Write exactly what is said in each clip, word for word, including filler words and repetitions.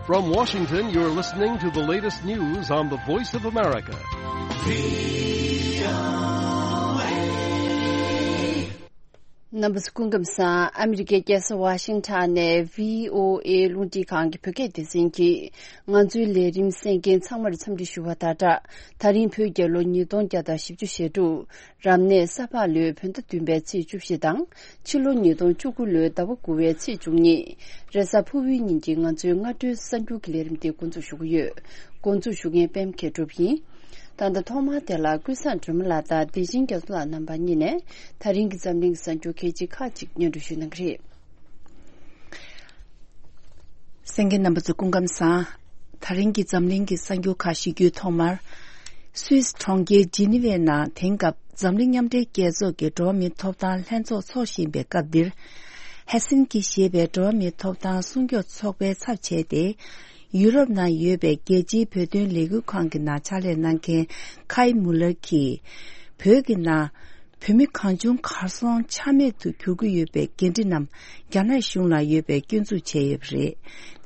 From Washington, you're listening to the latest news on the Voice of America. རྣམ་པ་ཚོ་སྐུ་ཁམས་བཟང་། ཨ་མི་རི་ཀའི་རྒྱལ་ས་ཝ་ཤིང་ཊོན་ནས་བྷི་ཨོ་ཨེ་རླུང་འཕྲིན་ཁང་གི་བོད་སྐད་སྡེ་ཚན་གྱིས་ང་ཚོའི་ལས་རིམ་གསན་མཁན་ཚང་མར་འཚམས་འདྲི་ཞུ་བ་དང་སྦྲགས། ད་རིང་བོད་རྒྱལ་ལོ་ཉིས་སྟོང་བརྒྱ་དང་བཞི་བཅུ་ཞེ་དྲུག་རབ་གནས་ས་ཕག་ལོའི་བོད་ཟླ་བདུན་པའི་ཚེས་བཅུ་བཞི་དང་། ཕྱི་ལོ་ཉིས་སྟོང་བཅུ་དགུ་ལོའི་ཟླ་བ་དགུ་པའི་ཚེས་བཅུ་གཉིས། རེས་གཟའ་ཕུར་བུའི་ཉིན་གྱི་ང་ཚོའི་སྔ་དྲོའི་གསར་འགྱུར་གྱི་ལས་རིམ་དེ་འགོ་འཛུགས་ཞུ་གི་ཡོད། འགོ་འཛུགས་ཞུ་མཁན་པད་མ་མཁས་གྲུབ་ཡིན། ད་ལྟ་ཐོག་མར་དེ་ལ་ཀུན་བཟང་སྒྲོལ་མ་ལགས་དང་བདེ་ཆེན་རྒྱ་མཚོ་ལགས་རྣམ་པ་གཉིས་ནས་ད་རིང་གི་འཛམ་གླིང་གི་གསར་འགྱུར་གལ་ཆེ་ཁག་ཅིག་སྙན་སྒྲོན་ཞུ་གནང་གི་རེད། གསན་མཁན་རྣམ་པ་ཚོ་སྐུ་ཁམས་བཟང་། ད་རིང་གི་འཛམ་གླིང་གི་གསར་འགྱུར་ཁག་ཞུ་རྒྱུའི་ཐོག་མར། སུད་སི་གྲོང་ཁྱེར་ཇི་ནི་ཝའི་ནང་དེང་སྐབས་འཛམ་གླིང་མཉམ་འབྲེལ་རྒྱལ་ཚོགས་ཀྱི་འགྲོ་བ་མིའི་ཐོབ་ཐང་ལྷན་ཚོགས་འཚོགས་བཞིན་པའི་སྐབས་འདིར། ཧེལ་སིན་ཀི་ཞེས་པའི་འགྲོ་བ་མིའི་ཐོབ་ཐང་སྲུང་སྐྱོབ་ཚོགས་པའི་ཚབ་བྱས་ཏེ། ཡུ་རོབ་ནང་ཡོད་པའི་རྒྱལ་སྤྱིའི་བོད་དོན་ལས་འགུལ་ཁང་གི་ནང་ཕྱག་ལས་གནང་མཁན་ཁའི་མུ་ལར་གྱིས། བོད་ཀྱི་ནང་བོད་མི་གང་བྱུང་གར་སོང་ཆ་མེད་དུ་གྱུར་གྱི་ཡོད་པའི་འགན་འཁྲི་རྣམས་རྒྱ་ནག་གཞུང་ལ་ཡོད་པའི་སྐྱོན་འཛུགས་བྱས་ཡོད་པ་རེད།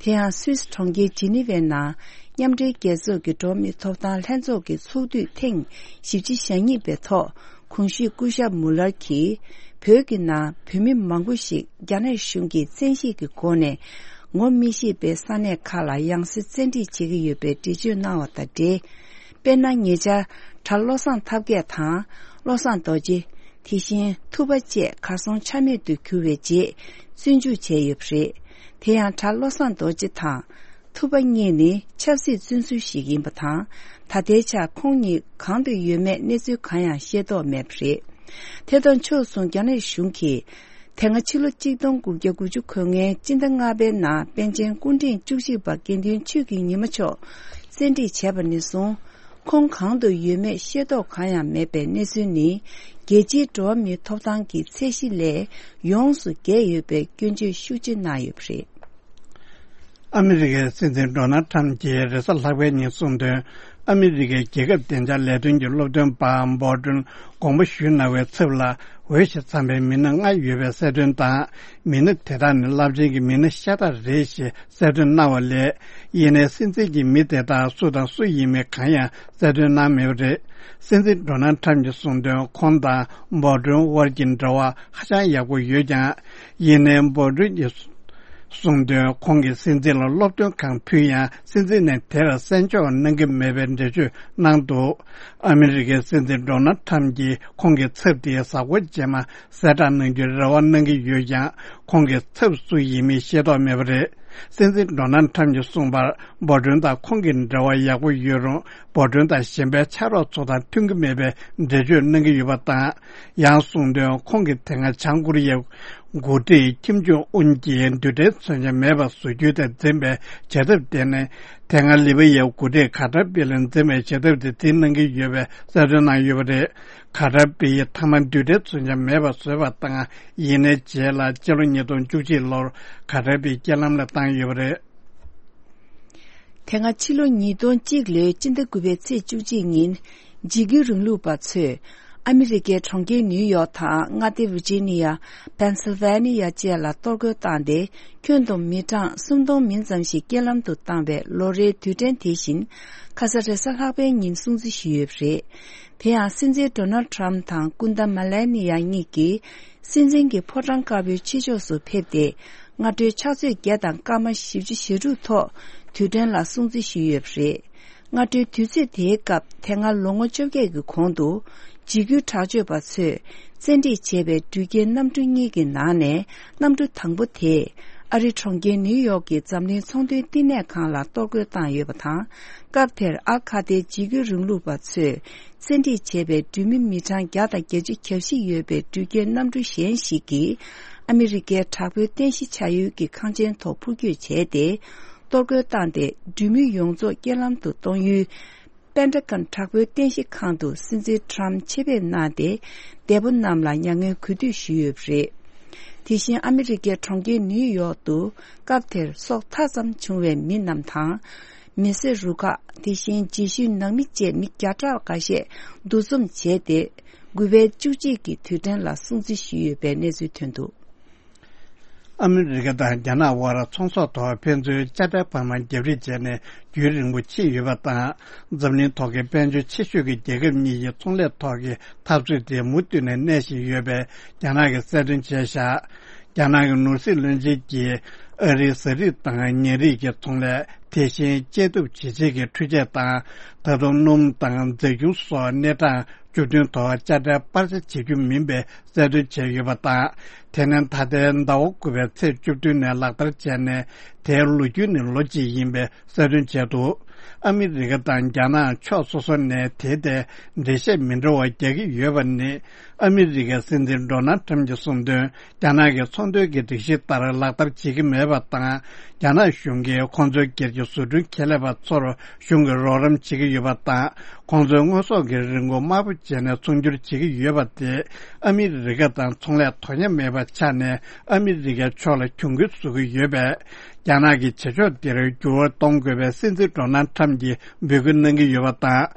དེ་ཡང་སུད་སི་གྲོང་ཁྱེར་ཇི་ནི་ཝའི་ནང་མཉམ་འབྲེལ་རྒྱལ་ཚོགས་ཀྱི་འགྲོ་བ་མིའི་ཐོབ་ཐང་ལྷན་ཚོགས་ཀྱི་ཚོགས་དུས་ཐེངས་བཞི་བཅུ་ཞེ་གཉིས་པའི་ཐོག་གོང་ཞུས་སྐུ་ཞབས་མུ་ལར་གྱིས་བོད་ཀྱི་ནང་བོད་མི་མང་པོ་ཞིག་རྒྱ་ནག་གཞུང་གིས་བཙན་ཤེད་ཀྱི་སྒོ་ནས་ངོ་མི་ཤེས་པའི་ས་གནས་ཁག་ལ་ཡང་སེ་བཙན་ཁྲིད་བྱེད་ཀྱི་ཡོད་པའི་འགྲེལ་བརྗོད་གནང་བ་དང་འབྲེལ། དཔེར་ན། ཉེ་ཆར་གྲྭ་བློ་བཟང་ཐབས་མཁས་དང་བློ་བཟང་རྡོ་རྗེ། དེ་བཞིན་ཐུབ་པ་བཅས་གར་སོང་ཆ་མེད་དུ་གྱུར་བའི་རྗེས་བཙོན་འཇུག་བྱས་ཡོད་པ་རེད། དེ་ཡང་གྲྭ་བློ་བཟང་རྡོ་རྗེ་དང་ཐུབ་པ་གཉིས་ནི་ཆབ་སྲིད་བཙོན་ཟུར་ཞིག་ཡིན་པ་དང་། ད་ལྟའི་ཆར་ཁོང་གཉིས་གང་དུ་ཡོད་མེད་གནས་ཚུལ་གང་ཡང་ཤེས་རྟོགས་མེད་པ་རེད། དེ་དང་ཕྱོགས་མཚུངས་རྒྱ་ནག་གཞུང་གིས། དེ་སྔ་ཕྱི་ལོ་གཅིག་སྟོང་དགུ་བརྒྱ་དགུ་བཅུ་གོ་ལྔའི་སྤྱི་ཟླ་ལྔ་པའི་ནང་པཎ་ཆེན་སྐུ་ཕྲེང་བཅུ་གཅིག་པ་དགེ་འདུན་ཆོས་ཀྱི་ཉི་མ་མཆོག་བཙན་ཁྲིད་བྱས་པ་ནས་བཟུང་། ཁོང་གང་དུ་ཡོད་མེད་ཤེས་རྟོགས་གང་ཡང་མེད་པའི་གནས་ཚུལ་ནི། རྒྱལ་སྤྱིའི་འགྲོ་བ་མིའི་ཐོབ་ཐང་གི་ཚད་གཞི་ལས་ཡོངས་སུ་བརྒལ་ཡོད་པའི་སྐྱོན་བརྗོད་ཤུགས་ཆེ་གནང་ཡོད་པ་རེད། ཨ་མི་རི་ཀའི་སྲིད་འཛིན་ཌོ་ནལ་ཁྲམ་གྱིས་རེས་གཟའ་ལྷག་པའི་ཉིན་གསུངས་དོན། ཨ་མི་རི་ཀའི་རྒྱལ་ཁབ་བདེ་འཇགས་ལས་དོན་གྱི་སློབ་སྟོན་པ་འབོ་ཏུན་དགོངས་པ་ཞུས་གནང་བའི་ཚབ་ལ་འོས་ཤིང་འཚམས་པའི་མི་སྣ་ལྔ་ཡོད་པའི་གསལ་སྟོན་དང་། མི་སྣ་དེ་དག་ནི་རླབས་ཆེན་གྱི་མི་སྣ་ཤ་སྟག་རེད་ཞེས་གསལ་སྟོན་གནང་བ་ལས། ཡིན་ནའི་སྲིད་འཛིན་གྱི་མི་དེ་དག་སུ་དང་སུ་ཡིན་མིན་གང་ཡང་གསལ་སྟོན་གནང་མེད་པ་རེད། སྲིད་འཛིན་ཌོ་ནལ་ཁྲམ་གྱིས་གསུངས་དོན། ཁོང་དང་འབོ་ཏུན་དབར་གྱི་འབྲེལ་བ་ཧ་ཅང་ཡག་པོ་ཡོད་ཀྱང་། ཡིན་ནའི་འབོ་ཏུན་གྱིས་གསུངས་དོན། ཁོང་གིས་སྲིད་འཛིན་ལ་སློབ་སྟོན་གང་ཕུལ་ཡང་། སྲིད་འཛིན་ནས་དེར་གསན་འཇོག་གནང་གི་མེད་པའི་འགྲེལ་བརྗོད་གནང་འདུག་ཨ་མི་རི་ཀའི་སྲིད་འཛིན་ཌོ་ནལ་ཁྲམ་གྱིས་ཁོང་གི་ཚབ་དེའི་གཟའ་འཁོར་རྗེས་མ་གསལ་བསྒྲགས་གནང་རྒྱུའི་རེ་བ་གནང་གི་ཡོད་ཀྱང་། ཁོང་གི་ཚབ་སུ་ཡིན་མིན་ཤེས་རྟོགས་མེད་པ་རེད། སྲིད་འཛིན་ཌོ་ནལ་ཁྲམ་གྱིས་གསུངས་པར། འབོ་ཏུན་དང་ཁོང་གི་འབྲེལ་བ་ཡག་པོ་ཡོད་རུང་། འབོ་ཏུན་དང་གཞན་པའི་ཕྱག་རོགས་ཚོ་དང་མཐུན་གྱི་མེད་པའི་འགྲེལ་བརྗོད་གནང་གི་ཡོད་པ་དང་། ཡང་གསུངས་དོན། ཁོང་གིས་དེ་སྔ་བྱང་ཀོ་རི་ཡའི་འགོ་ཁྲིད་ཁིམ་ཇོང་ཨུན་གྱིས་རྡུལ་ཕྲན་མཚོན་ཆ་མེད་པ་བཟོ་རྒྱུའི་ཐད་འཛིན་པའི་བྱེད་ཐབས་དེ་ནི། དེ་སྔ་ལི་བི་ཡའི་འགོ་ཁྲིད་ག་ཏྲ་པི་ལས་འཛིན་པའི་བྱེད་ཐབས་དེ་འཛིན་གནང་གི་ཡོད་པའི་གསལ་སྟོན་གནང་ཡོད་པ་རེད། ག་ཏྲ་པི་ཡིས་མཐའ་མ་རྡུལ་ཕྲན་མཚོན་ཆ་མེད་པ་བཟོས་པ་དང་། ཡིན་ནའི་རྗེས་ལ་སྤྱི་ལོ་ཉིས་སྟོང་བཅུ་གཅིག་ལོར་ག་ཏྲ་པི་རྐྱེན་ལམ་ལ་བཏང་ཡོད་པ་རེད། དེ་སྔ་ཕྱི་ལོ་ཉིས་སྟོང་གཅིག་ལོའི་སྤྱི་ཟླ་དགུ་པའི་ཚེས་བཅུ་གཅིག་ཉིན། འཇིགས་སྐུལ་རིང་ལུགས་པ་ཚོས། ཨ་མི་རི་ཀའི་གྲོང་ཁྱེར་ནིའུ་ཡོག་དང་མངའ་སྡེ་ཝི་ཇི་ནི་ཡ། པེན་སིལ་ཝེ་ནི་ཡ་བཅས་ལ་གཏོར་རྒོལ་བཏང་སྟེ། ཁྱོན་བསྡོམས་མི་གྲངས་སུམ་སྟོང་མིན་ཙམ་ཞིག་རྐྱེན་ལམ་དུ་བཏང་བའི་ལོ་རེའི་དུས་དྲན་དེ་བཞིན། ཁ་ས་རེས་གཟའ་ལྷག་པའི་ཉིན་སྲུང་བརྩི་ཞུས་ཡོད་པ་རེད། དེ་ཡང་སྲིད་འཛིན་ཌོ་ནལ་ཁྲམ་དང་སྐུ་ཟླ་མེ་ལ་ནི་ཡ་གཉིས་ཀྱིས། སྲིད་འཛིན་གྱི་ཕོ་བྲང་དཀར་པོའི་ཕྱི་ཕྱོགས་སུ་ཕེབས་ཏེ། སྔ་དྲོའི་ཕྱག་ཚོད་བརྒྱད་དང་སྐར་མ་བཞི་བཅུ་ཞེ་དྲུག་ཐོག་དུས་དྲན་ལ་སྲུང་བརྩི་ཞུས་ཡོད་པ་རེད། སྔ་དྲོའི་དུས་ཚོད་དེའི་སྐབས། དེ་སྔ་ལོ་ངོ་བཅོ་བརྒྱད་ཀྱི་གོང་དུ། འཇིགས་སྐུལ་དྲག་སྤྱོད་པ་ཚོས་བཙན་ཁྲིད་བྱས་པའི་འགྲུལ་སྐྱེལ་གནམ་གྲུ་གཉིས་ཀྱི་ནང་ནས། གནམ་གྲུ་དང་པོ་དེས། ཨ་རི་གྲོང་ཁྱེར་ནིའུ་ཡོག་གི་འཛམ་གླིང་ཚོང་དོན་བསྟི་གནས་ཁང་ལ་གཏོར་རྒོལ་བཏང་ཡོད་པ་དང་། སྐབས་དེར་ཨལ་ཁ་ཏའི་འཇིགས་སྐུལ་རིང་ལུགས་པ་ཚོས། བཙན་ཁྲིད་བྱས་པའི་འགྲུལ་མི་མི་གྲངས་བརྒྱ་དང་བརྒྱད་ཅུ་གྱ་བཞི་ཡོད་པའི་འགྲུལ་སྐྱེལ་གནམ་གྲུ་གཞན་ཞིག་གིས། ཨ་མི་རི་ཀའི་དྲག་པོའི་རྟེན་གཞི་ཆགས་ཡུལ་གྱི་ཁང་ཆེན་ཐོག་འཕུར་སྐྱོད་བྱས་ཏེ། གཏོར་རྒོལ་བཏང་སྟེ། འགྲུལ་མི་ཡོངས་རྫོགས་རྐྱེན་ལམ་དུ་གཏོང་ཡུལ། པེན་ཏ་གོན་དྲག་པོའི་རྟེན་གཞི་ཁང་དུ་སྲིད་འཛིན་ཁྲམ་ཆེད་ཕེབས་གནང་སྟེ། འདས་པོ་རྣམས་ལ་མྱ་ངན་གུས་འདུད་ཞུས་ཡོད་པ་རེད། དེ་བཞིན་ཨ་མི་རི་ཀའི་གྲོང་ཁྱེར་ནིའུ་ཡོག་ཏུ། སྐབས་དེར་སྲོག་མཐའ་ཙམ་བྱུང་བའི་མི་རྣམས་དང་། མི་སེར་རུ་ཁག་དེ་བཞིན་རྗེས་ཤུལ་ནང་མི་བཅས་མི་བརྒྱ་ཕྲག་འགའ་ཤས་འདུ་འཛོམས་བྱས་ཏེ། དགུ་པའི་བཅུ་གཅིག་གི་དུས་དྲན་ལ་སྲུང་བརྩི་ཞུས་ཡོད་པའི་གནས་ཚུལ་ཐོན་འདུག་ཨ་མི་རི་ཀ་དང་རྒྱ་ནག་དབར་ཚོང་ཟོག་ཐོག་ཕན་ཚུན་དཔྱ་ཁྲལ་འཕར་མ་བརྒྱབ་རེས་བྱས་ནས་རྒྱུན་རིང་པོ་ཕྱིན་ཡོད་པ་དང་། འཛམ་གླིང་ཐོག་གི་དཔལ་འབྱོར་ཆེ་ཤོས་ཀྱི་རྒྱལ་ཁབ་གཉིས་ཀྱི་ཚོང་ལས་ཐོག་གི་འཐབ་རྩོད་དེ་མུ་མཐུད་ནས་གནས་བཞིན་ཡོད་པའི་རྒྱ་ནག་གིས་གསལ་སྟོན་བྱས་བཞག་རྒྱ་ནག་གི་ནོར་སྲིད་བློན་ཆེན་གྱིས་ཨ་རིའི་ཟ་རིགས་དང་ཉ་རིགས་ཀྱི་ཚོང་ལས། དེ་བཞིན་དཔྱད་སྡུམ་བྱེད་བྱེད་ཀྱི་འཕྲུལ་ཆས་དང་། ད་དུང་སྣུམ་དང་རྫས་འགྱུར་སོགས་གནས་གྲངས་བཅུ་བདུན་ཐོག་དཔྱ་ཁྲལ་སྤར་ཆ་བྱེད་རྒྱུ་མིན་པའི་གསལ་སྟོན་བྱས་ཡོད་པ་དང་། དེ་ནི་ད་ལྟའི་ཟླ་བ་དགུ་པའི་ཚེས་བཅུ་བདུན་ནས་ལག་བསྟར་བྱས་ནས། དེའི་ལོ་རྒྱུས་ནི་ལོ་གཅིག་ཡིན་པའི་གསལ་སྟོན་བྱས་འདུག་ཨ་མི་རི་ཀ་དང་རྒྱ་ནག་ཕྱོགས་སོ་སོ་ནས་དེའི་ཐད་འགྲེལ་བཤད་མི་འདྲ་བ་རྒྱག་གི་ཡོད་པ་ནི། ཨ་མི་རི་ཀའི་སྲིད་འཛིན་ཌོ་ནལ་ཁྲམ་གྱིས་གསུངས་དོན། རྒྱ་ནག་གི་ཚོང་དོན་གྱི་སྒྲིག་གཞི་ལྟར་ལག་བསྟར་བྱེད་ཀྱི་མེད་པ་དང་། རྒྱ་ནག་གཞུང་གིས་ཁོང་ཚོའི་སྒེར་གྱི་བཟོ་སྐྲུན་ཁེ་ལས་པ་ཚོར་གཞུང་གིས་རོགས་རམ་བྱེད་ཀྱི་ཡོད་པ་དང་། ཁོང་ཚོའི་དངོས་ཟོག་གི་རིན་གོང་དམའ་པོ་བྱས་ནས་ཚོང་སྒྱུར་བྱེད་ཀྱི་ཡོད་པ་དེས། ཨ་མི་རི་ཀ་དང་ཚོང་ལས་དོ་མཉམ་མེད་པ་ཆགས་ནས། ཨ་མི་རི་ཀའི་ཕྱོགས་ལ་གྱོང་གུན་བཟོ་གི་ཡོད་པས། རྒྱ་ནག་གི་བྱེད་ཕྱོགས་འདིར་འགྱུར་བ་གཏོང་དགོས་པའི་སྲིད་འཛིན་ཌོ་ནལ་ཁྲམ་གྱིས་འབོད་སྐུལ་གནང་གི་ཡོད་པ་དང་།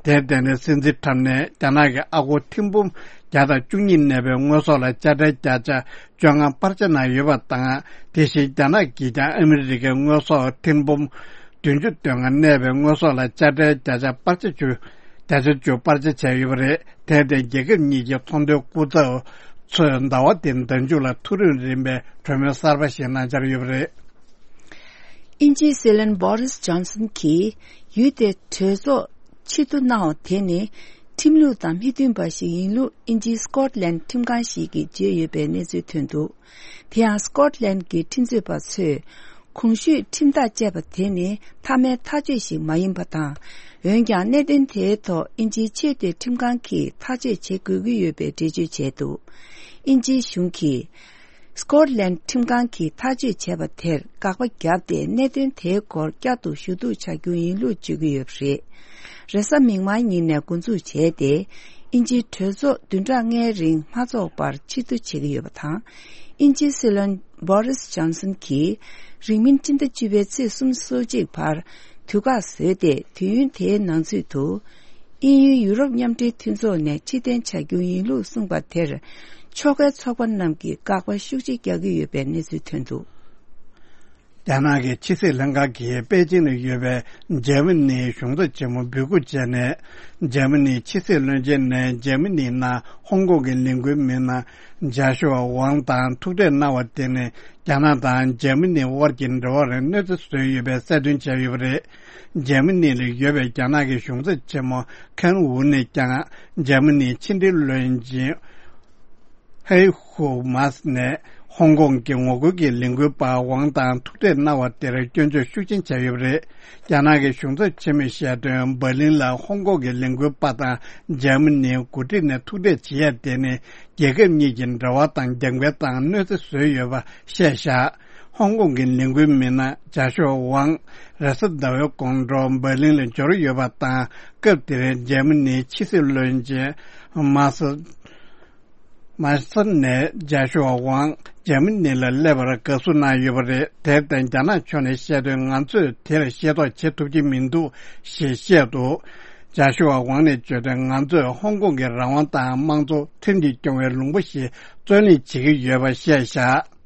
དེར་བརྟེན་ནས་སྲིད་འཛིན་ཁྲམ་ནས་རྒྱ་ནག་གི་ཨ་སྒོར་ཐེར་འབུམ་བརྒྱ་དང་བཅུ་གཉིས་གནས་པའི་དངོས་ཟོག་ལ་དཔྱ་ཁྲལ་བརྒྱ་ཆ་བཅོ་ལྔ་སྤར་ཆ་གནང་ཡོད་པ་དང་། དེ་བཞིན་རྒྱ་ནག་གིས་ཀྱང་ཨ་མི་རི་ཀའི་དངོས་ཟོག་ཐེར་འབུམ་བདུན་ཅུ་དོན་ལྔ་གནས་པའི་དངོས་ཟོག་ལ་དཔྱ་ཁྲལ་བརྒྱ་ཆ་སྤར་ཆ་བཅུ། བརྒྱ་ཆ་བཅུ་སྤར་ཆ་བྱས་ཡོད་པ་རེད། དེར་བརྟེན་རྒྱལ་ཁབ་གཉིས་ཀྱི་ཚོང་དོན་སྐུ་ཚབ་ཚོས་ཟླ་བ་འདིའི་ཟླ་མཇུག་ལ་ཐག་རིང་རིང་པའི་གྲོས་མོལ་གསར་པ་ཞིག་གནང་འཆར་ཡོད་པ་རེད། དབྱིན་ཇིའི་སྲིད་བློན་བྷོ་རིས་ཇོན་སན་གྱིས་ཡུལ་དེར་གྲོས་ཚོགས་ཆེད་དུ་གནང་བ་དེ་ནི་ཁྲིམས་ལུགས་དང་མི་མཐུན་པ་ཞིག་ཡིན་ལུགས་དབྱིན་ཇིའི་སྐོཊ་ལན་ཁྲིམས་ཁང་ཞིག་གིས་བརྗོད་ཡོད་པའི་གནས་ཚུལ་ཐོན་འདུག་དེ་ཡང་སྐོཊ་ལན་གྱི་ཁྲིམས་རྩོད་པ་ཚོས་གོང་ཞུས་ཁྲིམས་ཐག་བཅད་པ་དེ་ནི་མཐའ་མའི་ཐག་གཅོད་ཞིག་མ་ཡིན་པ་དང་། འོན་ཀྱང་གནད་དོན་དེའི་ཐོག་དབྱིན་ཇིའི་ཆེས་མཐོའི་ཁྲིམས་ཁང་གིས་ཐག་གཅོད་བྱེད་དགོས་ཀྱི་ཡོད་པའི་འགྲེལ་བརྗོད་བྱས་འདུག་དབྱིན་ཇིའི་གཞུང་གིས། སྐོཊ་ལན་ཁྲིམས་ཁང་གིས་ཐག་གཅོད་བྱས་པ་དེར་དགག་པ་བརྒྱབ་སྟེ། གནད་དོན་དེའི་སྐོར་བསྐྱར་དུ་ཞུ་གཏུག་བྱ་རྒྱུ་ཡིན་ལུགས་བརྗོད་ཀྱི་ཡོད་པ་རེད། རེས་གཟའ་མིག་དམར་ཉིན་ནས་འགོ་འཛུགས་བྱས་ཏེ། དབྱིན་ཇིའི་གྲོས་ཚོགས་བདུན་ཕྲག་ལྔའི་རིང་མ་འཚོགས་པར་ཕྱིར་བསྡུ་བྱེད་ཀྱི་ཡོད་པ་དང་། དབྱིན་ཇིའི་སྲིད་བློན་བྷོ་རིས་ཇོན་སན་གྱིས་རིང་མིན་སྤྱི་ཟླ་བཅུ་པའི་ཚེས་སོ་གཅིག་བར་དུས་བཀག་བཟོས་ཏེ། དུས་ཡུན་དེའི་ནང་ཚུད་དུ། དབྱིན་ཡུལ་ཡུ་རོབ་མཉམ་འབྲེལ་མཐུན་ཚོགས་ནས་ཕྱིར་འཐེན་བྱ་རྒྱུ་ཡིན་ལུགས་གསུངས་པ་དེར། ཕྱོགས་འགལ་ཚོགས་པ་རྣམས་ཀྱིས་དགག་པ་ཤུགས་ཆེ་རྒྱག་གི་ཡོད་པའི་གནས་ཚུལ་ཐོན་འདུག་རྒྱ་ནག་གི་ཕྱི་སྲིད་ལྷན་ཁང་གིས་པེ་ཅིང་ལ་ཡོད་པའི་འཇར་མ་ནིའི་གཞུང་ཚབ་ཆེན་མོ་འབོད་སྐུལ་བྱས་ནས། འཇར་མ་ནིའི་ཕྱི་སྲིད་བློན་ཆེན་ནས་འཇར་མ་ནིའི་ནང་ཧོང་ཀོང་གི་ལས་འགུལ་མི་སྣ་ཇཱ་ཤུ་ཝ་ཝང་དང་ཐུག་འཕྲད་གནང་བ་དེ་ནི། རྒྱ་ནག་དང་འཇར་མ་ནི་དབར་གྱི་འབྲེལ་བར་གནོད་འཚེ་བཟོས་ཡོད་པའི་གསལ་སྟོན་བྱས་ཡོད་པ་རེད། འཇར་མ་ནི་ལ་ཡོད་པའི་རྒྱ་ནག་གི་གཞུང་ཚབ་ཆེན་མོ་ཁན་ཝུ་ནས་ཀྱང་། འཇར་མ་ནིའི་ཕྱི་འབྲེལ་བློན་ཆེན་ཧེ་ཧུ་མཱས་ནས་ཧོང་ཀོང་གི་ངོ་རྒོལ་གྱི་ལས་འགུལ་པ་ཝང་དང་ཐུག་འཕྲད་གནང་བ་དེར་སྐྱོན་བརྗོད་ཤུགས་ཆེན་བྱས་ཡོད་པ་རེད། རྒྱ་ནག་གི་གཞུང་ཚབ་ཆེན་མོས་བཤད་དོན། འབར་ལིན་ལ་ཧོང་ཀོང་གི་ལས་འགུལ་པ་དང་འཇར་མ་ནིའི་འགོ་ཁྲིད་ནས་ཐུག་འཕྲད་བྱེད་ཡ་དེ་ནི། རྒྱལ་ཁབ་གཉིས་ཀྱི་འབྲེལ་བ་དང་རྒྱབ་འགལ་དང་གནོད་འཚེ་བཟོས་ཡོད་པ་བཤད་བཞག་ཧོང་ཀོང་གི་ལས་འགུལ་མི་སྣ་ཇཱ་ཤོ་ཝང་རེས་གཟའ་ཟླ་བའི་དགོང་དྲོ་འབར་ལིན་ལ་འབྱོར་ཡོད་པ་དང་། སྐབས་དེར་འཇར་མ་ནིའི་ཕྱི་སྲིད་བློན་ཆེན་མཱ་སི་མཱ་སི་ནས་ཇཱ་ཤོ་ཝང་འཇར་མ་ནི་ལ་སླེབས་པར་དགའ་བསུ་གནང་ཡོད་པ་རེད། དེར་བརྟེན་རྒྱ་ནག་ཕྱོགས་ནས་བཤད་དོན། ང་ཚོས་དེར་ཤེས་རྟོགས་བྱེད་ཐུབ་ཀྱི་མི་འདུག་ཞེས་བཤད་འདུག་ཇཱ་ཤུ་ཝ་ཝང་ནས་བརྗོད་དོན། ང་ཚོས་ཧོང་ཀོང་གི་རང་དབང་དང་དམངས་གཙོ་ཁྲིམས་ཀྱིས་སྐྱོང་བའི་ལུང་པ་ཞིག་བརྩོན་ལེན་བྱེད་ཀྱི་ཡོད་པ་བཤད་བཞག་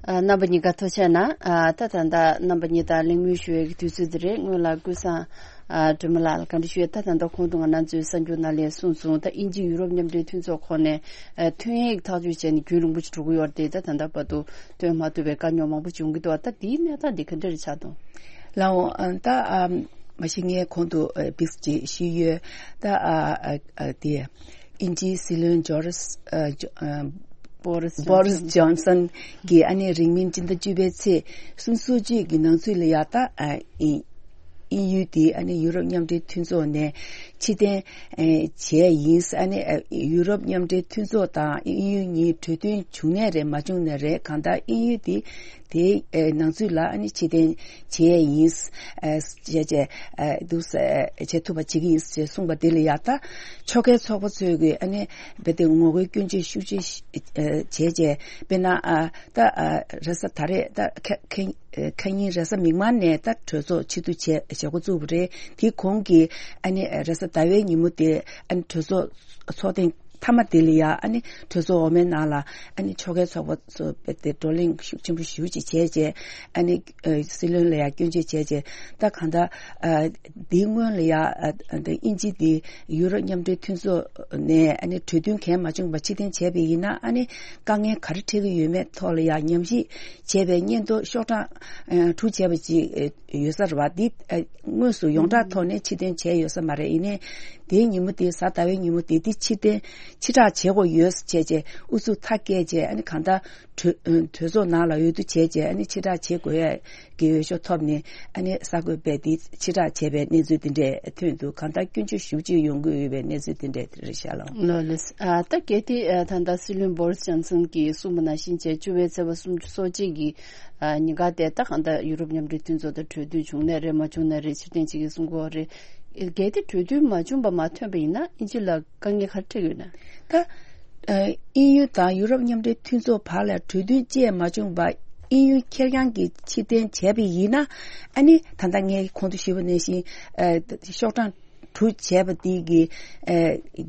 ཨ། རྣམ་པ་གཉིས་ཀ་ཐུགས་རྗེ་གནང་། ཨ། ད་ད་ལྟ་རྣམ་པ་གཉིས་དང་གླེང་མོལ་ཞུ་བའི་དུས་ཚོད་འདི་རེད། སྔོན་ལ་ཀུན་བཟང་། ཨ། སྒྲོལ་མ་ལགས་ལ་བཀའ་འདྲི་ཞུ་ཡས། ད་ད་ལྟ་ཁོང་དུ་ང་རང་ཚོའི་གསར་འགྱུར་ནང་ལ་གསུངས་སོང་། ད་དབྱིན་ཇི་ཡུ་རོབ་མཉམ་འབྲེལ་མཐུན་ཚོགས་ཁོངས་ནས། ཨ། ཐོན་ཡིག་ཐག་གཅོད་བྱས་ནས་རྒྱུན་རིང་པོ་ཞིག་འགྲོ་གི་ཡོད་རེད་དེ། ད་ད་ལྟ་བར་དུ་བཏོན་མ་ཐུབ་པའི་དཀའ་རྙོག་མང་པོ་བྱུང་གི་འདུག་ད་དེའི་གནས་སྟངས་འདི་ག་འདྲ་རེད་ཆགས་འདུག་ལགས་འོང་། ཨ། ད། ཨ། མ་གཞི་ངས་གོང་དུ། ཨ། བིགས་ཀྱིས་ཞུས་ཡོད། ད། ཨ། ཨ། ཨ། དེ། དབྱིན་ཇིའི་སྲིད་བློན་ཇོ་རིས། ཨ། ཇོ། ཨ། བྷོ་རིས། བྷོ་རིས་ཇོན་སན་གྱིས་ཨ་ནི་རིང་མིན་སྤྱི་ཟླ་བཅུ་པའི་ཚེས་སོ་གཅིག་གི་ནང་ཚུད་ལ་ཡ་ད། ཨ། དབྱིན། དབྱིན་ཡུལ་དེ་ཨ་ནི་ཡུ་རོབ་མཉམ་འབྲེལ་མཐུན་ཚོགས་ནས་ཕྱིར་འཐེན། ཨ། བྱས་ཡིན། ཨ་ནི། ཨ། ཡུ་རོབ་མཉམ་འབྲེལ་མཐུན་ཚོགས་དང་དབྱིན་ཡུལ་གཉིས་གྲོས་མཐུན་བྱུང་ནའི་རེད། མ་བྱུང་ནའི་རེད། གང་ལྟར་དབྱིན་ཡུལ་དེ་དེའི། ཨ། ནང་ཚུད་ལ་ཨ་ནི་ཕྱིར་འཐེན་བྱས་ཡིན། ཨ། བྱས་བྱས། ཨ། འདུག་སེ། ཨ། བྱེད་ཐུབ་པ་བྱེད་ཀྱི་ཡིན་ཞེས་གསུངས་པ་དེ་ལ་ཡ་ད་ཕྱོགས་འགལ་ཚོགས་པ་ཚོས་ཀྱིས་ཨ་ནི་རྦད་དེ་ངོ་རྒོལ་སྐྱོན་བརྗོད་ཤུགས་ཆེ་བྱས་བྱས། དཔེར་ན། ཨ། ད། ཨ། རེས་གཟའ་ཟླ་བ་རེད། ད་ཁེ་ཁེ། ཁ་ཉིན་རེས་གཟའ་མིག་དམར་ནས་ད་གྲོས་ཚོགས་ཆེད་དུ་བྱས་བྱེད་འགོ་བཙུགས་པ་རེད། དེའི་གོང་གི་ཨ་ནི་རེས་གཟའ་ཟླ་བའི་ཉིན་མོ་དེ་ཨ་ནི་གྲོས་ཚོགས་ཚོགས་ཐེངས་མཐའ་མ་དེ་ལ་ཡ་ཨ་ནི་གྲོས་ཚོགས་འོག་མའི་ནང་ལ་ཨ་ནི་ཕྱོགས་འགལ་ཚོགས་པ་ཚོ་དེ་བགྲོ་གླེང་ཤུགས་ཆེན་པོ་ཞེ་པོ་ཅིག་བྱས་རྗེས་ཨ་ནི་སྲིད་བློན་ལ་ཡ་སྐྱོན་བརྗོད་བྱས་རྗེས་ད་གང་ལྟར་འདིའི་སྔོན་ལ་ཡ་དབྱིན་ཇི་དེ་ཡུ་རོབ་མཉམ་འབྲེལ་མཐུན་ཚོགས་ནས་ཨ་ནི་གྲོས་མཐུན་གལ་མ་བྱུང་བ་ཕྱིར་འཐེན་བྱས་པ་ཡིན་ན་ཨ་ནི་དཀའ་ངལ་ག་རེ་འཕྲད་ཀྱི་ཡོད་མེད་ཐོག་ལ་ཡ་ཉམས་ཞིབ་བྱས་པའི་སྙན་ཐོ་ཤོག་གྲངས་དྲུག་བྱས་པ་ཅིག་ཡོད་ས་རེད་བ། འདི་དངོས་སུ་ཡོངས་གྲགས་ཐོག་ནས་ཕྱིར་འཐེན་བྱས་ཡོད་ས་མ་རེད། ཡིན་ནའི་དེའི་ཉིན་མོ་དེ་གཟའ་ཟླ་བའི་ཉིན་མོ་དེ་འདི་ཕྱིར་འཐེན་ཕྱིར་བསྒྲགས་བྱེད་དགོས་ཡོད་ཟེར་བྱས་རྗེས་ཨུ་ཚུགས་མཐའ་བསྐྱལ་རྗེས་ཨ་ནི་གང་ལྟར་གྲོས་གྲོས་ཚོགས་ནང་ལ་འོས་བསྡུ་བྱས་རྗེས་ཨ་ནི་ཕྱིར་བསྒྲགས་བྱེད་དགོས་ཡ་གི་འོས་ཤོག་ཐོབ་ནས་ཨ་ནི་གསར་འགོད་པས་འདི་ཕྱིར་བསྒྲགས་བྱས་པའི་གནས་ཚུལ་འདི་འདྲས་ཐོན་འདུག་གང་ལྟར་སྐྱོན་བརྗོད་ཞེ་པོ་ཅིག་ཡོང་གི་ཡོད་པའི་གནས་ཚུལ་འདི་འདྲས་རེད་ཤག་ལགས། ལགས་ལགས། ཨ་ད་གལ་ཏེ་ཨ་ད་ལྟ་སྲིད་བློན་བྷོ་རིས་ཇོན་སན་གྱིས་གསུངས་པ་ནང་བཞིན་བྱས་བཅུ་པའི་ཚེས་པ་སུམ་ཅུ་སོ་གཅིག་གི་ཨ་ཉིན་ཀ་དེ་ད་གང་ལྟར་ཡུ་རོབ་མཉམ་འབྲེལ་མཐུན་ཚོགས་དང་གྲོས་མཐུན་བྱུང་ནའི་རེད་མ་བྱུང་ནའི་རེད་ཕྱིར་འཐེན་བྱེད་ཀྱི་གསུང་གི་ཡོད་རེད། གལ་ཏེ་གྲོས་མཐུན་མ་བྱུང་བ་མ་ཐོན་པ་ཡིན་ན་དབྱིན་ཇི་ལ་དཀའ་ངལ་ག་རེ་འཕྲད་ཀྱི་ཡོད་ན། ད་ཨ་དབྱིན་ཡུལ་དང་ཡུ་རོབ་མཉམ་འབྲེལ་མཐུན་ཚོགས་བར་ལ་གྲོས་མཐུན་བཅས་མ་བྱུང་བར་དབྱིན་ཡུལ་ཁེར་རྐྱང་གིས་ཕྱིར་འཐེན་བྱས་པ་ཡིན་ན་ཨ་ནི་ད་ལྟ་ངས་གོང་དུ་ཞུས་པ་ནང་བཞིན་ཨ་ཤོག་གྲངས་དྲུག་བྱས་པ་དེ་གི་ཨ་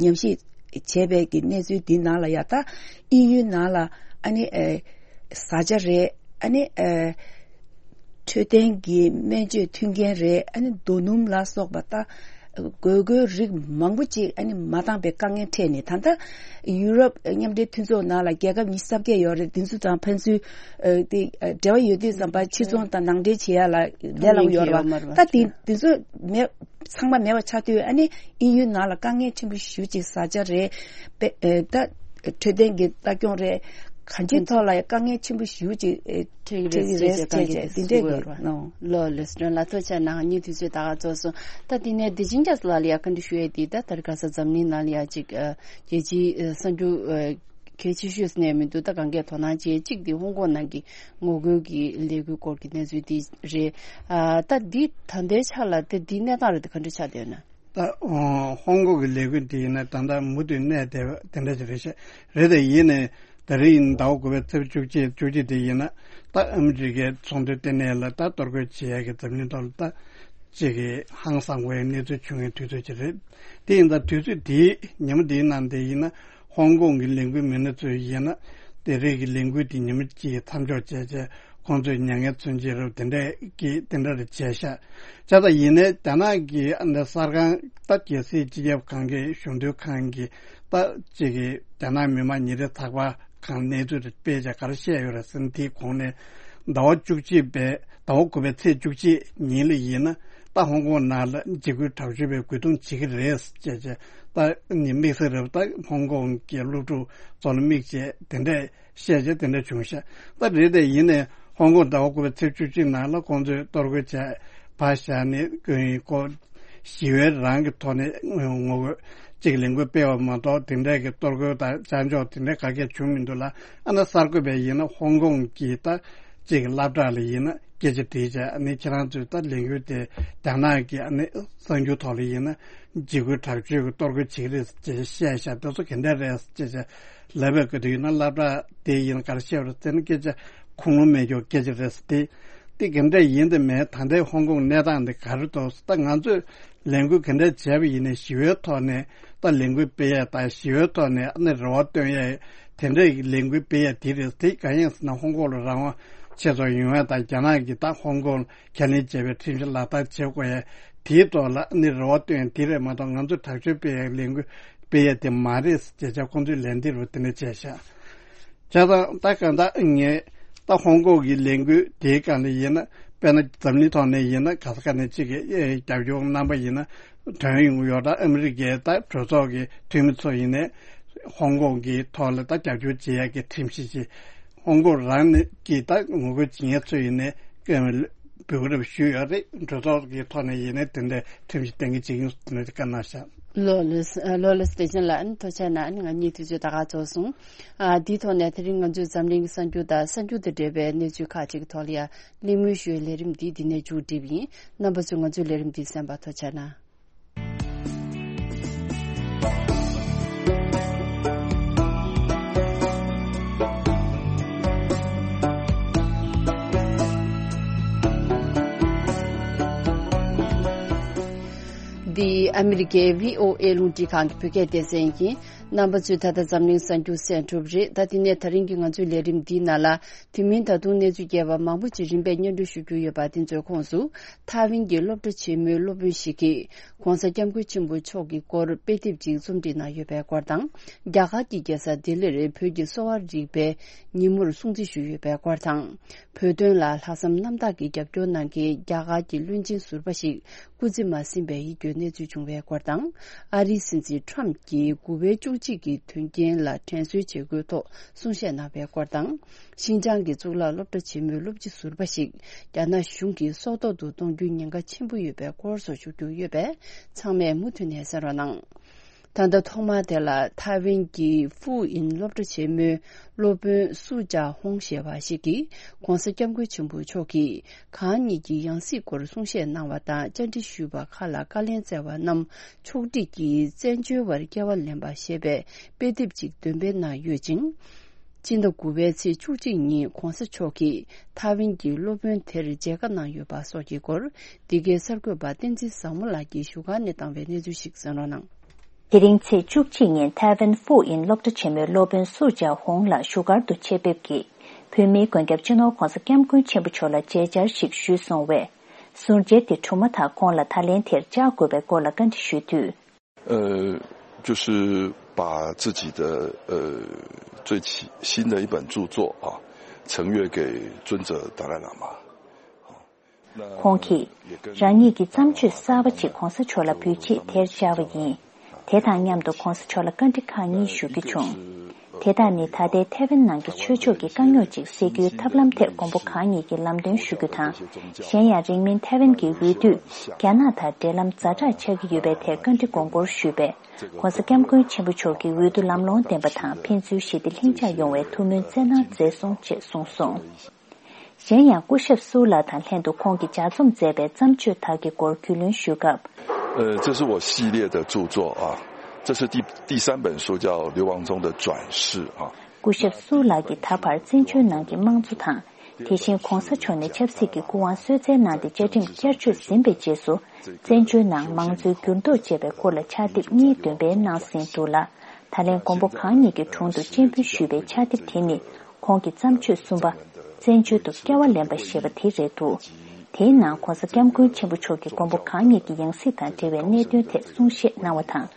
ཉམས་ཞིབ་བྱས་པའི་གི་གནས་ཚུལ་འདི་ནང་ལ་ཡ་ད་དབྱིན་ཡུལ་ནང་ལ་ཨ་ནི་ཨ་བཟའ་བཅའ་རེད། ཨ་ནི་ཨ་འཕྲོད་བསྟེན་གྱི་སྨན་བཅོས་མཐུན་རྐྱེན་རེད། ཨ་ནི་རྡོ་སྣུམ་ལ་སོགས་པ་ད་དགོས་དགོས་རིགས་མང་པོ་ཅིག་ཨ་ནི་མ་འདང་པའི་དཀའ་ངལ་འཕྲད་ནས་ད་ལྟ་ཡུ་རོབ་མཉམ་འབྲེལ་མཐུན་ཚོགས་ནང་ལ་རྒྱལ་ཁབ་ཉི་ཤུ་རྩ་བརྒྱད་ཡོད་རེད། དེ་ཚོ་དང་ཕན་ཚུན་ཨ་དེ་ཨ་འབྲེལ་བ་ཡོད་དུས་ཙམ་པ་ཕྱིར་ཚོང་དང་ནང་འདྲེན་བྱེད་ཡ་ལ་ལས་སླ་པོ་ཡོད་རེད་བ། ད་དེ་དེ་ཚོ་མེད་ཚང་མ་མེད་པ་ཆགས་དུས་ཨ་ནི་དབྱིན་ཡུལ་ནང་ལ་དཀའ་ངལ་ཆེན་པོ་ཞེ་པོ་ཅིག་བཟའ་བཅའ་རེད། པེ་ཨེ་ད་འཕྲོད་བསྟེན་གྱི་ལྟ་སྐྱོང་རེད། གང་ཅིའི་ཐོག་ལ་ཡང་དཀའ་ངལ་ཆེན་པོ་ཞེ་པོ་ཅིག་ཨེ་འཕྲད་ཀྱི་རེད་ཟེར་བྱས་བྱས་འདི་འདྲས་ཀྱི་ནོ། ལོ་ལེ་སི་ཏྲོན་ལ་ཐུགས་རྗེ་གནང་། ངའི་དུས་ཚོད་ད་ག་རྫོགས་སོང་། ད་དེ་ནས་བདེ་ཆེན་རྒྱ་མཚོ་ལགས་ལ་ཡ་བཀའ་འདྲི་ཞུ་ཡས་དེ་ད་ད་རེས་ཁ་སང་འཛམ་གླིང་ནང་ལ་ཡ་ཅིག་ཨ་རྒྱལ་སྤྱིའི་ཨ་གསར་འགྱུར་ཨ་གལ་ཆེ་ཤོས་ནས་མི་འདུག་ད་གང་གས་དོ་སྣང་བྱེད་གཅིག་དེ་ཧོང་ཀོང་ནང་གི་ངོ་རྒོལ་གྱི་ལས་འགུལ་སྐོར་གྱི་གནས་ཚུལ་དེ་རེད། ཨ་ད་འདི་ད་ལྟའི་ཆ་ལ་དེ་འདིའི་གནས་སྟངས་རེད་དེ་ག་འདྲ་ཆགས་བསྡད་ཡོད་ན། ད་ཧོང་ཀོང་གི་ལས་འགུལ་དེ་ཡིན་ན་ད་ལྟ་མུ་མཐུད་གནས་བསྡད་པ་དེ་འདྲ་ཞིག་རེད་ཤག་རེད་དེ་ཡིན་ནའི་ད་རེས་ཡིན་ཟླ་བ་དགུ་པའི་ཚེས་བཅུ་གཅིག་བཅུ་གཅིག་དེ་ཡིན་ན་ད་ཨ་མི་རི་ཀའི་ཚོགས་འདུ་ལྟེ་གནས་ལ་ད་གཏོར་རྒོལ་བྱེད་ཡ་གི་འཛམ་གླིང་ཐོག་ལ་ད་ཅིག་གི་ཧང་སང་བའི་གནས་ཚུལ་བྱུང་བའི་དུས་ཚོད་ཅིག་རེད། དེ་ཡིན་ད་དུས་ཚོད་དེའི་ཉིན་མོ་དེའི་ནང་དེ་ཡིན་ན་ཧོང་ཀོང་གི་ལས་འགུལ་མི་སྣ་ཚོས་ཡིན་ན་དེ་རིགས་ཀྱི་ལས་འགུལ་དེ་ཉིན་མོ་གཅིག་མཚམས་འཇོག་བྱས་བྱས། ཁོང་ཚོས་མྱ་ངན་མཚོན་བྱེད་རབས་དེ་འདྲས་ཀྱིས་དེ་འདྲ་རེ་བྱས་ཤག་བྱས་ཙང་ཡིན་ནའི་རྒྱ་ནག་གི་ཨ་ནི་གསར་ཁང་ད་རྒྱལ་སྲིད་སྤྱི་ཁྱབ་ཁང་གི་གཞུང་དོན་ཁང་གི་ད་ཅིག་གི་རྒྱ་ནག་མི་དམངས་ཉིན་རེའི་ཚགས་པར་ཁང་གནས་ཚུལ་རེ་སྤེལ་བྱས་ག་རེ་བཤད་ཡོད་རེད་ཟེར་ན་དེའི་གོང་ནས་ཟླ་བ་བཅུ་གཅིག་པའི་ཟླ་བ་དགུ་པའི་ཚེས་བཅུ་གཅིག་ཉིན་ལ་ཡིན་ན་ད་ཧོང་ཀོང་ནང་ལ་འཇིགས་སྐུལ་དྲག་སྤྱོད་པའི་རྒོལ་རྡུང་བྱེད་ཀྱི་རེད་ཅེས་བྱས་ད་ནི་དམིགས་བསལ་རེད་ད་ཧོང་ཀོང་གི་སློབ་ཕྲུག་ཚོ་ལ་དམིགས་བྱས་དེ་འདྲས། བཤད་བྱས་དེ་འདྲ་བྱུང་ཤག་ད་རེད་དེ་ཡིན་ནའི་ཧོང་ཀོང་ཟླ་བ་དགུ་པའི་ཚེས་བཅུ་གཅིག་ནང་ལ་ཁོང་ཚོས་གཏོར་རྒོལ་བྱས་ཕར་བཞག་ནས་ཀུན་ཡིན་ཁོ་ཞི་བའི་རང་གི་ཐོག་ནས་ངོ་རྒོལ་གཅིག་ལས་འགུལ་སྤེལ་བ་མ་གཏོགས་དེ་འདྲའི་གི་གཏོར་རྒོལ་དང་བཅའ་འཇོག་དེ་འདྲའི་ག་གེ་བྱུང་མི་འདུག་ལ། ཨ་ན་གསར་འགོད་པས་ཡིན་ན་ཧོང་ཀོང་གི་ད་གཅིག་སློབ་གྲྭ་ལ་ཡིན་ན་སྐད་ཆ་དྲིས་བྱས་ཨ་ནི་ཁྱེད་རང་ཚོས་ད་ལས་འགུལ་དེ་རྒྱ་ནག་གི་ཨ་ནི་གསར་འགྱུར་ཐོག་ལ་ཡིན་ན་འཇིགས་སྐུལ་དྲག་སྤྱོད་ཀྱི་གཏོར་རྒོལ་བྱེད་ཀྱི་རེད་ཅེས་བཤད་བཞག་དེ་ཚོ་ག་འདྲ་རེད་ཅེས་བྱས། ལབ་པའི་སྐབས་དུ་ཡིན་ན་སློབ་གྲྭ་དེ་ཡིན་ག་རེ་བཤད་པ་རེད་ཟེར་ན་སྐད་ཆ་ཁུངས་ལུང་མེད་ཀྱོག་སྐད་ཆ་རེད་ཟེར་ཏེ། དེ་ག་འདྲ་ཡིན་དེ་མེད་ད་ལྟའི་ཧོང་ཀོང་གནས་སྟངས་འདི་ག་རེ་འདུག་ད་ང་ཚོས་ལས་འགུལ་ག་འདྲ་བྱས་པ་ཡིན་ནའི་ཞི་བའི་ཐོག་ནས་ད་ལས་འགུལ་སྤེལ་ཡས་དང་ཞི་བའི་ཐོག་ནས་ཨ་ནི་རེ་བ་བཏོན་ཡས་དེ་འདྲའི་ལས་འགུལ་སྤེལ་ཡས་དེ་རེད་དེ་གང་ཡིན་ཟེར་ན་ཧོང་ཀོང་ལ་རང་དབང་ཆེ་ཙམ་ཡོང་ཡས་དང་རྒྱ་ནག་གིས་ད་ཧོང་ཀོང་ཁས་ལེན་བྱས་པའི་ཁྲིམས་གཞི་ལག་བསྟར་བྱེད་དགོས་ཡས་དེའི་ཐོག་ལ་ཨ་ནི་རེ་བ་བཏོན་ཡས་དེ་རེད་མ་གཏོགས་ང་ཚོས་དྲག་སྤྱོད་སྤེལ་ཡས་ལས་འགུལ་སྤེལ་ཡས་དེ་མ་རེད་ཟེར་བྱས་ཁོང་ཚོས་ལན་འདེབས་རུ་དེ་འདྲ་བྱས་ཤག་བྱས་ཙང་ད་གང་ལྟར་ངས་ད་ཧོང་ཀོང་གི་ལས་འགུལ་དེའི་སྒང་ནས་ཡིན་ན་དཔེར་ན་འཛམ་གླིང་ཐོག་ནས་ཡིན་ན་ག་ས་ག་ནས་གཅིག་གི་ཨེ་རྒྱབ་སྐྱོར་རྣམ་པ་ཡིན་ན་ཐོན་ཡོང་གི་ཡོད། ད་ཨ་མི་རི་ཀའི་ད་གྲོས་ཚོགས་ཀྱི་འཐུས་མི་ཚོ་ཡིན་ནའི་ཧོང་ཀོང་གི་ཐོག་ལ་ད་རྒྱབ་སྐྱོར་བྱེད་ཡག་གི་ཁྲིམས་གཞི་ཅིག་ཧོང་ཀོང་རང་ནས་ཀྱི་ད་ངོ་རྒོལ་བྱེད་མཁན་ཚོ་ཡིན་ནའི་བོད་རབ་ཞུས་ཡོད་རེད། གྲོས་ཚོགས་ཀྱི་ཐོག་ནས་ཡིན་ནའི་དེ་འདྲའི་ཁྲིམས་གཞི་གཏན་འཁེལ་བྱེད་ཀྱི་ཡོད་ཟེར་ནས་བཀའ་གནང་ཤག་ལོ་ལེགས་ལོ་ལེགས་བདེ་ཆེན་ལགས། ཨ་ནི་ཐུགས་རྗེ་གནང་། ཨ་ནི་ང་གཉིས་དུས་ཚོད་ད་ག་རྫོགས་སོང་། ཨ་འདིའི་ཐོག་ནས་དེ་རིང་ང་ཚོས་འཛམ་གླིང་གི་གསར་འགྱུར་དང་གསར་འགྱུར་དང་འབྲེལ་བའི་གནས་ཚུལ་ཁག་ཅིག་གི་ཐོག་ལ་ཡང་གླེང་མོལ་ཞུ་བའི་ལས་རིམ་འདི་འདི་ནས་མཇུག་སྒྲིལ་བ་ཡིན། རྣམ་པ་ཚོས་ང་ཚོའི་ལས་རིམ་འདི་གསན་པར་ཐུགས་རྗེ་གནང་། ཨ་མི་རི་ཀའི་བྷི་ཨོ་ཨེ་རླུང་འཕྲིན་ཁང་གི་བོད་སྐད་སྡེ་ཚན་ཡིན། རྣམ་པ་ཚོས་ད་ལྟ་འཛམ་གླིང་གསར་འགྱུར་གསན་གྲུབ་རེད། ད་དེ་ནས་ད་རིང་གི་ང་ཚོའི་ལས་རིམ་འདིའི་ནང་ལ། དེ་མིན་ད་དུང་གནས་ཚུལ་རྒྱས་པ་མང་པོ་ཅིག་རིམ་པས་སྙན་སྒྲོན་ཞུ་རྒྱུ་ཡོད་པ། དེ་ཚོའི་ཁོངས་སུ། ཐའེ་ཝན་གྱི་སློབ་གྲྭ་ཆེན་མོའི་སློབ་དཔོན་ཞིག་གིས་༧གོང་ས་༧སྐྱབས་མགོན་ཆེན་པོ་མཆོག་གི་སྐོར་དཔེ་དེབ་ཅིག་རྩོམ་སྒྲིག་གནང་ཡོད་པའི་སྐོར་དང་། རྒྱ་གར་གྱི་རྒྱལ་ས་ལྡི་ལིར་བོད་ཀྱི་གསོ་བ་རིག་པའི་ཉིན་མོར་སྲུང་བརྩི་ཞུས་ཡོད་པའི་སྐོར་དང་། བོད་དོན་ལ་ལྷག་བསམ་རྣམ་དག་གིས་རྒྱབ་སྐྱོར་གནང་མཁན་རྒྱ་གར་གྱི་བློན་ཆེན་ཟུར་པ་ཞིག་སྐུ་ཚེ་མ་ཟིན་པའི་ཡིད་སྐྱོའི་གནས་ཚུལ་བྱུང་བའི་སྐོར་དང་། ཨ་རིའི་སྲིད་འཛིན་ཊམ་གྱིས་དགུ་པའི་བཅུ་གཅིག་གི་དོན་རྐྱེན་ལ་དྲན་གསོའི་བྱེད་སྒོའི་ཐོག་གསུང་བཤད་གནང་བའི་སྐོར་དང་། ཤིན་ཅང་གི་གཙུག་ལག་སློབ་གྲྭ་ཆེན་མོའི་སློབ་སྤྱི་ཟུར་པ་ཞིག་རྒྱ་ནག་གཞུང་གིས་སྲོག་ཐོག་ཏུ་གཏོང་རྒྱུའི་ཉེན་ཁ་ཆེན་པོ་ཡོད་པའི་སྐོར་སོགས་ཞུ་རྒྱུ་ཡོད་པས། ཚང་མས་མུ་མཐུད་ནས་གསན་རོགས་གནང་། ད་ལྟ་ཐོག་མར་དེ་ལ་ཐའེ་ཝན་གྱི་ཧྥུ་ཨིན་སློབ་གྲྭ་ཆེན་མོའི་སློབ་དཔོན་སུ་ཅཱ་ཧོང་ཞེས་པ་ཞིག་གིས་༧གོང་ས་༧སྐྱབས་མགོན་ཆེན་པོ་མཆོག་གིས་གང་ཉིད་ཀྱི་ཡང་སྲིད་སྐོར་གསུང་བཤད་གནང་བ་དང་། བཅར་འདྲི་ཞུས་པ་ཁག་ལ་བཀའ་ལན་སྩལ་བ་རྣམས་ཕྱོགས་སྒྲིག་གིས་བཙན་བྱོལ་བར་སྐྱེ་བ་ལེན་པ་ཞེས་པའི་དཔེ་དེབ་ཅིག་འདོན་སྤེལ་གནང་ཡོད་ཅིང་། སྤྱི་ཟླ་དགུ་པའི་ཚེས་བཅུ་གཅིག་ཉིན་༧གོང་ས་མཆོག་གིས་ཐའེ་ཝན་གྱི་སློབ་དཔོན་དེར་མཇལ་ཁ་གནང་ཡོད་པ་སོགས་ཀྱི་སྐོར། འདི་གའི་གསར་འགོད་པ་བསྟན་འཛིན་བཟང་མོ་ལགས་ཀྱིས་བཞུགས་སྒར་ནས་བཏང་བའི་གནས་ཚུལ་ཞིག་གསན་རོགས་གནང་། དེ་རིང་ཚེས་བཅུ་གཅིག་ཉིན་ཐའེ་ཝན་ཧྥུ་ཨིན་སློབ་གྲྭ་ཆེན་མོའི་སློབ་དཔོན་སུ་ཅཱ་ཧོང་ལགས་བཞུགས་སྒར་དུ་ཆེད་ཕེབས་ཀྱིས། བོད་མིའི་མགོན་སྐྱབས་སྤྱི་ནོར་༧གོང་ས་༧སྐྱབས་མགོན་ཆེན་པོ་མཆོག་ལ་མཇལ་བཅར་ཞིག་ཞུས་སོང་བས། ཟུར་མཇལ་དེ་གྲུབ་མ་ཐག་ཁོང་ལ་ད་ལན་དེར་བཅར་དགོས་པའི་སྐོར་ལ་བཀའ་འདྲི་ཞུས་དུས། 呃，就是把自己的呃最新新的一本著作啊，呈阅给尊者达赖喇嘛。 ཁོང་གིས། རང་ཉིད་ཀྱི་བརྩམས་ཆོས་གསར་པ་ཅིག་༧གོང་ས་མཆོག་ལ་འབུལ་ཆེད་དེར་བཅར་བ་ཡིན། དེ་དང་མཉམ་དུ་༧གོང་ས་མཆོག་ལ་བཀའ་འདྲི་ཁག་གཉིས་ཞུ་རྒྱུ་བྱུང་། དེ་དག་ནི་ད་ལྟའི་ཐའེ་ཝན་ནང་གི་ཆོས་ཕྱོགས་ཀྱི་དཀའ་རྙོག་ཅིག་སེལ་རྒྱུའི་ཐབས་ལམ་ཐད་མགོན་པོ་གང་ཉིད་ཀྱིས་ལམ་སྟོན་ཞུ་རྒྱུ་དང་། གཞན་ཡང་རིང་མིན་ཐའེ་ཝན་གྱི་འོས་བསྡུ་རྒྱ་ནག་དང་འབྲེལ་ལམ་ཛ་དྲག་ཆགས་ཀྱི་ཡོད་པའི་ཐད་བཀའ་འདྲི་དགོངས་སྐོར་ཞུས་པས། ༧གོང་ས་༧སྐྱབས་མགོན་ཆེན་པོ་མཆོག་གིས་འོས་བསྡུ་ལམ་ལྷོང་ལྡན་པ་དང་ཕན་ཚུན་ཞི་བདེ་ལྷིང་འཇགས་ཡོང་བའི་ཐུགས་སྨོན་བསྩལ་གནང་མཛད་སོང་ཅེས་གསུངས་སོང་། གཞན་ཡང་སྐུ་ཞབས་སུའུ་ལགས་དང་ལྷན་དུ་ཁོང་གིས་ལྗགས་རྩོམ་མཛད་པའི་བརྩམས་ཆོས་དག་གི་སྐོར་རྒྱུས་ལོན་ཞུས་སྐབས། 呃，这是我系列的著作啊，这是第第三本书，叫《流亡中的转世》啊。 སྐུ་ཞབས་སུའུ་ལགས་ཀྱིས་ད་བར་བཙན་བྱོལ་ནང་གི་དམངས་གཙོ་དང་། དེ་བཞིན་༧གོང་ས་མཆོག་ནས་ཆབ་སྲིད་ཀྱི་སྐུ་དབང་གསོལ་སྩལ་གནང་སྟེ་བཅའ་ཁྲིམས་བསྐྱར་བཅོས་ཟིན་པའི་རྗེས་སུ། བཙན་བྱོལ་ནང་མང་གཙོའི་འགྱུར་ལྡོག་ཅེས་པའི་སྐོར་ལ་ཕྱག་དེབ་གཉིས་འདོན་སྤེལ་གནང་ཟིན་འདུག་ལ། ད་ལན་མགོན་པོ་གང་ཉིད་ཀྱི་དྲུང་དུ་སྤྱན་འབུལ་ཞུས་པའི་ཕྱག་དེབ་དེ་ནི། ཁོང་གི་བརྩམས་ཆོས་གསུམ་པ། བཙན་བྱོལ་དུ་སྐྱེ་བ་ལེན་པ་ཞེས་པ་དེ་རེད་འདུག་དེའི་ནང་༧གོང་ས་༧སྐྱབས་མགོན་ཆེན་པོ་མཆོག་གིས་མགོན་པོ་གང་ཉིད་ཀྱི་ཡང་སྲིད་དང་འབྲེལ་བའི་གནད་དོན་ཐད་གསུང་བཤད་གནང་བ་དང་།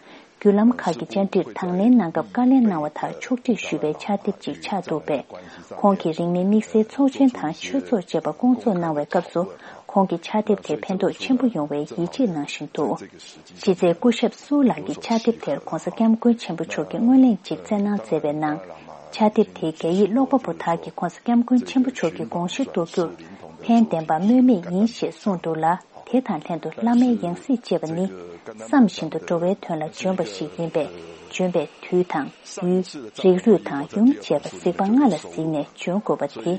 བརྒྱུད་ལམ་ཁག་གི་བཅར་འདྲིར་དང་ལེན་གནང་སྐབས་བཀའ་ལན་གནང་བ་དག་ཕྱོགས་སྒྲིག་ཞུས་པའི་ཕྱག་དེབ་ཅིག་ཆགས་འདུག་པས། ཁོང་གིས་རིང་མིན་དམིགས་བསལ་ཚོགས་ཆེན་དང་ཆོས་ཚོགས་བཅས་པ་སྐོང་ཚོགས་གནང་བའི་སྐབས་སུ། ཁོང་གི་ཕྱག་དེབ་དེ་ཕན་ཐོགས་ཆེན་པོ་ཡོང་བའི་ཡིད་ཆེས་གནང་བཞིན་འདུག་གཞི་རྩའི་སྐུ་ཞབས་སུའུ་ལགས་ཀྱི་ཕྱག་དེབ་དེར་༧གོང་ས་༧སྐྱབས་མགོན་ཆེན་པོ་མཆོག་གིས་སྔོན་གླེང་ཅིག་བསྩལ་གནང་མཛད་པའི་ནང་། ཕྱག་དེབ་དེས་རྒྱ་ཡིག་ཀློག་པ་པོ་དག་གིས་༧གོང་ས་༧སྐྱབས་མགོན་ཆེན་པོ་མཆོག་གི་དགོངས་གཞི་རྟོགས་རྒྱུར་ཕན་བདེན་པ་སྨོས་མེད་ཡིན་ཞེས་གསུངས་འདུག་ལ། དེ་དང་ལྷན་དུ་བླ་མའི་ཡང་སྲིད་ཅེས་པ་ནི། བསམ་བཞིན་དུ་འགྲོ་བའི་དོན་ལ་འབྱོན་པ་ཞིག་ཡིན་པས། འབྱོན་པའི་དུས་དང་། ཡུལ། རིགས་རུས་དང་ཡུམ་བཅས་པ་གཟིགས་པ་ལྔ་ལ་གཟིགས་ནས་འབྱོན་དགོས་པ་དེ།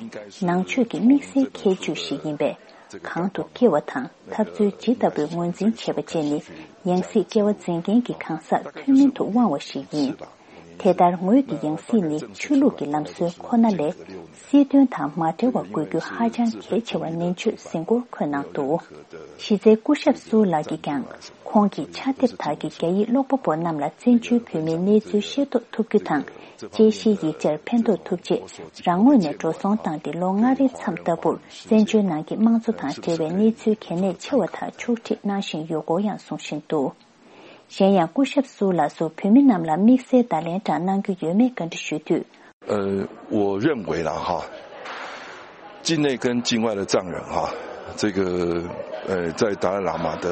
ནང་ཆོས་ཀྱི་དམིགས་བསལ་ཁྱད་ཆོས་ཤིག་ཡིན་པས། གང་དུ་སྐྱེ་བ་དང་འཐབ་རྩོད་ཇི་ལྟ་བུའི་ངོས་འཛིན་བྱེད་པ་བཅས་ནི། ཡང་སྲིད་སྐྱེ་བ་འཛིན་མཁན་གྱི་གང་ཟག་ཐུན་མིན་དུ་དབང་བ་ཞིག་ཡིན། དེ་ལྟར་ངོས་ཀྱི་ཡང་སྲིད་ནི་ཆོས་ལུགས་ཀྱི་ལམ་སྲོལ་ཁོ་ན་ལས། སྲིད་དོན་དང་མ་འབྲེལ་བར་དགོས་རྒྱུ་ཧ་ཅང་གལ་ཆེ་བ་ནན་ཆོས་ཟིན་སྐོར་འཁོད་གནང་འདུག་གཞི་རྩའི་སྐུ་ཞབས་སུའུ་ལགས་ཀྱིས་ཀྱང་། ཁོང་གི་ཕྱག་དེབ་དག་གིས་རྒྱ་ཡིག་ཀློག་པ་པོ་རྣམས་ལ་བཙན་བྱོལ་བོད་མིའི་གནས་ཚུལ་ཤེས་རྟོགས་ཐུབ་རྒྱུ་དང་། དཔྱད་གཞིའི་ཡིག་ཆར་ཕན་ཐོགས་ཐུབ་ཆེད། རང་ངོས་ནས་འགྲོ་སོང་བཏང་སྟེ་ལོ་ལྔ་རེའི་མཚམས་ལྟ་བུར། བཙན་བྱོལ་ནང་གི་དམངས་གཙོ་དང་འབྲེལ་བའི་གནས་ཚུལ་གལ་གནད་ཆེ་བ་དག་ཕྱོགས་སྒྲིག་གནང་བཞིན་ཡོད་སྐོར་ཡང་གསུང་བཞིན་འདུག་གཞན་ཡང་སྐུ་ཞབས་སུའུ་ལགས་སུ་བོད་མི་རྣམས་ལ་དམིགས་བསལ་བརྡ་ལན་འདྲ་གནང་རྒྱུ་ཡོད་མེད་བཀའ་འདྲི་ཞུས་དུས། 呃，我认为啦哈，境内跟境外的藏人哈，这个呃，在达赖喇嘛的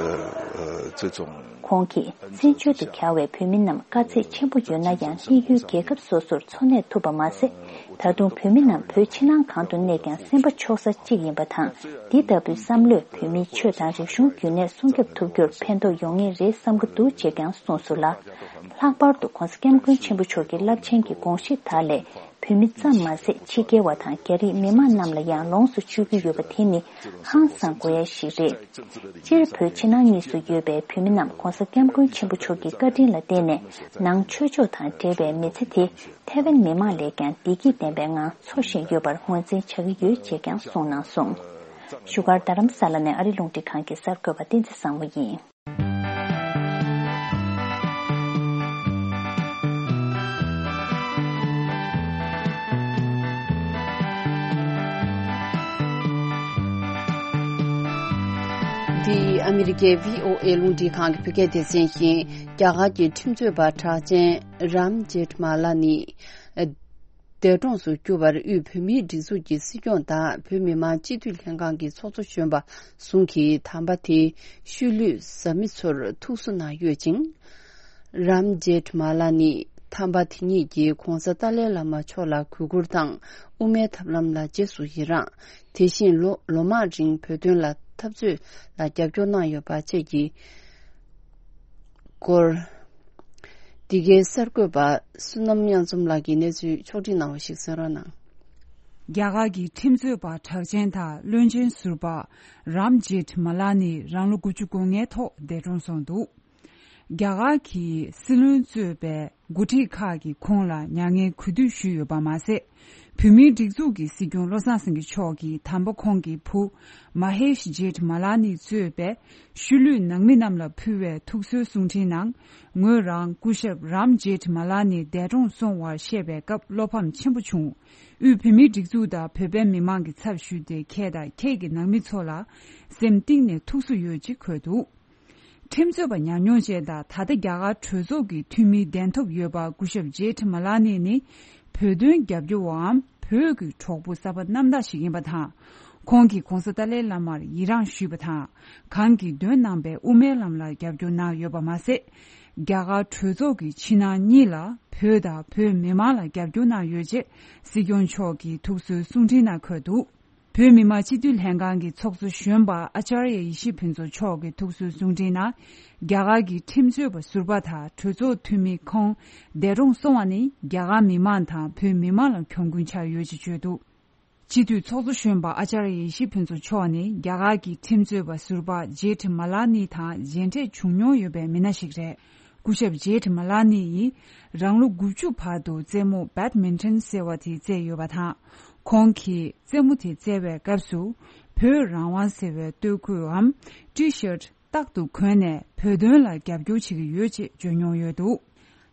呃这种 ཁོང་གིས་བཙན་བྱོལ་དུ་གྱར་བའི་བོད་མི་རྣམས་དཀའ་ཚེགས་ཆེན་པོ་ཡོད་ན་ཡང་། གནས་ཡུལ་རྒྱལ་ཁབ་སོ་སོར་འཚོ་གནས་ཐུབ་པ་མ་ཟད། ད་དུང་བོད་མི་རྣམས་བོད་ཕྱི་ནང་གང་དུ་གནས་ཀྱང་སེམས་པ་ཕྱོགས་ས་གཅིག་ཡིན་པ་དང་། འདི་ལྟ་བུའི་བསམ་བློས་བོད་མིའི་ཆོས་དང་རིག་གཞུང་རྒྱུན་གནས་སྲུང་སྐྱོབ་ཐུབ་རྒྱུར་ཕན་ཐོགས་ཡོང་ངེས་རེད་བསམ་གྱི་འདུག་ཅེས་ཀྱང་གསུངས་སོང་ལ། ལྷག་པར་དུ་༧གོང་ས་༧སྐྱབས་མགོན་ཆེན་པོ་མཆོག་གི་རླབས་ཆེན་གྱི་དགོངས་གཞི་དག་ལས། བོད་མི་ཙམ་མ་ཟད་ཕྱི་རྒྱལ་བ་དང་རྒྱ་རིགས་མི་མང་རྣམས་ལ་ཡང་ལོངས་སུ་སྤྱོད་ཀྱི་ཡོད་པ་དེ་ནི་ཧང་སང་དགོས་ཡ་ཞིག་རེད། སྤྱིར་བོད་ཕྱི་ནང་གཉིས་སུ་ཡོད་པའི་བོད་མི་རྣམས་༧གོང་ས་༧སྐྱབས་མགོན་ཆེན་པོ་མཆོག་གི་བཀའ་དྲིན་ལ་བརྟེན་ནས་ནང་ཆོས་ཕྱོགས་དང་འབྲེལ་བའི་མི་ཚེ་དེ་ཐའེ་ཝན་མི་མང་ལས་ཀྱང་བདེ་སྐྱིད་ལྡན་པའི་ངང་འཚོ་བཞིན་ཡོད་པར་ངོས་འཛིན་བྱ་གི་ཡོད་ཅེས་ཀྱང་གསུངས་གནང་སོང་། བཞུགས་སྒར་རྡ་རམ་ས་ལ་ནས་ཨ་རི་རླུང་འཕྲིན་ཁང་གི་གསར་འགོད་པ་བསྟན་འཛིན་བཟང་མོ་ཡིན། ཨ་མི་རི་ཀའི་བྷི་ཨོ་ཨེ་རླུང་འཕྲིན་ཁང་གི་བོད་སྐད་སྡེ་ཚན་བཞིན། རྒྱ་གར་གྱི་ཁྲིམས་རྩོད་པ་གྲགས་ཅན་རམ་ཇེཐ་མ་ལ་ནི་འདས་གྲོངས་སུ་གྱུར་བར། དབུས་བོད་མིའི་སྒྲིག་འཛུགས་ཀྱི་སྲིད་སྐྱོང་དང་བོད་མི་མང་སྤྱི་འཐུས་ལྷན་ཁང་གི་ཚོགས་གཙོ་གཞོན་པ་ཟུང་གིས་དམ་པ་དེའི་ཤུལ་ལུས་བཟའ་མི་ཚོར་ཐུགས་གསོ་གནང་ཡོད་ཅིང་། རམ་ཇེཐ་མ་ལ་ནི་དམ་པ་དེ་ཉིད་ཀྱིས་༧གོང་ས་ཏཱ་ལའི་བླ་མ་མཆོག་ལ་གུས་བཀུར་དང་། དབུ་མའི་ཐབས་ལམ་ལ་རྗེས་སུ་ཡི་རང་། དེ་བཞིན་ལོ་ལོ་མང་རིང་བོད་དོན་ལ་འཐབ་རྩོད་ལ་རྒྱབ་སྐྱོར་གནང་ཡོད་པ་བཅས་ཀྱི་སྐོར། འདི་གའི་གསར་འགོད་པ་བསོད་ནམས་དབྱངས་འཛོམས་ལགས་ཀྱིས་གནས་ཚུལ་ཕྱོགས་སྒྲིག་གནང་བ་ཞིག་གསན་རོགས་གནང་། རྒྱ་གར་གྱི་ཁྲིམས་རྩོད་པ་གྲགས་ཅན་དང་བློན་ཆེན་ཟུར་པ་རམ་ཇེཐ་མ་ལ་ནི་རང་ལོ་དགུ་བཅུ་གོ་ལྔའི་ཐོག་འདས་གྲོངས་སོང་འདུག་རྒྱ་གར་གྱི་སྲིད་བློན་གཙོས་པའི་འགོ་ཁྲིད་ཁག་གིས་ཁོང་ལ་མྱ་ངན་གུས་འདུད་ཞུས་ཡོད་པ་མ་ཟད། བོད་མིའི་སྒྲིག་འཛུགས་ཀྱི་སྲིད་སྐྱོང་བློ་བཟང་སེང་གེ་མཆོག་གིས་དམ་པ་ཁོང་གི་བུ་མ་ཧེཤ་ཇེཐ་མ་ལ་ནི་གཙོས་པའི་ཤུལ་ལུས་ནང་མི་རྣམས་ལ་ཕུལ་བའི་ཐུགས་གསོའི་གསུང་འཕྲིན་ནང་། ངོས་རང་སྐུ་ཞབས་རམ་ཇེཐ་མ་ལ་ནི་འདས་གྲོངས་སོང་བར་བཤད་པའི་སྐབས་བློ་ཕམ་ཆེན་པོ་བྱུང་། དབུས་བོད་མིའི་སྒྲིག་འཛུགས་དང་བོད་པའི་མི་མང་གི་ཚབ་ཞུས་ཏེ། ཁྱེད་དང་ཁྱེད་ཀྱི་ནང་མི་ཚོ་ལ་སེམས་གཏིང་ནས་ཐུགས་གསོ་ཡོད་ཅེས་འཁོད་འདུག་ཁྲིམས་རྩོད་པ་ཉམས་མྱོང་ཅན་དང་ད་ལྟ་རྒྱ་གར་གྲོས་ཚོགས་ཀྱི་འཐུས་མིའི་གདན་ཐོབ་ཡོད་པ་སྐུ་ཞབས་ཇེ་ཐི་མ་ལ་ནི་ནི་བོད་དོན་རྒྱབ་སྐྱོར་བའམ་བོད་ཀྱི་གྲོགས་པོ་གསར་པ་རྣམ་དག་ཞིག་ཡིན་པ་དང་། ཁོང་གིས་༧གོང་ས་ཏཱ་ལའི་བླ་མར་ཡི་རངས་ཞུས་པ་དང་། གང་གིས་འདོན་གནང་པའི་དབུ་མའི་ལམ་ལ་རྒྱབ་སྐྱོར་གནང་ཡོད་པ་མ་ཟད། རྒྱ་གར་གྲོས་ཚོགས་ཀྱི་ཕྱི་ནང་གཉིས་ལ་བོད་དང་བོད་མི་མང་ལ་རྒྱབ་སྐྱོར་གནང་ཡོད་ཅེས་སྲིད་སྐྱོང་མཆོག་གིས་ཐུགས་གསོའི་གསུང་འཕྲིན་ནང་འཁོད་འདུག་བོད་མི་མང་སྤྱི་འཐུས་ལྷན་ཁང་གི་ཚོགས་གཙོ་གཞོན་པ་ཨ་ཅར་ཡ་ཡེ་ཤེས་ཕུན་ཚོགས་མཆོག་གི་ཐུགས་གསོའི་གསུང་འཕྲིན་ནང་། རྒྱ་གར་གྱི་ཁྲིམས་རྩོད་པ་ཟུར་པ་དང་གྲོས་ཚོགས་འཐུས་མི་ཁོང་འདས་གྲོངས་སོང་བ་ནི་རྒྱ་གར་མི་མང་དང་བོད་མི་མང་ལ་གྱོང་གུན་ཆགས་ཡོད་ཅེས་བརྗོད་འདུག་སྤྱི་འཐུས་ཚོགས་གཙོ་གཞོན་པ་ཨ་ཅར་ཡ་ཡེ་ཤེས་ཕུན་ཚོགས་མཆོག་ནི་རྒྱ་གར་གྱི་ཁྲིམས་རྩོད་པ་ཟུར་པ་ཇེ་ཐི་མ་ལ་ནི་དང་མཇལ་འཕྲད་བྱུང་མྱོང་ཡོད་པའི་མི་སྣ་ཞིག་རེད། སྐུ་ཞབས་ཇེ་ཐི་མ་ལ་ནི་ཡིས་རང་ལོ་དགུ་བཅུ་བར་དུ་རྩེད་མོ་བེད་མིན་ཊོན་ཟེར་བ་དེ་རྩེས་ཡོད་པ་དང་། ཁོང་གིས་རྩེད་མོ་དེ་རྩེ་བའི་སྐབས་སུ་བོད་རང་དབང་ཟེར་བའི་སྟོད་གོས་འམ་ཊི་ཤར་ཊི་རྟག་ཏུ་གོན་ནས་བོད་དོན་ལ་རྒྱབ་སྐྱོར་བྱེད་ཀྱི་ཡོད་ཅེས་བརྗོད་མྱོང་ཡོད་འདུག་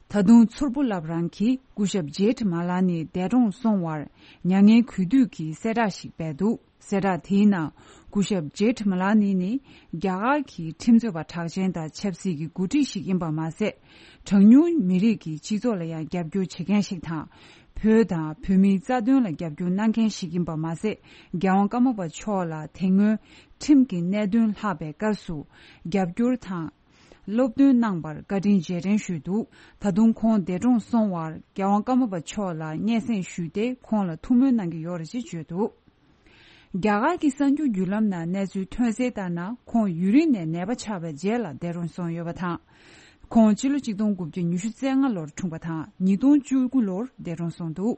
ད་དུང་མཚུར་ཕུ་བླ་བྲང་གིས་སྐུ་ཞབས་ཇེ་ཐི་མ་ལ་ནི་འདས་གྲོངས་སོང་བར་མྱ་ངན་གུས་འདུད་ཀྱི་གསལ་བསྒྲགས་ཤིག་སྤེལ་འདུག་གསལ་བསྒྲགས་དེའི་ནང་སྐུ་ཞབས་ཇེ་ཐི་མ་ལ་ནི་ནི་རྒྱ་གར་གྱི་ཁྲིམས་རྩོད་པ་གྲགས་ཅན་དང་ཆབ་སྲིད་ཀྱི་འགོ་ཁྲིད་ཞིག་ཡིན་པ་མ་ཟད། གྲངས་ཉུང་མི་རིགས་ཀྱི་སྤྱི་ཚོགས་ལ་ཡང་རྒྱབ་སྐྱོར་བྱེད་མཁན་ཞིག་དང་། བོད་དང་བོད་མིའི་རྩ་དོན་ལ་རྒྱབ་སྐྱོར་གནང་མཁན་ཞིག་ཡིན་པ་མ་ཟད། རྒྱལ་དབང་ཀརྨ་པ་མཆོག་ལ་དེ་སྔོན་ཁྲིམས་ཀྱི་གནད་དོན་ལྷགས་པའི་སྐབས་སུ་རྒྱབ་སྐྱོར་དང་། སློབ་སྟོན་གནང་བར་བཀའ་དྲིན་རྗེས་དྲན་ཞུས་འདུག་ད་དུང་ཁོང་འདས་གྲོངས་སོང་བར་རྒྱལ་དབང་ཀརྨ་པ་མཆོག་ལ་སྙན་སེང་ཞུས་ཏེ་ཁོང་ལ་ཐུགས་སྨོན་གནང་གི་ཡོད་རེད་ཅེས་བརྗོད་འདུག་རྒྱ་གར་གྱི་གསར་འགྱུར་བརྒྱུད་ལམ་ནང་གནས་ཚུལ་ཐོན་གསལ་ལྟར་ན། ཁོང་ཡུན་རིང་ནས་ནད་པ་ཆགས་པའི་རྗེས་ལ་འདས་གྲོངས་སོང་ཡོད་པ་དང་། ཁོང་སྤྱི་ལོ་ཆིག་སྟོང་དགུ་བརྒྱ་ཉི་ཤུ་རྩ་ལྔ་ལོར་འཁྲུངས་པ་དང་ཉིས་སྟོང་བཅུ་དགུ་ལོར་འདས་གྲོངས་སོང་འདུག་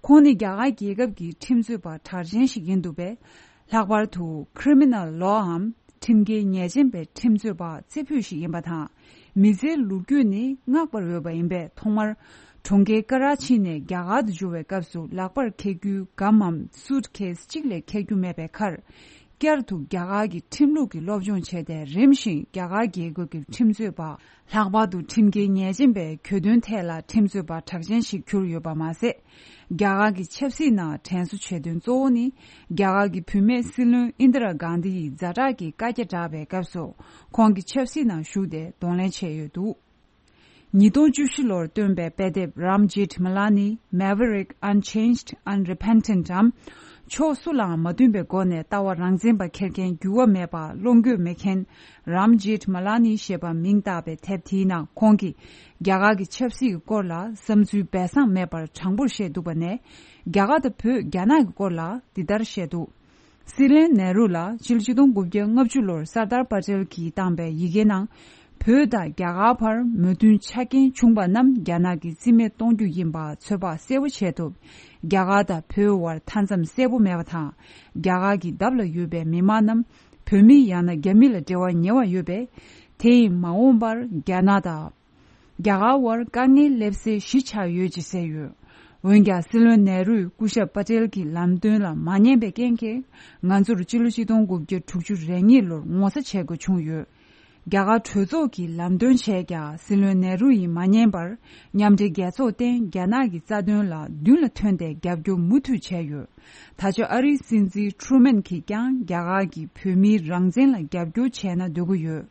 ཁོང་ནི་རྒྱ་གར་རྒྱལ་ཁབ་ཀྱི་ཁྲིམས་རྩོད་པ་གྲགས་ཅན་ཞིག་ཡིན་འདུག་པས། ལྷག་པར་དུ་ཁི་རི་མི་ནལ་ལོའམ་ཁྲིམས་འགལ་ཉེས་ཅན་པའི་ཁྲིམས་རྩོད་པ་རྩེ་ཕུད་ཞིག་ཡིན་པ་དང་། མི་ཚེའི་ལོ་རྒྱུས་ནི་བསྔགས་པར་འོས་པ་ཡིན་པས། ཐོག་མར་གྲོང་ཁྱེར་ཀ་ར་ཆི་ནས་རྒྱ་གར་དུ་འབྱོར་བའི་སྐབས་སུ་ལག་པར་འཁྱེར་རྒྱུའི་སྒམ་མམ་སུཊ་ཁེས་གཅིག་ལས་འཁྱེར་རྒྱུ་མེད་པའི་ཁར། བསྐྱར་དུ་རྒྱ་གར་གྱི་ཁྲིམས་ལུགས་ཀྱི་སློབ་སྦྱོང་བྱས་ཏེ། རིམ་བཞིན་རྒྱ་གར་རྒྱལ་ཁབ་ཀྱི་ཁྲིམས་རྩོད་པ། ལྷག་པར་དུ་ཁྲིམས་འགལ་ཉེས་ཅན་པའི་གྱོད་དོན་ཐད་ལ་ཁྲིམས་རྩོད་པ་གྲགས་ཅན་ཞིག་གྱུར་ཡོད་པ་མ་ཟད། རྒྱ་གར་གྱི་ཆབ་སྲིད་ནང་དྲན་གསོ་བྱེད་དོན་གཙོ་བོ་ནི། རྒྱ་གར་གྱི་བུད་མེད་སྲིད་བློན་ཨིན་དི་ར་གྷན་དྷི་ཡི་ཛ་དྲག་གི་བཀའ་རྒྱ་བསྒྲགས་པའི་སྐབས་སུ། ཁོང་གིས་ཆབ་སྲིད་ནང་ཞུགས་ཏེ་གདོང་ལེན་བྱས་ཡོད་འདུག་ཉིས་སྟོང་བཅུ་བཞི་ལོར་བཏོན་པའི་དཔེ་དེབ་རམ་ཇེཐ་མ་ལ་ནི་Maverick Unchanged Unrepentant འམ། ཕྱོགས་སུ་ལའང་མ་འདུན་པའི་སྒོ་ནས་ལྟ་བ་རང་བཙན་པ་འཁྱེར་མཁན། འགྱུར་བ་མེད་པ། བློ་འགྱོད་མེད་མཁན། རམ་ཇེཐ་མ་ལ་ནི་ཞེས་པ་མིང་བཏགས་པའི་དེབ་དེའི་ནང་ཁོང་གིས། རྒྱ་གར་གྱི་ཆབ་སྲིད་ཀྱི་སྐོར་ལ་བསམ་ཚུལ་སྦས་གསང་མེད་པར་དྲང་པོར་བཤད་འདུག་པ་ནས། རྒྱ་གར་དང་བོད་རྒྱ་ནག་གི་སྐོར་ལ་འདི་ལྟར་བཤད་འདུག་སྲིད་བློན་ནེ་རུ་ལ་སྤྱི་ལོ་ཆིག་སྟོང་དགུ་བརྒྱ་ལྔ་བཅུ་ལོར་སར་དར་པ་ཏེལ་གྱིས་བཏང་པའི་ཡི་གེ་ནང་། བོད་དང་རྒྱ་གར་བར་མོས་མཐུན་ཆ་རྐྱེན་བྱུང་པ་རྣམས་རྒྱ་ནག་གིས་རྩིས་མེད་གཏོང་རྒྱུ་ཡིན་པ་ཚོད་དཔག་གསལ་པོ་བྱས་ཐུབ། རྒྱ་གར་དང་བོད་དབར་མཐའ་མཚམས་གསལ་པོ་མེད་པ་དང་། རྒྱ་གར་གྱི་འདབས་ལ་ཡོད་པའི་མི་མང་རྣམས་བོད་མི་ཡང་ན་རྒྱ་མི་ལ་འབྲེལ་བ་ཉེ་བ་ཡོད་པས། དེ་ཡིས་མ་འོངས་པར་རྒྱ་ནག་དང་། རྒྱ་གར་བར་དཀའ་ངལ་སླེབས་སའི་གཞི་ཆགས་ཡོད་ཅེས་གསལ་ཡོད། འོན་ཀྱང་སྲིད་བློན་ནེ་རུས་སྐུ་ཞབས་པ་ཏེལ་གྱི་ལམ་སྟོན་ལ་མ་ཉན་པའི་རྐྱེན་གྱིས། ང་ཚོར་སྤྱི་ལོ་ཆིག་སྟོང་དགུ་བརྒྱ་དྲུག་ཅུ་རེ་གཉིས་ལོར་ངོ་ཚ་བྱེད་དགོས་བྱུང་ཡོད། རྒྱ་གར་གྲོས་ཚོགས་ཀྱིས་ལམ་སྟོན་བྱས་ཀྱང་སྲིད་བློན་ནེ་རུ་ཡིས་མ་ཉན་པར། མཉམ་འབྲེལ་རྒྱལ་ཚོགས་སྟེང་རྒྱ་ནག་གི་རྩ་དོན་ལ་མདུན་ལ་ཐོན་ཏེ་རྒྱབ་སྐྱོར་མུ་མཐུད་བྱས་ཡོད། ད་ཆ་ཨ་རིའི་སྲིད་འཛིན་ཁྲུ་མན་གྱིས་ཀྱང་རྒྱ་གར་གྱིས་བོད་མིའི་རང་བཙན་ལ་རྒྱབ་སྐྱོར་བྱས་ན་འདོད་ཀྱི་ཡོད།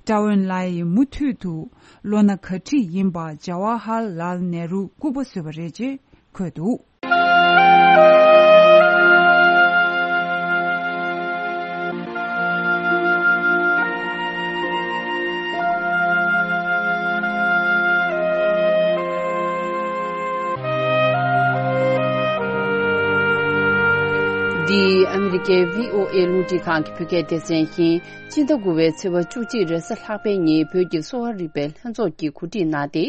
ཀྲའོ་ཨེན་ལའེ་ཡིས་མུ་མཐུད་དུ་བློ་སྣ་ག་འཁྲིད་ཡིན་པ་ཇ་ཝ་ཧར་ལཱལ་ནེ་རུ་སྐུ་པར་བཟོས་པ་རེད་ཅེས་འཁོད་འདུག། འདི་ཨ་མི་རི་ཀའི་བྷི་ཨོ་ཨེ་རླུང་འཕྲིན་ཁང་གི་བོད་སྐད་སྡེ་ཚན་ཡིན། སྤྱི་ཟླ་དགུ་པའི་ཚེས་པ་བཅུ་གཅིག་རེས་གཟའ་ལྷག་པའི་ཉིན་བོད་ཀྱི་གསོ་བ་རིག་པའི་ལྷན་ཚོགས་ཀྱིས་གོ་སྒྲིག་གནང་སྟེ།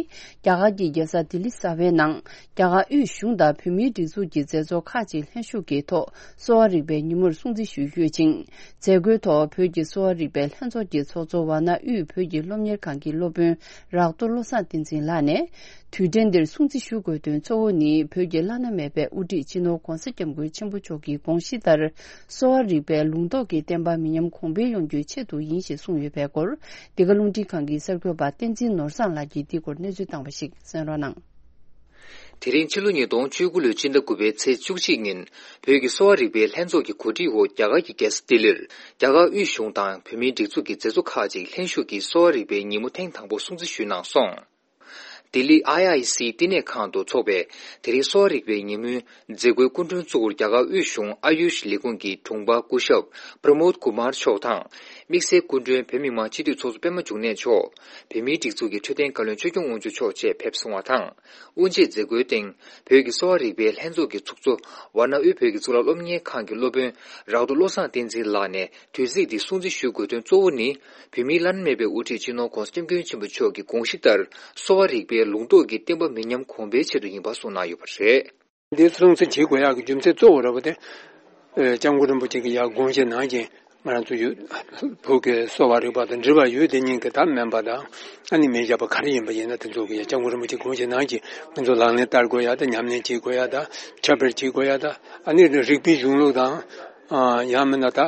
རྒྱ་གར་གྱི་རྒྱལ་ས་ལྡི་ལི་གསར་པའི་ནང་། རྒྱ་གར་དབུས་གཞུང་དང་བོད་མིའི་སྒྲིག་འཛུགས་ཀྱི་མཛད་གཙོ་ཁག་ཅིག་ལྷན་ཞུགས་ཀྱིས་ཐོག་གསོ་བ་རིག་པའི་ཉིན་མོར་སྲུང་བརྩི་ཞུས་ཡོད་ཅིང་། མཛད་སྒོའི་ཐོག་བོད་ཀྱི་གསོ་བ་རིག་པའི་ལྷན་ཚོགས་ཀྱི་ཚོགས་གཙོ་ཝཱ་ཎ་དབུས་བོད་ཀྱི་སློབ་གཉེར་ཁང་གི་སློབ་དཔོན་རག་ཏུ་བློ་བཟང་བསྟན་འཛིན་ལགས་ནས། དུས་དྲན་འདིར་སྲུང་བརྩི་ཞུ་དགོས་དོན་གཙོ་བོ་ནི་བོད་ཀྱི་བླ་ན་མེད་པའི་དབུ་ཁྲིད་སྤྱི་ནོར་༧གོང་ས་༧སྐྱབས་མགོན་ཆེན་པོ་མཆོག་གི་དགོངས་གཞི་ལྟར། གསོ་བ་རིག་པའི་ལུང་རྟོགས་ཀྱི་བསྟན་པ་མི་ཉམས་གོང་འཕེལ་ཡོང་རྒྱུའི་ཆེད་དུ་ཡིན་ཞེས་གསུངས་ཡོད་པའི་སྐོར། འདི་ག་རླུང་འཕྲིན་ཁང་གི་གསར་འགོད་པ་བསྟན་འཛིན་ནོར་བཟང་ལགས་ཀྱིས་འདི་སྐོར་གནས་ཚུལ་བཏང་བ་ཞིག་གསན་རོགས་གནང་། དེ་རིང་ཕྱི་ལོ་ཉིས་སྟོང་བཅུ་དགུ་ལོའི་སྤྱི་ཟླ་དགུ་པའི་ཚེས་བཅུ་གཅིག་ཉིན། བོད་ཀྱི་གསོ་བ་རིག་པའི་ལྷན་ཚོགས་ཀྱི་གོ་སྒྲིག་འོག་རྒྱ་གར་གྱི་རྒྱལ་ས་ལྡི་ལིར། རྒྱ་གར་དབུས་གཞུང་དང་བོད་མིའི་སྒྲིག་འཛུགས་ཀྱི་མཛད་གཙོ་ཁག་ཅིག་ལྷན་ཞུགས་ཀྱིས་གསོ་བ་རིག་པའི་ཉིན་མོ་ཐེངས་དང་པོ་སྲུང་བརྩི་ཞུས་གནང་སོང་། ལྡི་ལི་ཨའི་ཨའི་སིའི་བསྟི་གནས་ཁང་དུ་འཚོགས་པའི་དེ་རིང་གསོ་བ་རིག་པའི་ཉིན་མོའི་མཛད་སྒོའི་སྐུ་མགྲོན་གཙོ་བོར་རྒྱ་གར་དབུས་གཞུང་ཨ་ཡུཤ་ལས་ཁུངས་ཀྱི་དྲུང་འཕར་སྐུ་ཞབས་པྲ་མོད་ཀུ་མར་མཆོག་དང་། དམིགས་བསལ་སྐུ་མགྲོན་བོད་མི་མང་སྤྱི་འཐུས་ཚོགས་གཙོ་པད་མ་འབྱུང་གནས་མཆོག་བོད་མིའི་སྒྲིག་འཛུགས་ཀྱི་འཕྲོད་བསྟེན་བཀའ་བློན་ཆོས་སྐྱོང་དབང་ཕྱུག་མཆོག་བཅས་ཕེབས་སོང་བ་དང་། དབུ་འབྱེད་མཛད་སྒོའི་སྟེང་། བོད་ཀྱི་གསོ་བ་རིག་པའི་ལྷན་ཚོགས་ཀྱི་ཚོགས་གཙོ་ཝཱ་ཎ་དབུས་བོད་ཀྱི་གཙུག་ལག་སློབ་གཉེར་ཁང་གི་སློབ་དཔོན་རག་ཏུ་བློ་བཟང་བསྟན་འཛིན་ལགས་ནས། དུས་ཚིགས་འདི་སྲུང་བརྩི་ཞུ་དགོས་དོན་གཙོ་བོ་ནི། བོད་མིའི་བླ་ན་མེད་པའི་དབུ་ཁྲིད་སྤྱི་ནོར་༧གོང་ས་༧སྐྱབས་མགོན་ཆེན་པོ་མཆོག་གི་དགོངས་གཞི་ལྟར། གསོ་བ་རིག་པའི་ལུང་རྟོགས་ཀྱི་བསྟན་པ་མི་ཉམས་གོང་འཕེལ་ཆེད་དུ་ཡིན་པ་གསུངས་གནང་ཡོད་པ་རེད། འདི་སྲུང་བརྩི་བྱེད་དགོས་ཡག་གི་རྒྱུ་མཚན་གཙོ་བོ་ར་བ་དེ། ཨེ། སྐྱབས་མགོན་རིན་པོ་ཆེ་གི་ཡ་དགོངས་བཞེས་གནང་རྐྱེན་ང་རང་ཚོ་ཡུལ་བོད་ཀྱི་གསོ་བ་རིག་པ་དང་འབྲེལ་བ་ཡོད་དེ་ཉིད་ཀྱི་ད་སྨན་པ་དང་ཨ་ནི་སྨན་ཞབས་པ་ག་རེ་ཡིན་པ་ཡིན་ན་དེ་ཚོ་གི་ཡ་སྐྱབས་མགོན་རིན་པོ་ཆེ་དགོངས་བཞེས་གནང་རྐྱེན་ང་ཚོ་ལག་ལེན་བསྟར་དགོས་ཡ་དང་ཉམས་ལེན་བྱེད་དགོས་ཡ་དང་ཁྱབ་སྤེལ་བྱེད་དགོས་ཡ་དང་ཨ་ནི་རིག་པའི་གཞུང་ལུགས་དང་ཨ་ཡང་མིན་ན་ད་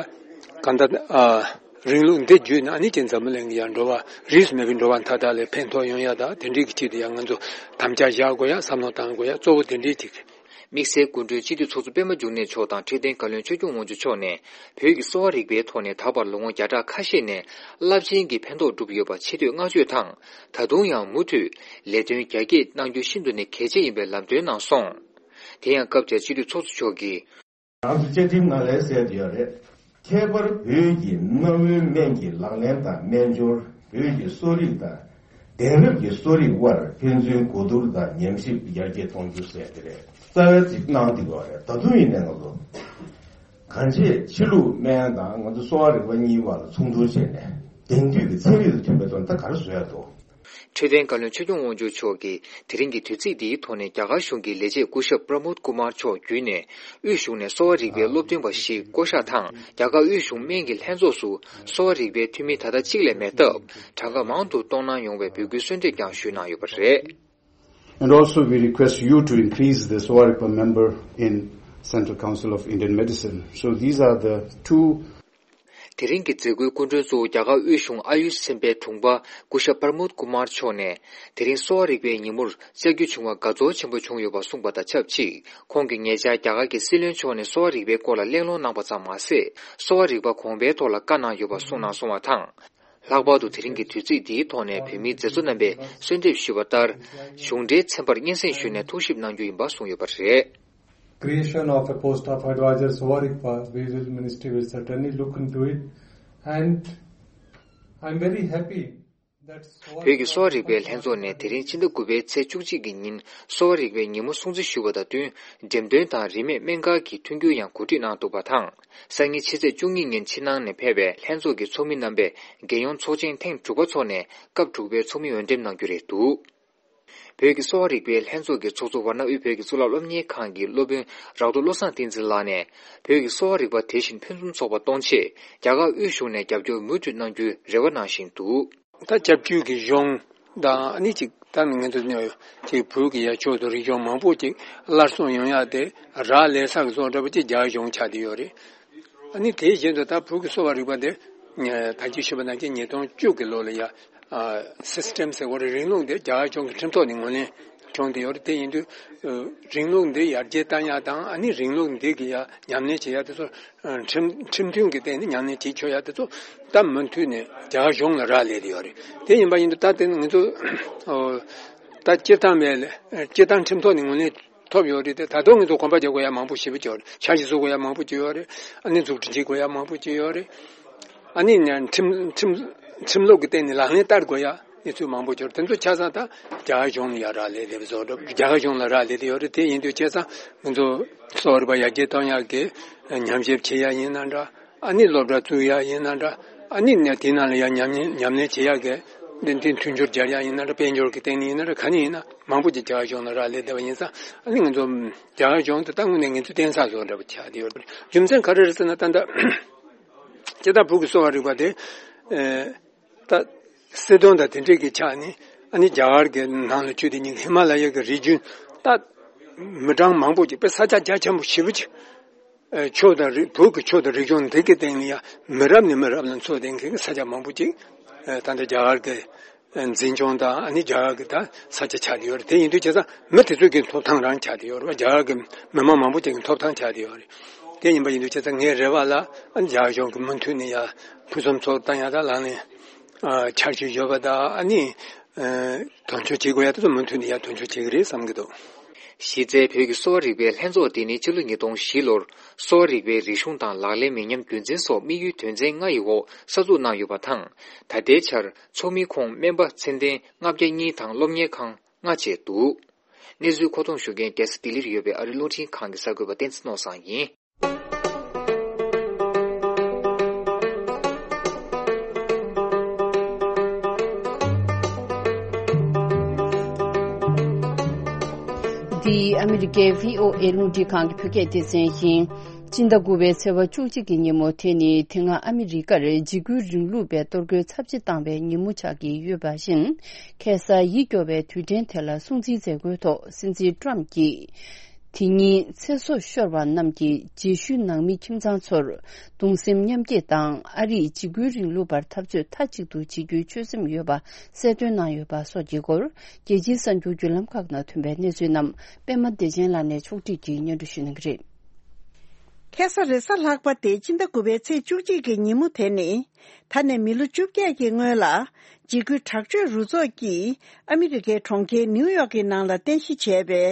གང་ལྟར་ཨ་རིང་ལུགས་འདི་བརྒྱུད་ནས་ཨ་ནི་ཅིག་འཛམ་བུ་གླིང་གི་ཡ་འགྲོ་བ་རིས་སུ་མེད་པའི་འགྲོ་བ་མཐའ་དག་ལ་ཕན་ཐོགས་ཡོང་ཡ་དང་དེ་འདྲའི་གི་ཆེད་དུ་ཡ་ང་ཚོ་དམ་བཅའ་བཞག་དགོས་ཡ་བསམ་བློ་བཏང་དགོས་ཡ་གཙོ་བོ་དེ་འདྲའི་ཅིག་དམིགས་བསལ་སྐུ་མགྲོན་སྤྱི་འཐུས་ཚོགས་གཙོ་པད་མ་འབྱུང་གནས་མཆོག་དང་འཕྲོད་བསྟེན་བཀའ་བློན་ཆོས་སྐྱོང་དབང་ཕྱུག་མཆོག་ནས་བོད་ཀྱི་གསོ་བ་རིག་པའི་ཐོག་ནས་ད་བར་ལོ་ངོ་བརྒྱ་ཕྲག་ཁ་ཤས་ནས་རླབས་ཆེན་གྱི་ཕན་ཐོགས་བསྒྲུབས་ཡོད་པ་ཆེ་བསྟོད་བསྔགས་བརྗོད་དང་། ད་དུང་ཡང་མུ་མཐུད་ལས་དོན་རྒྱ་སྐྱེད་གནང་རྒྱུ་ཤིན་ཏུ་ནས་གལ་ཆེ་ཡིན་པའི་ལམ་སྟོན་གནང་སོང་། དེ་ཡང་སྐབས་དེར་སྤྱི་འཐུས་ཚོགས་གཙོ་མཆོག་གིས། ང་ཚོ་བཅའ་ཁྲིམས་ནང་ལ་གསལ་བསྡད་ཡོད་རེད། ཁྱད་པར་བོད་ཀྱི་གནའ་བོའི་སྨན་གྱི་ལག་ལེན་དང་སྨན་སྦྱོར། བོད་ཀྱི་གསོ་རིག་དང་། གདན་རབས་ཀྱི་གསོ་རིག་དབར་ཕན་ཚུན་གོ་བསྡུར་དང་ཉམས་ཞིབ་ཡར་རྒྱས་གཏོང་རྒྱུ་ཟེར་དེ་རེད། རྩ་བའི་ཚིག་གནང་འདི་གོ་རེད། ད་དུང་ཡིན་ནའི་ང་ཚོ་གང་ཅི་ཕྱི་ལུགས་སྨན་དང་ང་ཚོ་གསོ་བ་རིག་པ་གཉིས་བར་ལ་མཚུངས་བསྡུར་བྱས་ནས་དེང་དུས་ཀྱི་ཚན་རིག་དང་མཐུན་པའི་ཐོག་ནས་ད་ག་རེ་བཟོ་ཡ་འདུག། འཕྲོད་བསྟེན་བཀའ་བློན་ཆོས་སྐྱོང་དབང་ཕྱུག་མཆོག་གིས་དེ་རིང་གི་དུས་ཚིགས་འདིའི་ཐོག་ནས་རྒྱ་གར་གཞུང་གི་ལས་བྱེད་སྐུ་ཞབས་པྲ་མོད་ཀུ་མར་མཆོག་བརྒྱུད་ནས་དབུས་གཞུང་ནས་གསོ་བ་རིག་པའི་སློབ་སྟོན་པ་ཞིག་བསྐོ་གཞག་དང་རྒྱ་གར་དབུས་གཞུང་སྨན་གྱི་ལྷན་ཚོགས་སུ་གསོ་བ་རིག་པའི་འཐུས་མི་ད་ལྟ་གཅིག་ལས་མེད་སྟབས་གྲངས་ཀ་མང་དུ་གཏོང་གནང་ཡོང་བའི་འབོད་སྐུལ་གསོལ་འདེབས་ཀྱང་ཞུས་གནང་ཡོད་པ་རེད། And also we request you to increase the Sovarigpa member in Central Council of Indian Medicine. So these are the two དེ་རིང་གི་མཛད་སྒོའི་སྐུ་མགྲོན་གཙོ་བོ་རྒྱ་གར་དབུས་གཞུང་ཨ་ཡུཤ་ཚན་པའི་དྲུང་འཕར་སྐུ་ཞབས་པར་མོད་ཀུ་མར་མཆོག་ནས་དེ་རིང་གསོ་བ་རིག་པའི་ཉིན་མོར་བཅར་རྒྱུ་བྱུང་བ་དགའ་ཚོར་ཆེན་པོ་བྱུང་ཡོད་པ་གསུངས་པ་དང་ཆབས་ཅིག་ཁོང་གིས་ཉེ་ཆར་རྒྱ་གར་གྱི་སྲིད་བློན་མཆོག་ནས་གསོ་བ་རིག་པའི་སྐོར་ལ་གླེང་སློང་གནང་པ་ཙམ་མ་ཟད། གསོ་བ་རིག་པ་གོང་འཕེལ་ཐོག་ལ་བཀའ་གནང་ཡོད་པ་གསུངས་གནང་སོང་བ་དང་། ལྷག་པར་དུ་དེ་རིང་གི་དུས་ཚིགས་འདིའི་ཐོག་ནས་བོད་མིའི་མཛད་གཙོ་རྣམ་པས་གསོལ་འདེབས་ཞུས་པ་ལྟར། གཞུང་འབྲེལ་ཚན་པར་སྙན་སེང་ཞུས་ནས་ཐུགས་ཞིབ་གནང་རྒྱུ་ཡིན་པ་གསུངས་ཡོད་པ་རེད། Creation of a post of Advisor Sovarikpa, we will, Ministry will certainly look into it, and I'm very happy that བོད་ཀྱི་གསོ་བ་རིག་པའི་ལྷན་ཚོགས་ནས་དེ་རིང་ཕྱི་ཟླ་དགུ་པའི་ཚེས་བཅུ་གཅིག་གི་ཉིན་གསོ་བ་རིག་པའི་ཉིན་མོ་སྲུང་བརྩི་ཞུས་པ་དང་བསྟུན། འགྲེམས་སྟོན་དང་རིན་མེད་སྨན་སྒར་གྱི་མཐུན་འགྱུར་ཡང་གོ་སྒྲིག་གནང་འདུག་པ་དང་། སང་ཉིན་ཕྱི་ཚེས་བཅུ་གཉིས་ཉིན་ཕྱི་ནང་ནས་ཕེབས་པའི་ལྷན་ཚོགས་ཀྱི་ཚོགས་མི་རྣམ་པས་རྒྱལ་ཡོངས་ཚོགས་ཆེན་ཐེངས་དྲུག་པ་འཚོགས་ནས་སྐབས་དྲུག་པའི་ཚོགས་མི་འོས་འདེམས་གནང་རྒྱུ་རེད་འདུག། བོད་ཀྱི་གསོ་བ་རིག་པའི་ལྷན་ཚོགས་ཀྱི་ཚོགས་གཙོ་ཝཱ་ཎ་དབུས་བོད་ཀྱི་གཙུག་ལག་སློབ་གཉེར་ཁང་གི་སློབ་དཔོན་རག་ཏུ་བློ་བཟང་བསྟན་འཛིན་ལགས་ནས། བོད་ཀྱི་གསོ་བ་རིག་པ་དེ་བཞིན་ཕུན་སུམ་ཚོགས་པ་གཏོང་ཆེད་རྒྱ་གར་དབུས་གཞུང་ནས་རྒྱབ་སྐྱོར་མུ་མཐུད་གནང་རྒྱུའི་རེ་བ་གནང་བཞིན་འདུག། ད་སྐྱབས་བཅོལ་གྱི་གཞུང་དང་ཨ་ནི་ཅིག་ད་ང་ཚོ་ནས་ཅིག་བོད་ཀྱི་ཡ་ཕྱོགས་དང་རིག་གཞུང་མང་པོ་ཅིག་སླར་གསོ་ཡོང་ཡ་དེ་རག་ལས་ས་གི་བཟོ་འདྲ་པོ་ཅིག་རྒྱ་གཞུང་ཆགས་བསྡད་ཡོད་རེད། ཨ་ནི་དེ་བཞིན་དུ་ད་བོད་ཀྱི་གསོ་བ་རིག་པ་དེ་ ད་ཅི་ཞུས་པ་ནང་བཞིན་ཉིས་སྟོང་བཅུ་གི་ལོ་ལ་ཡ། སིས་ཊེམ་ཟེར་བ་རེད། རིང་ལུགས་འདི་རྒྱ་གར་གཞུང་གི་ཁྲིམས་ཐོག་ནས་ངོས་ལེན་བྱུང་བསྡད་ཡོད་རེད། དེ་ཡིན་དུས་རིང་ལུགས་འདི་ཡར་རྒྱས་བཏང་ཡག་དང་། ཨ་ནི་རིང་ལུགས་འདི་གི་ཡ་ཉམས་ལེན་བྱེད་ཡག་དེ་ཚོ་ཁྲིམས་ཁྲིམས་མཐུན་གྱི་སྟེང་ནས་ཉམས་ལེན་བྱེད་ཆོག་ཡག་དེ་ཚོ་ད་མུ་མཐུད་ནས་རྒྱ་གར་གཞུང་ལ་རག་ལས་བསྡད་ཡོད་རེད། དེ་ཡིན་པ་ཡིན་དུས་ད་དེ་ང་ཚོ་ད་སྤྱིར་བཏང་བའི་སྤྱིར་བཏང་ཁྲིམས་ཐོག་ནས་ངོས་ལེན་ཐོབ་ཡོད་རེད་དེ། ད་དུང་ང་ཚོ་གོམ་པ་རྒྱག་དགོས་ཡ་མང་པོ་ཞེ་པོ་ཅིག་ཡོད་རེད། འཆར་གཞི་བཟོ་དགོས་ཡ་མང་པོ་ཅིག་ཡོད་རེད། ཨ་ནི་འཛུགས་སྐྲུན་བྱེད་དགོས་ཡ་མང་པོ་ཅིག་ཡོད་རེད། ཨ་ནི་ཁྲིམས་ཁྲིམས་ཁྲིམས་ལུགས་ཀྱི་སྟེང་ནས་ལག་ལེན་བསྟར་དགོས་ཡ་གནས་ཚུལ་མང་པོ་ཅིག་ཡོད་རེད། དེ་ཚོ་ཆ་ཚང་ད་རྒྱ་གར་གཞུང་ལ་ཡ་རག་ལས་ལས་བཟོ་འགྲོ། རྒྱ་གར་གཞུང་ལ་རག་ལས་ལས་ཡོད་རེད། དེ་ཡིན་དུས་བྱས་ཙང་ང་ཚོ་གསོ་བ་རིག་པ་ཡར་རྒྱས་གཏོང་ཡག་གི་ཉམས་ཞིབ་བྱེད་ཡ་ཡིན་ན་འདྲ། ཨ་ནི་སློབ་གྲྭ་བཙུགས་ཡ་ཡིན་ན་འདྲ། ཨ་ནི་ནས་དེ་ནང་ལ་ཡང་ཉམས་ཉམས་ལེན་བྱེད་ཡག་གི་འདི་འདི་མཐུན་སྦྱོར་སྦྱར་ཡ་ཡིན་ན་འདྲ། དཔལ་འབྱོར་གྱི་སྟེང་ནས་ཡིན་ན་འདྲ། ག་ནས་ཡིན་ན་མང་པོ་ཅིག་རྒྱ་གར་གཞུང་ལ་རག་ལས་བསྡད་པ་ཡིན་ཙང་། ཨ་ནི་ང་ཚོ་རྒྱ་གར་གཞུང་དེ་ད་དངོས་གནས་ངེས་ཚུལ་བསྟན་ས་བཟོ་འདྲ་པོ་ཆགས་བསྡད་ཡོད་རེད། རྒྱུ་མཚན་ག་རེ་རེད་ཟེར་ན། ད་ལྟ་སྤྱིར་བཏང་བོད་ཀྱི་གསོ་བ་རིག་པ་དེ་ད་སྲིད་དོན་དང་དེ་འབྲེལ་གྱི་ཆ་ནས། ཨ་ནི་རྒྱ་གར་གྱི་ནང་ལ་ཆུ་དེ་ཉིད་ཧི་མ་ལ་ཡ་གི་རི་རྒྱུད་ད་མི་གྲངས་མང་པོ་ཅིག་དཔེ་ས་ཆ་རྒྱ་ཆེན་པོ་ཞེ་པོ་ཅིག་ཨ། ཆོས་དང་རིག་བོད་ཀྱི་ཆོས་དང་རིག་གཞུང་འདི་གི་སྟེང་ལ་ཡང་མི་རབས་ནས་མི་རབས་ལ་འཚོ་བསྡད་མཁན་གྱི་ས་ཆ་མང་པོ་ཅིག་ཨ། ད་ལྟ་རྒྱ་གར་གྱི་འཛིན་སྐྱོང་དང་། ཨ་ནི་རྒྱ་གར་གྱི་ད་ས་ཆ་ཆགས་བསྡད་ཡོད་རེད། དེ་ཡིན་དུས་བྱས་ཙང་མི་དེ་ཚོ་གི་ཐོབ་ཐང་རང་ཆགས་བསྡད་ཡོད་རེད་པ། རྒྱ་གར་གྱི་མི་མང་མང་པོ་ཅིག་གི་ཐོབ་ཐང་ཆགས་བསྡད་ཡོད་རེད། དེ་ཡིན་པ་ཡིན་དུས་བྱས་ཙང་ངའི་རེ་བ་ལ། ཨ་ནི་རྒྱ་གར་གཞུང་གིས་མུ་མཐུད་ནས་ཡང་ཕུན་སུམ་ཚོགས་བཏང་ཡག་དང་། ལག་ལེན་ཨ། འཆར་གཞི་ཡོད་པ་དང་། ཨ་ནི་ཨ། དོན་འཁྱོལ་བྱེད་དགོས་ཡག་དེ་ཚོ་མུ་མཐུད་ནས་ཡང་དོན་འཁྱོལ་བྱེད་ཀྱི་རེད་བསམ་གྱི་འདུག་གཞི་རྩའི་བོད་ཀྱི་གསོ་བ་རིག་པའི་ལྷན་ཚོགས་དེ་ནི་ཕྱི་ལོ་ཉིས་སྟོང་བཞི་ལོར་གསོ་བ་རིག་པའི་རིག་གཞུང་དང་ལག་ལེན་མི་ཉམས་རྒྱུན་འཛིན་སོགས་དམིགས་ཡུལ་དོན་ཚན་ལྔ་ཡི་འོག་གསར་འཛུགས་གནང་ཡོད་པ་དང་། ད་ལྟའི་ཆར་ཚོགས་མི་ཁོངས་སྨན་པ་ཚད་ལྡན་ལྔ་བརྒྱ་གཉིས་དང་སློབ་གཉེར་ཁང་ལྔ་བཅས་འདུག་གནས་ཚུལ་མཁོ་གཏོང་ཞུ་མཁན་རྒྱལ་ས་ལྡི་ལིར་ཡོད་པའི་ཨ་རིའི་རླུང་འཕྲིན་ཁང་གི་གསར་འགོད་པ་བསྟན་འཛིན་ནོར་བཟང་ཡིན། འདི་ཨ་མི་རི་ཀའི་བྷི་ཨོ་ཨེ་རླུང་འཕྲིན་ཁང་གི་བོད་སྐད་སྡེ་ཚན་ཡིན། སྤྱི་ཟླ་དགུ་པའི་ཚེས་པ་བཅུ་གཅིག་གི་ཉིན་མོ་དེ་ནི་དེ་སྔ་ཨ་མི་རི་ཀར་འཇིགས་སྐུལ་རིང་ལུགས་པས་གཏོར་རྒོལ་ཚབས་ཆེ་བཏང་བའི་ཉིན་མོ་ཆགས་ཀྱི་ཡོད་པ་བཞིན། ཁ་སང་ཡིད་སྐྱོ་བའི་དུས་དྲན་དེ་ལ་སྲུང་བརྩིའི་མཛད་སྒོའི་ཐོག་སྲིད་འཛིན་ཊམ་གྱིས། དེ་ཉིན་ཚེ་སྲོག་ཤོར་བ་རྣམས་ཀྱི་རྗེས་ཤུལ་ནང་མི་ཁྱིམ་ཚང་ཚོར་གདུང་སེམས་མཉམ་སྐྱེད་དང་། ཨ་རིས་འཇིགས་སྐུལ་རིང་ལུགས་པར་འཐབ་རྩོད་མཐའ་གཅིག་ཏུ་བྱེད་རྒྱུའི་ཆོད་སེམས་ཡོད་པ་གསལ་སྟོན་གནང་ཡོད་པ་སོགས་ཀྱི་སྐོར། རྒྱལ་སྤྱིའི་གསར་འགྱུར་བརྒྱུད་ལམ་ཁག་ནང་ཐོན་པའི་གནས་ཚུལ་རྣམས་པད་མ་བདེ་ཆེན་ལགས་ནས་ཕྱོགས་སྒྲིག་གིས་སྙན་སྒྲོན་ཞུ་གནང་གི་རེད། ཁ་སང་རེས་གཟའ་ལྷག་པ་སྟེ་སྤྱི་ཟླ་དགུ་པའི་ཚེས་བཅུ་གཅིག་གི་ཉིན་མོ་དེ་ནི། ད་ནས་མི་ལོ་བཅོ་བརྒྱད་ཀྱི་སྔོན་ལ། འཇིགས་སྐུལ་དྲག་སྤྱོད་རུ་ཚོགས་ཀྱིས་ཨ་མི་རི་ཀའི་གྲོང་ཁྱེར་ནིའུ་ཡོག་གི་ནང་ལ་རྟེན་གཞི་བྱས་པའི་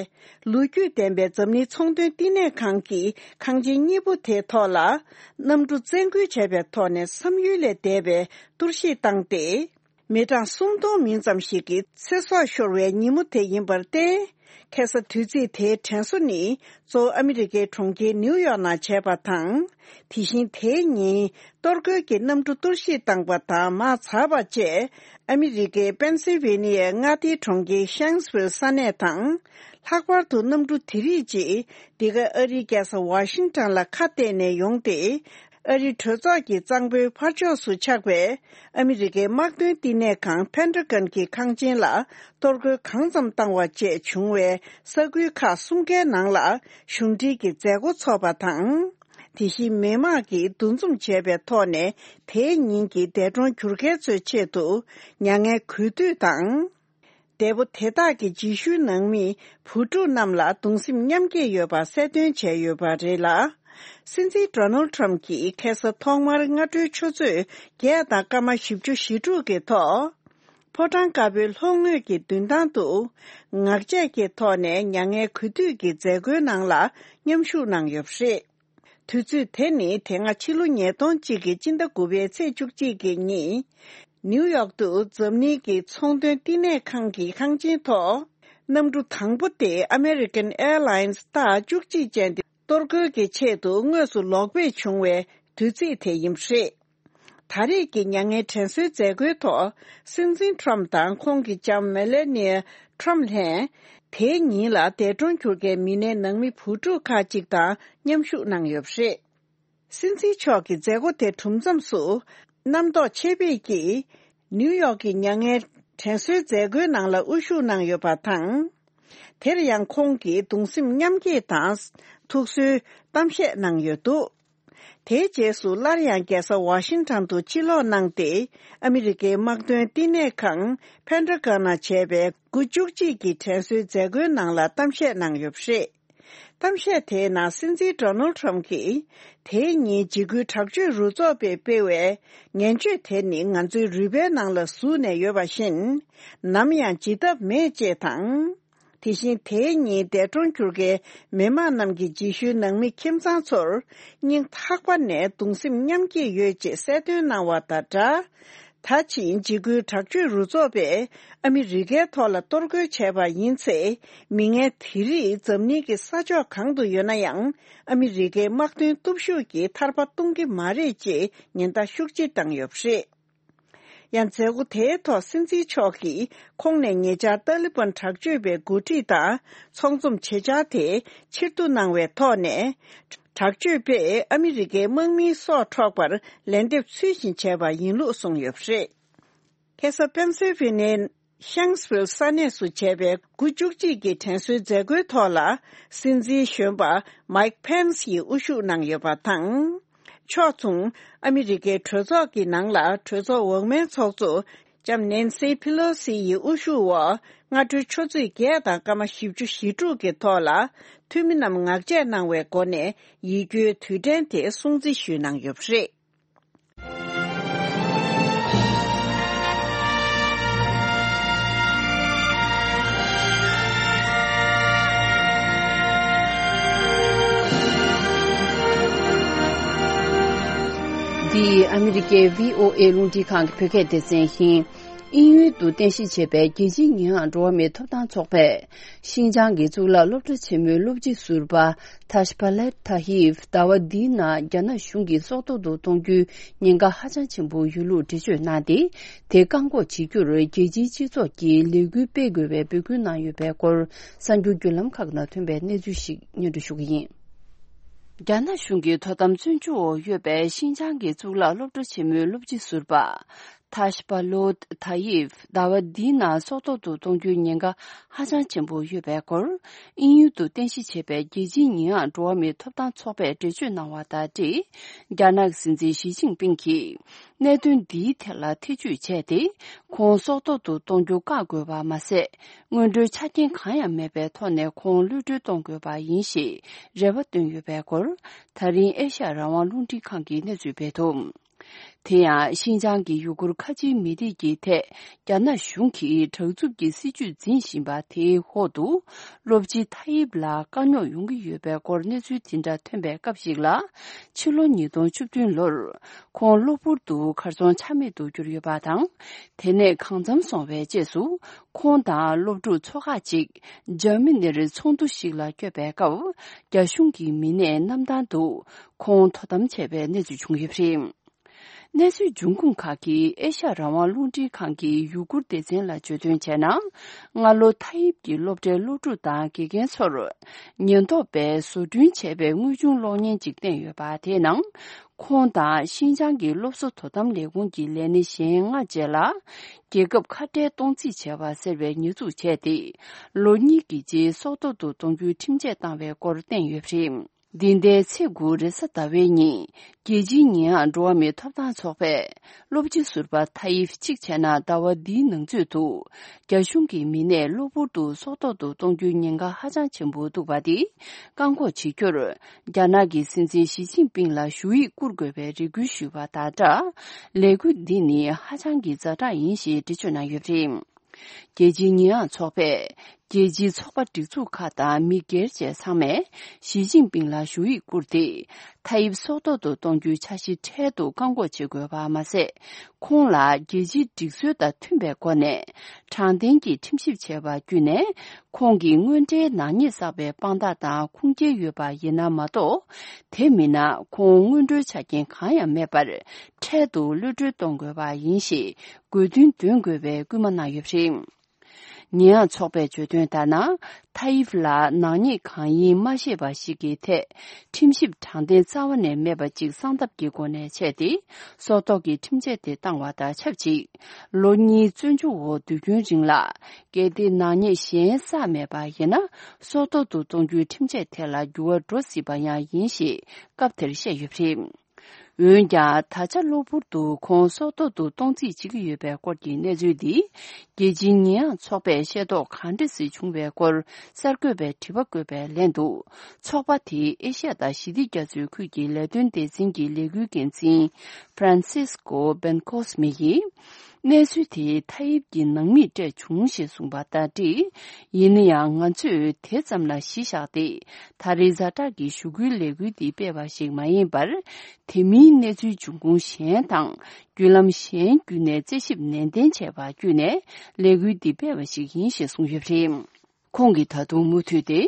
ལོ་རྒྱུས་ལྡན་པའི་འཛམ་གླིང་ཚོང་དོན་བསྟི་གནས་ཁང་གི་ཁང་ཆེན་གཉིས་པོ་དེའི་ཐོག་ལ། གནམ་གྲུ་བཙན་རྒོལ་བྱས་པའི་ཐོག་ནས་བསམ་ཡུལ་ལས་འདས་པའི་གཏོར་བཤིག་བཏང་སྟེ། མི་གྲངས་སུམ་སྟོང་མིན་ཙམ་ཞིག་གི་ཚེ་སྲོག་ཤོར་བའི་ཉིན་མོ་དེ་ཡིན་པར་བརྟེན། ཁ་སང་དུས་ཚིགས་དེའི་དྲན་གསོ་ནི་གཙོ་བོ་ཨ་མི་རི་ཀའི་གྲོང་ཁྱེར་ནིའུ་ཡོག་ནང་བྱས་པ་དང་། དེ་བཞིན་དེའི་ཉིན་གཏོར་རྒོལ་གྱི་གནམ་གྲུ་གཏོར་བཤིག་བཏང་པ་དང་མ་ཚར་བ་བཅས། ཨ་མི་རི་ཀའི་པེན་སིལ་ཝེ་ནི་ཡའི་མངའ་སྡེའི་གྲོང་ཁྱེར་ཤཱིང་སྦུར་ས་གནས་དང་། ལྷག་པར་དུ་གནམ་གྲུ་དེ་རིགས་ཀྱིས་འདི་ག་ཨ་རིའི་རྒྱལ་ས་ཝ་ཤིང་ཊོན་ལ་ཁ་གཏད་ནས་ཡོང་སྟེ། ཨ་རིའི་གྲོས་ཚོགས་ཀྱི་གཙང་པོའི་ཕར་ཕྱོགས་སུ་ཆགས་པའི་ཨ་མི་རི་ཀའི་དམག་དོན་བསྟི་གནས་ཁང་ཕེན་ཊ་གོན་གྱི་ཁང་ཆེན་ལ་གཏོར་རྒོལ་གང་ཙམ་བཏང་བ་བཅས་བྱུང་བའི་ས་ཁུལ་ཁག་གསུམ་ཀའི་ནང་ལ་གཞུང་འབྲེལ་གྱི་མཛད་སྒོ་འཚོགས་པ་དང་། དེ་བཞིན་མི་དམངས་ཀྱིས་འདུ་འཛོམས་བྱས་པའི་ཐོག་ནས་དེའི་ཉིན་གྱི་འདས་གྲོངས་གྱུར་མཁན་ཚོའི་ཆེད་དུ་མྱ་ངན་གུས་འདུད་དང་། འདས་པོ་དེ་དག་གི་རྗེས་ཤུལ་ནང་མི་བུ་ཕྲུག་རྣམས་ལ་གདུང་སེམས་མཉམ་སྐྱེད་ཡོད་པ་གསལ་སྟོན་བྱས་ཡོད་པ་རེད་ལ། སྲིད་འཛིན་ཌོ་ནལ་ཊམ་གྱིས་ཁ་སང་ཐོག་མར་སྔ་དྲོའི་ཆུ་ཚོད་བརྒྱད་དང་སྐར་མ་བཞི་བཅུ་ཞེ་དྲུག་གི་ཐོག་ཕོ་བྲང་དཀར་པོའི་ལྷོ་ངོས་ཀྱི་མདུན་ཐང་དུ་ངག་བཅད་ཀྱི་ཐོག་ནས་མྱ་ངན་གུས་འདུད་ཀྱི་མཛད་སྒོའི་ནང་ལ་མཉམ་ཞུགས་གནང་ཡོད་པ་རེད། དུས་ཚོད་དེ་ནི་དེ་སྔ་ཕྱི་ལོ་ཉིས་སྟོང་གཅིག་གི་སྤྱི་ཟླ་དགུ་པའི་ཚེས་བཅུ་གཅིག་གི་ཉིན། ནིའུ་ཡོག་ཏུ་འཛམ་གླིང་གི་ཚོང་དོན་བསྟི་གནས་ཁང་གི་ཁང་ཆེན་ཐོག་གནམ་གྲུ་དང་པོ་དེ་ཨ་མེ་རི་ཀན་ཨེར་ལའིན་སི་རྟགས་བཅུ་གཅིག་ཅན་དེ་གཏོར་རྒོལ་གྱི་ཆེད་དུ་དངོས་སུ་ལོག་ཕེབས་བྱུང་བའི་དུས་ཚིགས་དེ་ཡིན་པ་རེད། ད་རེས་ཀྱི་མྱ་ངན་དྲན་གསོའི་མཛད་སྒོའི་ཐོག་སྲིད་འཛིན་ཊམ་དང་ཁོང་གི་ལྕམ་མེ་ལེ་ནི་ཡ་ཊམ་ལྷན། དེའི་ཉིན་ལ་འདས་གྲོངས་གྱུར་མཁན་མི་སྣའི་ནང་མི་བུ་ཕྲུག་ཁག་ཅིག་དང་མཉམ་ཞུགས་གནང་ཡོད་པ་རེད། སྲིད་འཛིན་མཆོག་གིས་མཛད་སྒོ་དེ་གྲུབ་མཚམས་སུ། རྣམ་རྟོག་ཆེ་བེད་ཀྱིས། ནིའུ་ཡོག་གི་མྱ་ངན་དྲན་གསོའི་མཛད་སྒོའི་ནང་ལ་དབུ་བཞུགས་གནང་ཡོད་པ་དང་། དེར་ཡང་ཁོང་གིས་གདུང་སེམས་མཉམ་སྐྱེད་དང་། ཐུགས་གསོའི་གཏམ་བཤད་གནང་ཡོད་འདུག་དེའི་རྗེས་སུ་སླར་ཡང་རྒྱལ་ས་ཝ་ཤིང་ཊོན་དུ་ཕྱིར་ལོག་གནང་སྟེ། ཨ་མི་རི་ཀའི་དམག་དོན་བསྟི་གནས་ཁང་ཕེན་ཌ་གྷོན་ནང་བྱས་པའི་དགུ་བཅུ་གཅིག་གི་དྲན་གསོའི་མཛད་སྒོའི་ནང་ལ་གཏམ་བཤད་གནང་ཡོད་པ་རེད། གཏམ་བཤད་དེའི་ནང་སྲིད་འཛིན་ཌོ་ནལ་ཌི་ཊརམ་ཕི་གྱིས། དེའི་ཉིན་འཇིགས་སྐུལ་དྲག་སྤྱོད་རུ་ཚོགས་པས་སྤེལ་བའི་ངན་སྤྱོད་དེ་ནི་ང་ཚོའི་རུས་པའི་ནང་ལ་ཟུག་ནས་ཡོད་པ་བཞིན། ནམ་ཡང་བརྗེད་ཐབས་མེད་ཅེས་དང་། དེ་བཞིན་དེའི་ཉིན་འདས་གྲོངས་གྱུར་མཁན་མི་མང་རྣམས་ཀྱི་རྗེས་ཤུལ་ནང་མི་ཁྱིམ་ཚང་ཚོར་སྙིང་ཐག་པ་ནས་གདུང་སེམས་མཉམ་སྐྱེད་ཡོད་ཅེས་གསལ་སྟོན་གནང་བ་དང་སྦྲགས། ད་ཕྱིན་འཇིགས་སྐུལ་དྲག་སྤྱོད་རུ་ཚོགས་པས་ཨ་མི་རི་ཀའི་ཐོག་ལ་གཏོར་རྒོལ་བྱས་པ་ཡིན་ཚེ། མི་ངན་དེ་རིགས་འཛམ་གླིང་གི་ས་ཕྱོགས་གང་དུ་ཡོད་ན་ཡང་། ཨ་མི་རི་ཀའི་དམག་དོན་སྟོབས་ཤུགས་ཀྱིས་ཐར་པ་གཏོང་གི་མ་རེད་ཅེས་ཉེན་བརྡ་ཤུགས་ཆེ་བཏང་ཡོད་པ་རེད། ཡང་མཛད་སྒོ་དེའི་ཐོག་སྲིད་འཛིན་མཆོག་གིས་ཁོང་ནས་ཉེ་ཆར་ཏཱ་ལི་བན་དྲག་སྤྱོད་པའི་འགོ་ཁྲིད་དང་ཚོགས་འཛོམས་བྱེད་འཆར་དེ་ཕྱིར་བསྡུ་གནང་བའི་ཐོག་ནས། དྲག་སྤྱོད་པས་ཨ་མི་རི་ཀའི་དམག་མིའི་སྲོག་འཕྲོག་པར་ལན་འདེབས་ཚུལ་བཞིན་བྱས་པ་ཡིན་ལུགས་གསུངས་ཡོད་པ་རེད། ཁ་སང་པེན་སིལ་ཝེ་ནི་ཡའི་ཤན་སི་ཝིལ་ས་གནས་སུ་བྱས་པའི་དགུ་བཅུ་གཅིག་གི་དྲན་གསོའི་མཛད་སྒོའི་ཐོག་ལ། སྲིད་འཛིན་གཞོན་པ་མའིག་པེན་སི་ཡིས་དབུ་བཞུགས་གནང་ཡོད་པ་དང་། ཕྱོགས་མཚུངས། ཨ་མི་རི་ཀའི་གྲོས་ཚོགས་ཀྱི་ནང་ལ་གྲོས་ཚོགས་འོག་མའི་ཚོགས་གཙོ་ལྕམ་ནེན་སི་ཕི་ལོ་སི་ཡི་དབུ་བཞུགས་འོག་སྔ་དྲོའི་ཆུ་ཚོད་བརྒྱད་དང་སྐར་མ་བཞི་བཅུ་ཞེ་དྲུག་གི་ཐོག་ལ། འཐུས་མི་རྣམས་ངག་བཅད་གནང་བའི་སྒོ་ནས་ཡིད་སྐྱོའི་དུས་དྲན་དེ་སྲུང་བརྩི་ཞུས་གནང་ཡོད་པ་རེད། འདི་ཨ་མི་རི་ཀའི་བྷི་ཨོ་ཨེ་རླུང་འཕྲིན་ཁང་གི་བོད་སྐད་སྡེ་ཚན་ཡིན། དབྱིན་ཡུལ་དུ་རྟེན་གཞི་བྱས་པའི་རྒྱལ་སྤྱིའི་ཉེས་ཡངས་འགྲོ་བ་མིའི་ཐོབ་ཐང་ཚོགས་པས། ཤིན་ཅང་གི་གཙུག་ལག་སློབ་གྲྭ་ཆེན་མོའི་སློབ་སྤྱི་ཟུར་པ་ཐཱ་ཤ་པ་ལེད་ཐཱ་ཡིབ་ཟླ་བ་འདིའི་ནང་རྒྱ་ནག་གཞུང་གིས་སྲོག་ཐོག་ཏུ་གཏོང་རྒྱུའི་ཉེན་ཁ་ཧ་ཅང་ཆེན་པོ་ཡོད་ལུགས་འགྲེལ་བརྗོད་གནང་སྟེ། དེ་བཀག་འགོག་བྱེད་རྒྱུར་རྒྱལ་སྤྱིའི་སྤྱི་ཚོགས་ཀྱིས་ལས་འགུལ་སྤེལ་དགོས་པའི་འབོད་སྐུལ་གནང་ཡོད་པའི་སྐོར། གསར་འགྱུར་བརྒྱུད་ལམ་ཁག་ནང་ཐོན་པའི་གནས་ཚུལ་ཞིག་སྙན་སྒྲོན་ཞུ་གི་ཡིན། རྒྱ་ནག་གཞུང་གི་དོ་དམ་བཙོན་འཇུག་འོག་ཡོད་པའི་ཤིན་ཅང་གི་གཙུག་ལག་སློབ་གྲྭ་ཆེན་མོའི་སློབ་སྤྱི་ཟུར་པ། ཐཱ་ཤ་པ་ལོད་ཐཱ་ཡིབ་ཟླ་བ་འདིའི་ནང་སྲོག་ཐོག་ཏུ་གཏོང་རྒྱུའི་ཉེན་ཁ་ཧ་ཅང་ཆེན་པོ་ཡོད་པའི་སྐོར། དབྱིན་ཡུལ་དུ་རྟེན་གཞི་བྱས་པའི་རྒྱལ་སྤྱིའི་ཉེས་ཡངས་འགྲོ་བ་མིའི་ཐོབ་ཐང་ཚོགས་པས་འགྲེལ་བརྗོད་གནང་བ་དང་འབྲེལ། རྒྱ་ནག་སྲིད་འཛིན་ཞི་ཅིན་ཕིང་གིས་གནད་དོན་འདིའི་ཐད་ལ་ཐེ་བྱུས་བྱས་ཏེ། ཁོང་སྲོག་ཐོག་ཏུ་གཏོང་རྒྱུ་བཀག་དགོས་པ་མ་ཟད། སྔོན་འགྲོའི་ཆ་རྐྱེན་གང་ཡང་མེད་པའི་ཐོག་ནས་ཁོང་གློད་གྲོལ་གཏོང་དགོས་པ་ཡིན་ཞེས་རེ་བ་བཏོན་ཡོད་པའི་སྐོར། ད་རིང་ཨེ་ཤ་ཡ་རང་དབང་རླུང་འཕྲིན་ཁང་གིས་གནས་ཚུལ་སྤེལ་འདུག་དེ་ཡང་ཤིན་ཅང་གི་ཡུ་གུར་ཁ་ཆེའི་མི་རིགས་ཀྱི་ཐད་རྒྱ་ནག་གཞུང་གིས་དྲག་རྩུབ་ཀྱི་སྲིད་བྱུས་འཛིན་བཞིན་པ་དེའི་འོག་ཏུ། སློབ་སྤྱི་ཐ་ཡིབ་ལ་དཀའ་རྙོག་ཡོང་གི་ཡོད་པའི་སྐོར་གནས་ཚུལ་དེ་འདྲ་ཐོན་པའི་སྐབས་ཤིག་ལ། ཕྱི་ལོ་ཉིས་སྟོང་བཅུ་བདུན་ལོར་ཁོང་གློ་བུར་དུ་གར་སོང་ཆ་མེད་དུ་གྱུར་ཡོད་པ་དང་། དེ་ནས་གང་འཚམ་སོང་བའི་རྗེས་སུ་ཁོང་དང་སློབ་ཕྲུག་ཚོ་ཁག་ཅིག་འཇར་མ་ནིར་ཚོགས་འདུ་ཞིག་ལ་བསྐྱོད་པའི་སྐབས། རྒྱ་གཞུང་གི་མི་སྣས་གནམ་ཐང་དུ་ཁོང་དོ་དམ་བྱས་པའི་གནས་ཚུལ་བྱུང་ཡོད་པ་རེད། གནས་ཚུལ་འབྱུང་ཁུངས་ཁག་གིས་ཨེ་ཤ་ཡ་རང་དབང་རླུང་འཕྲིན་ཁང་གི་ཡུ་གུར་སྡེ་ཚན་ལ་བརྗོད་དོན་བྱས་ན། སྔ་ལོ་ཐ་ཡིབ་ཀྱི་སློབ་གྲྭའི་སློབ་ཕྲུག་དང་དགེ་རྒན་ཚོར་ཉེན་རྟོག་པས་བཟོ་སྐྲུན་བྱས་པའི་དངོས་བྱུང་གློག་བརྙན་ཅིག་བསྟན་ཡོད་པ། དེའི་ནང་ཁོང་དང་ཤིན་ཅང་གི་སློབ་གསོ་དོ་དམ་ལས་ཁུངས་ཀྱི་ལས་སྣེ་གཞན་ལྔ་བཅས་ལ་རྒྱལ་ཁབ་ཁ་བྲལ་གཏོང་རྩིས་བྱས་པ་ཟེར་བའི་ཉེས་འཛུགས་བྱས་ཏེ། ལོ་གཉིས་ཀྱི་རྗེས་སྲོག་ཐོག་ཏུ་གཏོང་རྒྱུའི་ཁྲིམས་ཆད་བཏང་བའི་སྐོར་བསྟན་ཡོད་པ་རེད། འདི་ཟླའི་ཚེས་དགུ་རེས་གཟའ་ཟླ་བའི་ཉིན། རྒྱལ་སྤྱིའི་ཉེས་ཡངས་འགྲོ་བ་མིའི་ཐོབ་ཐང་ཚོགས་པས། སློབ་སྤྱི་ཟུར་པ་ཐ་ཡིབ་གཅིག་བྱས་ན་ཟླ་བ་འདིའི་ནང་ཚུད་དུ། རྒྱ་གཞུང་གི་མི་སྣས་གློ་བུར་དུ་སྲོག་ཐོག་ཏུ་གཏོང་རྒྱུའི་ཉེན་ཁ་ཧ་ཅང་ཆེན་པོ་འདུག་པ་དེ། བཀག་འགོག་བྱེད་རྒྱུར། རྒྱ་ནག་གི་སྲིད་འཛིན་ཞི་ཅིན་ཕིང་ལ་ཞུ་ཡིག་བསྐུར་དགོས་པའི་རེ་སྐུལ་ཞུས་པ་དང་སྦྲགས། ལས་འགུལ་འདི་ནི་ཧ་ཅང་གི་ཛ་དྲག་ཡིན་ཞེས་འགྲེལ་བརྗོད་གནང་ཡོད་པ་རེད། རྒྱལ་སྤྱིའི་ཉེས་ཡངས་ཚོགས་པས། རྒྱལ་སྤྱིའི་ཚོགས་པ་སྒྲིག་འཛུགས་ཁག་དང་མི་སྒེར་བཅས་ཚང་མས་ཞི་ཅིན་ཕིང་ལ་ཞུ་ཡིག་བསྐུར་ཏེ། ཐ་ཡིབ་སྲོག་ཐོག་ཏུ་གཏོང་རྒྱུའི་འཆར་གཞི་འཕྲལ་དུ་བཀག་འགོག་བྱེད་དགོས་པ་མ་ཟད། ཁོང་ལ་རྒྱལ་སྤྱིའི་སྒྲིག་སྲོལ་དང་མཐུན་པའི་སྒོ་ནས། དྲང་བདེན་གྱི་ཁྲིམས་ཞིབ་བྱས་པ་བརྒྱུད་ནས། ཁོང་གི་དངོས་འབྲེལ་ནག་ཉེས་བསགས་པའི་དཔང་རྟགས་དང་ཁུངས་སྐྱེལ་ཡོད་པ་ཡིན་ན་མ་གཏོགས། དེ་མིན་ན་ཁོང་སྔོན་འགྲོའི་ཆ་རྐྱེན་གང་ཡང་མེད་པར། འཕྲལ་དུ་གློད་གྲོལ་གཏོང་དགོས་པ་ཡིན་ཞེས། དགོས་འདུན་འདོན་དགོས་པའི་སྐུལ་མ་གནང་ཡོད་པ་རེད། ཉེས་ཡངས་ཚོགས་པས་བརྗོད་དོན་ལྟར་ན། ཐ་ཡིབ་ལ་ནག་ཉེས་གང་ཡིན་མ་ཤེས་པ་ཞིག་གི་ཐད། ཁྲིམས་ཞིབ་དྲང་བདེན་རྩ་བ་ནས་མེད་པ་ཅིག་གསང་ཐབས་ཀྱི་སྒོ་ནས་བྱས་ཏེ། སྲོག་ཐོག་གི་ཁྲིམས་ཆད་དེ་བཏང་བ་དང་ཆབས་ཅིག་ལོ་གཉིས་བཙོན་འཇུག་འོག་དུས་རྒྱུན་རིང་ལ། གལ་ཏེ་ནག་ཉེས་གཞན་བསགས་མེད་པ་ཡིན་ན། སྲོག་ཐོག་ཏུ་གཏོང་རྒྱུའི་ཁྲིམས་ཆད་དེ་ལ་འགྱུར་བ་འགྲོ་སྲིད་པ་ཡང་ཡིན་ཞེས་སྐབས་དེར་བཤད་ཡོད་པ་རེད། འོན་ཀྱང་ད་ཆ་གློ་བུར་དུ་ཁོང་སྲོག་ཐོག་ཏུ་གཏོང་རྩིས་བྱེད་ཀྱི་ཡོད་པའི་སྐོར་གྱི་གནས་ཚུལ་འདི། རྒྱལ་སྤྱིའི་ཉེས་ཡངས་ཚོགས་པས་ཤེས་རྟོགས་ག་འདྲ་ཞིག་བྱུང་བའི་སྐོར་གསར་འགོད་པས་དྲི་བ་བཀོད་པའི་ལན་དུ། ཚོགས་པ་དེའི་ཨེ་ཤ་ཡ་དང་ཞི་བདེ་རྒྱ་མཚོའི་ཁུལ་གྱི་ལས་དོན་སྡེ་ཚན་གྱི་ལས་འགུལ་འགན་འཛིན་Francisco Bencosme ཡིས། གནས་ཚུལ་དེ་ཐ་ཡིབ་ཀྱི་ནང་མིས་སྤྲད་བྱུང་ཞེས་གསུངས་པ་དང་འབྲེལ། ཡིན་ན་ཡང་ང་ཚོས་དེ་ཙམ་ལ་གཞི་བཞག་སྟེ། ད་རེས་ཛ་དྲག་གི་ཞུ་སྐུལ་ལས་འགུལ་འདི་སྤེལ་བ་ཞིག་མ་ཡིན་པར། དེ་མིན་གནས་ཚུལ་འབྱུང་ཁུངས་གཞན་དང་། བརྒྱུད་ལམ་གཞན་བརྒྱུད་ནས་རྩད་ཞིབ་ནན་ཏན་བྱས་པ་བརྒྱུད་ནས་ལས་འགུལ་འདི་སྤེལ་བ་ཞིག་ཡིན་ཞེས་གསུངས་ཡོད་པ་རེད། ཁོང་གིས་ད་དུང་མུ་མཐུད་དེ།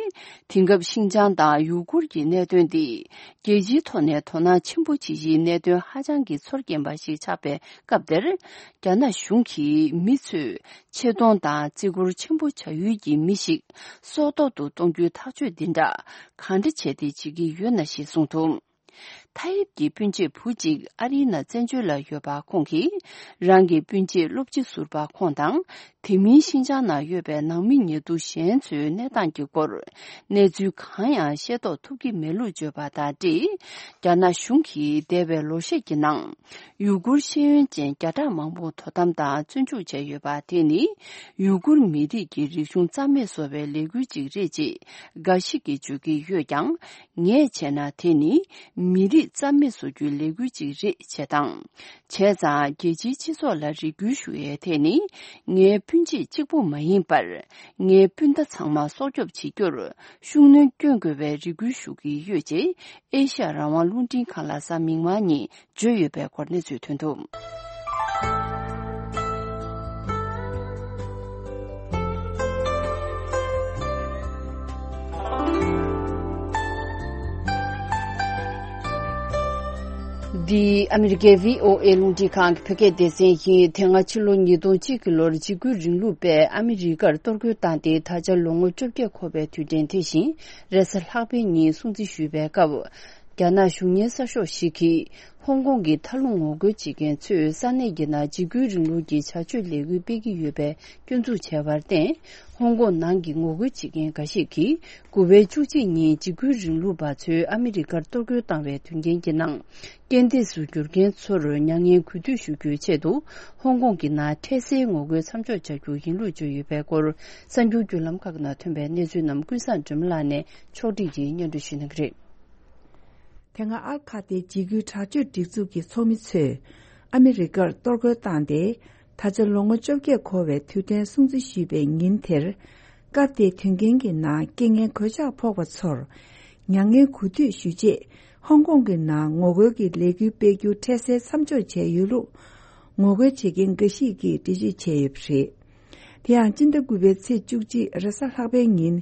དེང་སྐབས་ཤིན་ཅང་དང་ཡུ་གུར་གྱི་གནད་དོན་འདི། རྒྱལ་སྤྱིའི་ཐོག་ནས་དོ་སྣང་ཆེན་པོ་བྱེད་ཀྱི་གནད་དོན་ཧ་ཅང་གི་ཚོར་སྐྱེན་པ་ཞིག་ཆགས་པའི་སྐབས་འདིར། རྒྱ་ནག་གཞུང་གིས་མི་ཚོས་ཆེ་མཐོང་དང་བརྩི་བཀུར་ཆེན་པོ་བྱ་ཡུལ་གྱི་མི་ཞིག་སྲོག་ཐོག་ཏུ་གཏོང་རྒྱུའི་ཐག་གཅོད་འདི་འདྲ་གང་འདྲ་བྱས་ཏེ་བྱེད་ཀྱི་ཡོད་ན་ཞེས་གསུངས་འདུག་ཐ་ཡིབ་ཀྱི་སྤུན་མཆེད་བུ་གཅིག་ཨ་རིའི་ནང་བཙན་བྱོལ་ལ་ཡོད་པ་ཁོང་གིས། རང་གི་སྤུན་མཆེད་སློབ་སྤྱི་ཟུར་པ་ཁོང་དང་། དེ་མིན་ཤིན་ཅང་ནང་ཡོད་པའི་ནང་མི་ཉེ་དུ་གཞན་ཚོའི་གནས་སྟངས་ཀྱི་སྐོར། གནས་ཚུལ་གང་ཡང་ཤེས་རྟོགས་ཐུབ་ཀྱི་མེད་ལུགས་བརྗོད་པ་དང་འབྲེལ། རྒྱ་ནག་གཞུང་གིས་འདས་པའི་ལོ་ཤས་ཀྱི་ནང་། ཡུ་གུར་ཤེས་ཡོན་ཅན་བརྒྱ་ཕྲག་མང་པོ་དོ་དམ་དང་བཙོན་འཇུག་བྱས་ཡོད་པ་དེ་ནི། ཡུ་གུར་མི་རིགས་ཀྱི་རིག་གཞུང་རྩ་མེད་བཟོ་བའི་ལས་འགུལ་ཅིག་རེད་ཅེས་འགའ་ཞིག་གིས་བརྗོད་ཀྱི་ཡོད་ཀྱང་། ངས་བྱས་ན་དེ་ནི་མི་རིགས་རྩ་མེད་བཟོ་རྒྱུའི་ལས་འགུལ་ཅིག་རེད་ཅེས་དང་། བྱས་ཙང་རྒྱལ་སྤྱིའི་སྤྱི་ཚོགས་ལ་རེ་སྐུལ་ཞུ་ཡས་དེ་ནི་ངའི་སྤུན་མཆེད་གཅིག་པུ་མ་ཡིན་པར། ངའི་སྤུན་ཟླ་ཚང་མ་སྲོག་སྐྱོབ་བྱེད་རྒྱུར་ཤུགས་སྣོན་བསྐྱོན་དགོས་པའི་རེ་སྐུལ་ཞུ་གི་ཡོད་ཅེས་ཨེ་ཤ་ཡ་རང་དབང་རླུང་འཕྲིན་ཁང་ལ་གཟའ་མིག་དམར་ཉིན་བརྗོད་ཡོད་པའི་སྐོར་གནས་ཚུལ་ཐོན་འདུག་འདི་ཨ་མི་རི་ཀའི་བྷི་ཨོ་ཨེ་རླུང་འཕྲིན་ཁང་གི་བོད་སྐད་སྡེ་ཚན་ཡིན། དེ་སྔ་ཕྱི་ལོ་ཉིས་སྟོང་གཅིག་གི་ལོར་འཇིགས་སྐུལ་རིང་ལུགས་པས་ཨ་མི་རི་ཀར་གཏོར་རྒོལ་བཏང་སྟེ་ད་ཆ་ལོ་ངོ་བཅོ་བརྒྱད་འཁོར་བའི་དུས་དྲན་དེ་བཞིན་རེས་གཟའ་ལྷག་པའི་ཉིན་སྲུང་བརྩི་ཞུས་པའི་སྐབས། རྒྱ་ནག་གཞུང་གཉེར་གསར་ཤོག་ཞིག་གིས། ཧོང་ཀོང་གི་མཐའ་ལྷུང་ངོ་རྒོལ་བྱེད་མཁན་ཚོས་ས་གནས་ཀྱི་ནང་འཇིགས་སྐུལ་རིང་ལུགས་ཀྱི་བྱ་སྤྱོད་ལས་འགུལ་སྤེལ་གྱི་ཡོད་པའི་སྐྱོན་འཛུགས་བྱས་པར་བརྟེན། ཧོང་ཀོང་ནང་གི་ངོ་རྒོལ་བྱེད་མཁན་འགའ་ཞིག་གིས། དགུ་པའི་བཅུ་གཅིག་ཉིན་འཇིགས་སྐུལ་རིང་ལུགས་པ་ཚོས་ཨ་མི་རི་ཀར་གཏོར་རྒོལ་བཏང་བའི་དོན་རྐྱེན་གྱི་ནང་། རྐྱེན་འདས་སུ་གྱུར་མཁན་ཚོར་མྱ་ངན་གུས་འདུད་ཞུ་རྒྱུའི་ཆེད་དུ། ཧོང་ཀོང་གི་ནང་འཕྲལ་སེལ་ངོ་རྒོལ་མཚམས་འཇོག་བྱ་རྒྱུ་ཡིན་ལུགས་བརྗོད་ཡོད་པའི་སྐོར། གསར་འགྱུར་བརྒྱུད་ལམ་ཁག་ནང་ཐོན་པའི་གནས་ཚུལ་རྣམས་ཀུན་བཟང་སྒྲོལ་མ་ལགས་ནས་ཕྱོགས་སྒྲིག་གིས་སྙན་སྒྲོན་ཞུ་གནང་གི་རེད། དེ་སྔ་ཨལ་ཁ་ཏའི་འཇིགས་སྐུལ་དྲག་སྤྱོད་སྒྲིག་འཛུགས་ཀྱི་ཚོགས་མི་ཚོས་ཨ་མི་རི་ཀར་གཏོར་རྒོལ་བཏང་སྟེ། ད་ཆ་ལོ་ངོ་བཅོ་བརྒྱད་འཁོར་བའི་དུས་དྲན་སྲུང་བརྩི་ཞུས་པའི་ཉིན་དེར། སྐབས་དེའི་དོན་རྐྱེན་གྱི་ནང་རྐྱེན་ངན་གོད་ཆག་ཕོག་པ་ཚོར་མྱ་ངན་གུས་འདུད་ཞུ་ཆེད། ཧོང་ཀོང་གི་ནང་ངོ་རྒོལ་གྱི་ལས་འགུལ་སྤེལ་རྒྱུ་འཕྲལ་སེལ་མཚམས་འཇོག་བྱས་ཡོད་ལུགས། ངོ་རྒོལ་བྱེད་མཁན་འགའ་ཞིག་གིས་འགྲེལ་བརྗོད་བྱས་ཡོད་པ་རེད། དེ་ཡང་སྤྱི་ཟླ་དགུ་པའི་ཚེས་བཅུ་གཅིག་རེས་གཟའ་ལྷག་པའི་ཉིན།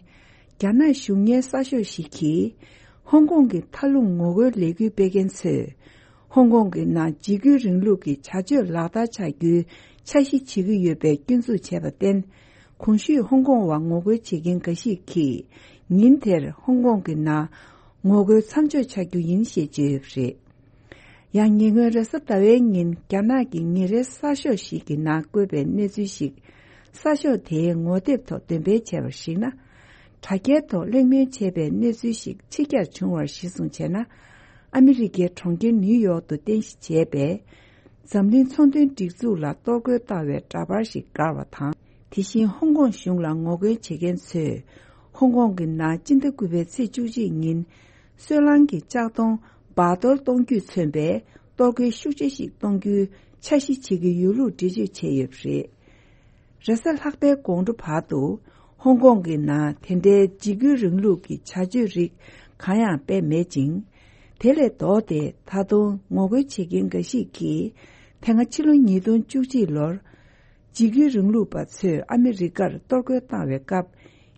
རྒྱ་ནག་གཞུང་གཉེར་གསར་ཤོག་ཞིག་གིས། ཧོང་ཀོང་གི་མཐའ་ལྷུང་ངོ་རྒོལ་ལས་འགུལ་སྤེལ་མཁན་ཚོས། ཧོང་ཀོང་གི་ནང་འཇིགས་སྐུལ་རིང་ལུགས་ཀྱི་བྱ་སྤྱོད་ལག་བསྟར་བྱ་རྒྱུའི་འཆར་གཞི་བྱེད་ཀྱི་ཡོད་པའི་སྐྱོན་འཛུགས་བྱས་པར་བརྟེན། གོང་ཞུས་ཧོང་ཀོང་བ་ངོ་རྒོལ་བྱེད་མཁན་འགའ་ཞིག་གིས། ཉིན་དེར་ཧོང་ཀོང་གི་ནང་ངོ་རྒོལ་མཚམས་འཇོག་བྱ་རྒྱུ་ཡིན་ཞེས་བརྗོད་ཡོད་པ་རེད། ཡང་ཉེ་སྔོན་རེས་གཟའ་ཟླ་བའི་ཉིན་རྒྱ་ནག་གི་ཉིན་རེའི་གསར་ཤོག་ཞིག་གི་ནང་བཀོད་པའི་གནས་ཚུལ་ཞིག་གསར་ཤོག་དེའི་ངོ་དེབ་ཐོག་འདོན་སྤེལ་བྱས་པར་གཞིགས་ན། དྲ་རྒྱའི་ཐོག་གླེང་མོལ་བྱས་པའི་གནས་ཚུལ་ཞིག་ཕྱི་གྱར་བྱུང་བར་གཞི་བཟུང་བྱས་ན། ཨ་མི་རི་ཀའི་གྲོང་ཁྱེར་ནིའུ་ཡོག་ཏུ་རྟེན་གཞི་བྱས་པའི་འཛམ་གླིང་ཚོང་དོན་སྒྲིག་འཛུགས་ལ་གཏོར་རྒོལ་བཏང་བའི་འདྲ་པར་ཞིག་བཀར་བ་དང་། དེ་བཞིན་ཧོང་ཀོང་གཞུང་ལ་ངོ་རྒོལ་བྱེད་མཁན་ཚོས། ཧོང་ཀོང་གི་ནང་སྤྱི་ཟླ་དགུ་པའི་ཚེས་བཅུ་གཅིག་ཉིན། སོལ་རླངས་ཀྱི་ལྕགས་དོང་འབག་གཏོར་གཏོང་རྒྱུས་མཚོན་པའི་གཏོར་རྒོལ་ཤུགས་ཆེ་ཞིག་གཏོང་རྒྱུའི་འཆར་གཞི་བྱེད་ཀྱི་ཡོད་ལུགས་འགྲེལ་བརྗོད་བྱས་ཡོད་པ་རེད། རེས་གཟའ་ལྷག་པའི་དགོང་དྲོ་བར་དུ། ཧོང་ཀོང་གི་ནང་དེ་འདྲའི་འཇིགས་སྐུལ་རིང་ལུགས་ཀྱི་བྱ་སྤྱོད་རིགས་གང་ཡང་སྤེལ་མེད་ཅིང་། དེ་ལས་ལྡོག་སྟེ་ད་དུང་ངོ་རྒོལ་བྱེད་མཁན་འགའ་ཞིག་གིས། དེ་སྔ་ཕྱི་ལོ་ཉིས་སྟོང་བཅུ་གཅིག་ལོར། འཇིགས་སྐུལ་རིང་ལུགས་པ་ཚོས་ཨ་མི་རི་ཀར་གཏོར་རྒོལ་བཏང་བའི་སྐབས།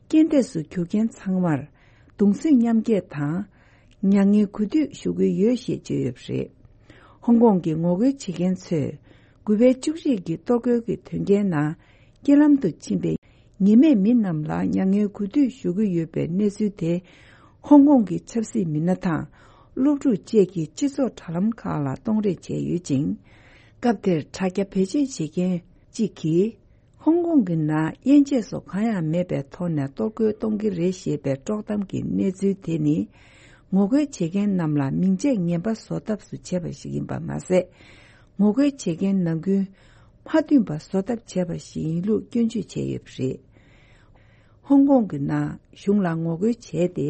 རྐྱེན་འདས་སུ་གྱུར་མཁན་ཚང་མར། གདུང་སེམས་མཉམ་སྐྱེད་དང་། མྱ་ངན་གུས་འདུད་ཞུ་གི་ཡོད་ཞེས་བརྗོད་ཡོད་པ་རེད། ཧོང་ཀོང་གི་ངོ་རྒོལ་བྱེད་མཁན་ཚོས། དགུ་པའི་བཅུ་གཅིག་གི་གཏོར་རྒོལ་གྱི་དོན་རྐྱེན་ནང་། རྐྱེན་ལམ་དུ་ཕྱིན་པའི་ཉེས་མེད་མི་རྣམས་ལ་མྱ་ངན་གུས་འདུད་ཞུ་གི་ཡོད་པའི་གནས་ཚུལ་དེ། ཧོང་ཀོང་གི་ཆབ་སྲིད་མི་སྣ་དང་། སློབ་ཕྲུག་བཅས་ཀྱི་སྤྱི་ཚོགས་དྲ་ལམ་ཁག་ལ་གཏོང་རེས་བྱས་ཡོད་ཅིང་། སྐབས་དེར་དྲ་རྒྱ་བེད་སྤྱོད་བྱེད་མཁན་གཅིག་གིས། ཧོང་ཀོང་གི་ནང་དབྱེ་འབྱེད་སོགས་གང་ཡང་མེད་པའི་ཐོག་ནས་གཏོར་རྒོལ་གཏོང་གི་རེད་ཞེས་པའི་དཀྲོག་གཏམ་གྱི་གནས་ཚུལ་དེ་ནི། ངོ་རྒོལ་བྱེད་མཁན་རྣམས་ལ་མིང་ཆད་ངན་པ་བཟོ་ཐབས་སུ་བྱས་པ་ཞིག་ཡིན་པ་མ་ཟད། ངོ་རྒོལ་བྱེད་མཁན་ནམ་རྒྱུན་མ་མཐུན་པ་བཟོ་ཐབས་བྱས་པ་ཞིག་ཡིན་ལུགས་སྐྱོན་བརྗོད་བྱས་ཡོད་པ་རེད། ཧོང་ཀོང་གི་ནང་གཞུང་ལ་ངོ་རྒོལ་བྱས་ཏེ། ད་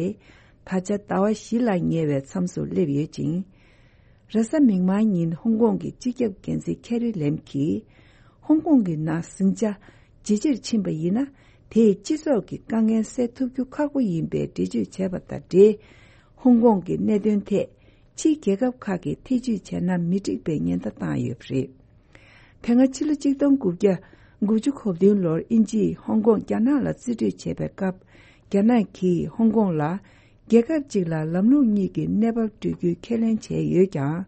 ཆ་ཟླ་བ་བཞི་ལ་ཉེ་བའི་མཚམས་སུ་སླེབས་ཡོད་ཅིང་། རེས་གཟའ་མིག་དམར་ཉིན་ཧོང་ཀོང་གི་སྤྱི་ཁྱབ་འགན་འཛིན་ཁེ་རི་ལེམ་གྱིས། ཧོང་ཀོང་གི་ནང་ཟིང་ཆ་ཇེ་ཆེར་ཕྱིན་པ་ཡིན་ན། དེས་སྤྱི་ཚོགས་ཀྱི་དཀའ་ངལ་སེལ་ཐུབ་རྒྱུ་ཁག་པོ་ཡིན་པའི་འགྲེལ་བརྗོད་བྱས་པ་དང་འབྲེལ། ཧོང་ཀོང་གི་གནད་དོན་ཐད་ཕྱིའི་རྒྱལ་ཁབ་ཁག་གིས་ཐེ་བྱུས་བྱས་ན་མི་འགྲིག་པའི་ཉེན་བརྡ་བཏང་ཡོད་པ་རེད། དེ་སྔ་ཕྱི་ལོ་ཆིག་སྟོང་དགུ་བརྒྱ་དགུ་བཅུ་གོ་བདུན་ལོར་དབྱིན་ཇིས་ཧོང་ཀོང་རྒྱ་ནག་ལ་རྩིས་སྤྲོད་བྱས་པའི་སྐབས། རྒྱ་ནག་གིས་ཧོང་ཀོང་ལ་རྒྱལ་ཁབ་གཅིག་ལ་ལམ་ལུགས་གཉིས་ཀྱི་གནས་བབ་སྤྲོད་རྒྱུའི་ཁས་ལེན་བྱས་ཡོད་ཀྱང་།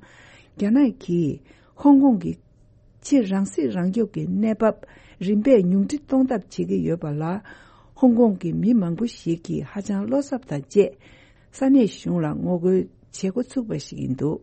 རྒྱ་ནག་གིས་ཧོང་ཀོང་གི་ཕྱིར་རང་སྲིད་རང་སྐྱོབ་ཀྱི་གནས་བབ་རིམ་པས་ཉུང་འཕྲི་གཏོང་ཐབས་བྱེད་ཀྱི་ཡོད་པ་ལ། ཧོང་ཀོང་གི་མི་མང་པོ་ཞིག་གིས་ཧ་ཅང་བློ་འཚབ་དང་བཅས། ས་གནས་གཞུང་ལ་ངོ་རྒོལ་བྱེད་འགོ་ཚུགས་པ་ཞིག་ཡིན་འདུག།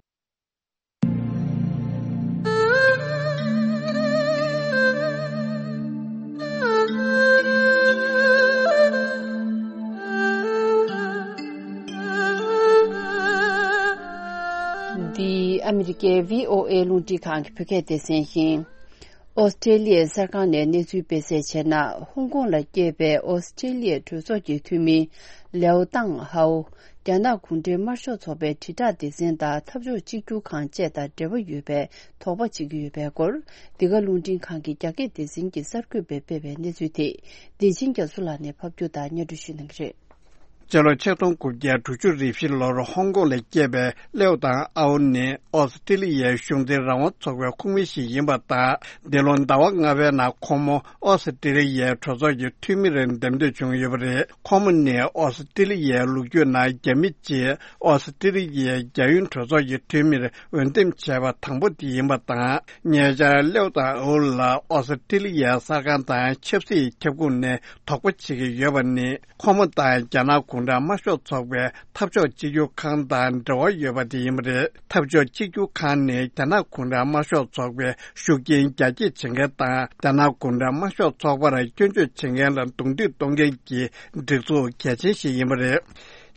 འདི་ཨ་མི་རི་ཀའི་བྷི་ཨོ་ཨེ་རླུང་འཕྲིན་ཁང་གི་བོད་སྐད་སྡེ་ཚན་ཡིན། ཨོ་སི་ཀྲེ་ལི་ཡའི་གསར་ཁང་ནས་གནས་ཚུལ་སྤེལ་གསལ་བྱས་ན། ཧོང་ཀོང་ལ་སྐྱེས་པའི་ཨོ་སི་ཀྲེ་ལི་ཡའི་གྲོས་ཚོགས་ཀྱི་འཐུས་མི་ལེའོ་ཏང་ཧའོ། རྒྱ་ནག་གུང་ཁྲན་དམར་ཤོག་ཚོགས་པའི་དྲིལ་བསྒྲགས་སྡེ་ཚན་དང་འཐབ་ཕྱོགས་གཅིག་གྱུར་ཁང་བཅས་དང་འབྲེལ་བ་ཡོད་པའི་དོགས་པ་བྱེད་ཀྱི་ཡོད་པའི་སྐོར། འདི་ག་རླུང་འཕྲིན་ཁང་གི་རྒྱ་སྐད་སྡེ་ཚན་གྱིས་གསར་འགོད་པས་སྤེལ་བའི་གནས་ཚུལ་དེ། བདེ་ཆེན་རྒྱ་མཚོ་ལགས་ནས་ཕབ་སྒྱུར་དང་སྙན་སྒྲོན་ཞུ་གནང་གི་རེད། སྤྱི་ལོ་ཆིག་སྟོང་དགུ་བརྒྱ་དྲུག་ཅུ་རེ་བཞི་ལོར་ཧོང་ཀོང་ལ་སྐྱེས་པའི་ལེའོ་ཏང་ཨའོ་ནི་ཨོ་སི་ཀྲི་ལི་ཡའི་གཞུང་འཛིན་རང་དབང་ཚོགས་པའི་ཁོངས་མི་ཞིག་ཡིན་པ་དང་། འདི་ལོ་ཟླ་བ་ལྔ་པའི་ནང་ཁོང་མོ་ཨོ་སི་ཀྲི་ལི་ཡའི་གྲོས་ཚོགས་ཀྱི་འཐུས་མི་རེ་འདེམས་ཐོན་བྱུང་ཡོད་པ་རེད། ཁོང་མོ་ནི་ཨོ་སི་ཀྲི་ལི་ཡའི་ལོ་རྒྱུས་ནང་རྒྱ་མི་གཅིག་ཨོ་སི་ཀྲི་ལི་ཡའི་རྒྱ་ཡོངས་གྲོས་ཚོགས་ཀྱི་འཐུས་མིར་འོས་འདེམས་བྱས་པ་དང་པོ་དེ་ཡིན་པ་དང་། ཉེ་ཆར་ལེའོ་ཏང་ཨའོ་ལ་ཨོ་སི་ཀྲི་ལི་ཡའི་གསར་ཁང་དང་ཆབ་སྲིད་ཁྱབ་ཁོངས་ནས་དོགས་པ་བྱེད་ཀྱི་ཡོད་པ་ནི། ཁོང་མོ་དང་རྒྱ་ནག་གུང་ཁྲན་དམར་ཤོག་ཚོགས་པའི་འཐབ་ཕྱོགས་གཅིག་གྱུར་ཁང་དང་འབྲེལ་བ་ཡོད་པ་དེ་ཡིན་པ་རེད། འཐབ་ཕྱོགས་གཅིག་གྱུར་ཁང་ནི་རྒྱ་ནག་གུང་ཁྲན་དམར་ཤོག་ཚོགས་པའི་ཤུགས་རྐྱེན་རྒྱ་སྐྱེད་བྱེད་མཁན་དང་། རྒྱ་ནག་གུང་ཁྲན་དམར་ཤོག་ཚོགས་པར་སྐྱོན་བརྗོད་བྱེད་མཁན་ལ་གདོང་ཐུག་གཏོང་མཁན་གྱི་སྒྲིག་འཛུགས་གལ་ཆེན་ཞིག་ཡིན་པ་རེད།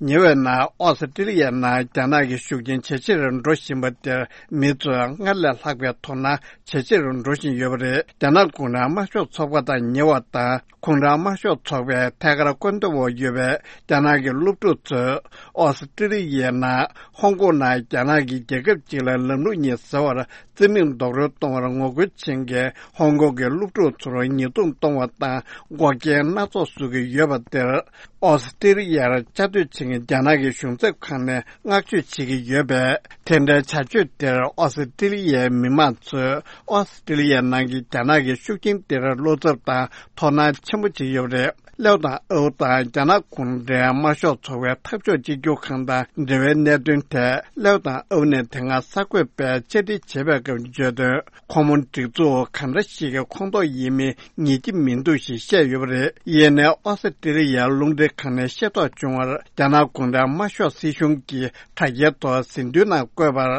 ཉེ་བའི་ནང་ཨོ་སི་ཀྲི་ལི་ཡའི་ནང་རྒྱ་ནག་གི་ཤུགས་རྐྱེན་ཇེ་ཆེར་འགྲོ་བཞིན་པ་དེར། མི་ཚོས་སྔར་ལས་ལྷག་པའི་དོ་སྣང་ཇེ་ཆེར་འགྲོ་བཞིན་ཡོད་པ་རེད། རྒྱ་ནག་གུང་ཁྲན་དམར་ཤོག་ཚོགས་པ་དང་ཉེ་བ་དང་། གུང་ཁྲན་དམར་ཤོག་ཚོགས་པའི་ཐད་ཀར་བཀོད་འདོམས་འོག་ཡོད་པའི་རྒྱ་ནག་གི་སློབ་ཕྲུག་ཚོས། ཨོ་སི་ཀྲི་ལི་ཡའི་ནང་ཧོང་ཀོང་ནང་རྒྱ་ནག་གི་རྒྱལ་ཁབ་ཅིག་ལ་ལམ་ལུགས་གཉིས་ཟེར་བར་རྩིས་མེད་རྡོག་རོལ་གཏོང་བར་ངོ་རྒོལ་བྱེད་མཁན་ཧོང་ཀོང་གི་སློབ་ཕྲུག་ཚོར་ཉེས་རྡུང་གཏོང་བ་དང་འགོག་རྐྱེན་སྣ་ཚོགས་བཟོ་གི་ཡོད་པ་དེར། ཨོ་སི་ཀྲི་ལི་ཡར་བཅའ་སྡོད་བྱེད་མཁན་རྒྱ་ནག་གི་གཞུང་ཚབ་ཁང་ནས་བསྔགས་བརྗོད་བྱེད་ཀྱི་ཡོད་པས། དེ་འདྲའི་བྱ་སྤྱོད་དེར་ཨོ་སི་ཀྲི་ལི་ཡའི་མི་མང་ཚོས་ཨོ་སི་ཀྲི་ལི་ཡའི་ནང་གི་རྒྱ་ནག་གི་ཤུགས་རྐྱེན་དེར་བློ་འཚབ་དང་དོ་སྣང་ཆེན་པོ་བྱེད་ཀྱི་ཡོད་པ་རེད། ལེའོ་ཏང་ཨའོ་དང་རྒྱ་ནག་གུང་ཁྲན་དམར་ཤོག་ཚོགས་པའི་འཐབ་ཕྱོགས་གཅིག་གྱུར་ཁང་དང་འབྲེལ་བའི་གནད་དོན་ཐད། ལེའོ་ཏང་ཨའོ་ནས་དེ་སྔ་གསར་འགོད་པས་བཅར་འདྲི་བྱས་པའི་སྐབས་བརྗོད་དོན། ཁོང་མོ་སྒྲིག་འཛུགས་ག་འདྲ་ཞིག་གི་ཁོངས་གཏོགས་ཡིན་མིན་ངེས་ཀྱི་མི་འདུག་ཞེས་བཤད་ཡོད་པ་རེད། ཡིན་ནའི་ཨོ་སི་ཀྲི་ལི་ཡའི་རླུང་འཕྲིན་ཁང་ནས་ཤེས་རྟོགས་བྱུང་བར། རྒྱ་ནག་གུང་ཁྲན་དམར་ཤོག་སྲིད་གཞུང་གི་དྲ་རྒྱའི་ཐོག་ཟིན་ཐོའི་ནང་བཀོད་པར།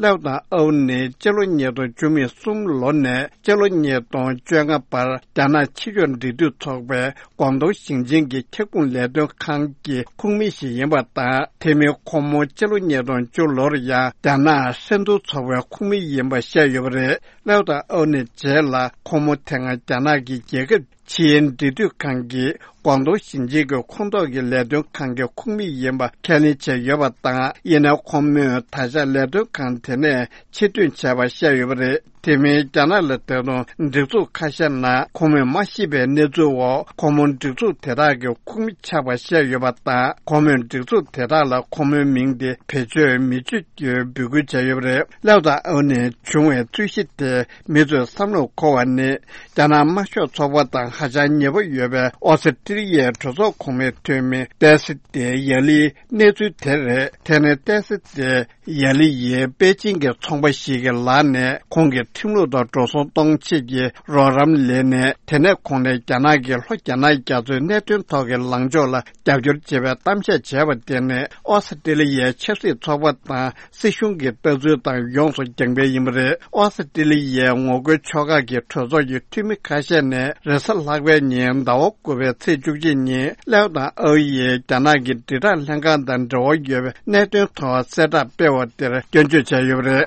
ལེའོ་ཏང་ཨའོ་ནི་སྤྱི་ལོ་ཉིས་སྟོང་བཅུ་གསུམ་ལོ་ནས་སྤྱི་ལོ་ཉིས་སྟོང་བཅོ་ལྔ་བར་རྒྱ་ནག་ཕྱི་ཕྱོགས་འབྲེལ་མཐུད་ཚོགས་པའི་ཀོང་ཏུང་ཞིང་ཆེན་གྱི་ཁྱབ་ཁོངས་ལས་དོན་ཁང་གི་ཁོངས་མི་ཞིག་ཡིན་པ་དང་། དེ་མིན་ཁོང་མོ་སྤྱི་ལོ་ཉིས་སྟོང་བཅུ་ལོར་ཡང་རྒྱ་ནག་ཧྲན་ཏུང་ཚོགས་པའི་ཁོངས་མི་ཡིན་པ་བཤད་ཡོད་པ་རེད། ལེའོ་ཏང་ཨའོ་ནི་རྗེས་ལ་ཁོང་མོ་དེ་སྔ་རྒྱ་ནག་གི་རྒྱལ་ཁབ་ཕྱི་དབྱིན་འབྲེལ་མཐུད་ཁང་གི་ཀོང་ཏུང་ཞིང་ཆེན་གྱི་ཁོངས་གཏོགས་ཀྱི་ལས་དོན་ཁང་གི་ཁོངས་མི་ཡིན་པ་ཁས་ལེན་བྱས་ཡོད་པ་དང་། ཡིན་ནའི་ཁོང་མོས་ད་ཆ་ལས་དོན་ཁང་དེ་ནས་ཕྱིར་ཐོན་བྱས་པ་བཤད་ཡོད་པ་རེད། དེ་མིན་རྒྱ་ནག་ལ་ད་དུང་སྒྲིག་འཛུགས་ཁ་ཤས་ནང་ཁོང་མོས་མ་ཤེས་པའི་གནས་ཚུལ་འོག་ཁོང་མོ་སྒྲིག་འཛུགས་དེ་དག་གི་ཁོངས་མི་ཆགས་པ་བཤད་ཡོད་པ་དང་། ཁོང་མོས་སྒྲིག་འཛུགས་དེ་དག་ལ་ཁོང་མོའི་མིང་དེ་བེད་སྤྱོད་མི་བྱེད་རྒྱུའི་འབོད་སྐུལ་བྱས་ཡོད་པ་རེད། ལེའོ་ཏང་ཨའོ་ནས་བྱུང་བའི་རྩོད་གཞི་དེ་མི་ཚོས་བསམ་བློར་འཁོར་བ་ནི། རྒྱ་ནག་དམར་ཤོག་ཚོགས་པ་དང་ཧ་ཅང་ཉེ་པོ་ཡོད་པའི་ཨོ་སི་ཀྲི་ལི་ཡའི་གྲོས་ཚོགས་གོང་མའི་འཐུས་མི་ཏེ་སི་ཏེ་ཡ་ལིའི་གནས་ཚུལ་དེ་རེད། དེ་ནི་ཏེ་སི་ཏེ་ཡ་ལི་ཡིས་པེ་ཅིང་གི་ཚོང་པ་ཞིག་གི་ལག་ནས་ཁོང་གི་ཁྲིམས་ལུགས་དང་འགྲོ་སོང་གཏོང་ཆེད་ཀྱི་རོགས་རམ་ལེན་ནས། དེ་ནས་ཁོང་ནས་རྒྱ་ནག་གི་ལྷོ་རྒྱ་ནག་རྒྱ་མཚོའི་གནད་དོན་ཐོག་གི་ལངས་ཕྱོགས་ལ་རྒྱབ་སྐྱོར་བྱེད་པའི་གཏམ་བཤད་བྱས་པ་དེ་ནི་ཨོ་སི་ཀྲི་ལི་ཡའི་ཆབ་སྲིད་ཚོགས་པ་དང་སྲིད་གཞུང་གི་ལྟ་ཚུལ་དང་ཡོངས་སུ་འགལ་བ་ཡིན་པ་རེད། ཨོ་སི་ཀྲི་ལི་ཡའི་ངོ་རྒོལ་ཕྱོགས་ཁག་གི་གྲོས་ཚོགས་ཀྱི་འཐུས་མི་ཁ་ཤས་ནས་རེས་གཟའ་ལྷག་ ལྷག་པའི་ཉིན་ཟླ་བ་དགུ་པའི་ཚེས་བཅུ་གཅིག་ཉིན་ལེའོ་དང་ཨའོ་ཡིས་རྒྱ་ནག་གི་དྲིལ་བསྒྲགས་ལྷན་ཁང་དང་འབྲེལ་བ་ཡོད་པའི་གནད་དོན་ཐོག་གསལ་བསྒྲགས་སྤེལ་བ་དེར་སྐྱོན་བརྗོད་བྱས་ཡོད་པ་རེད།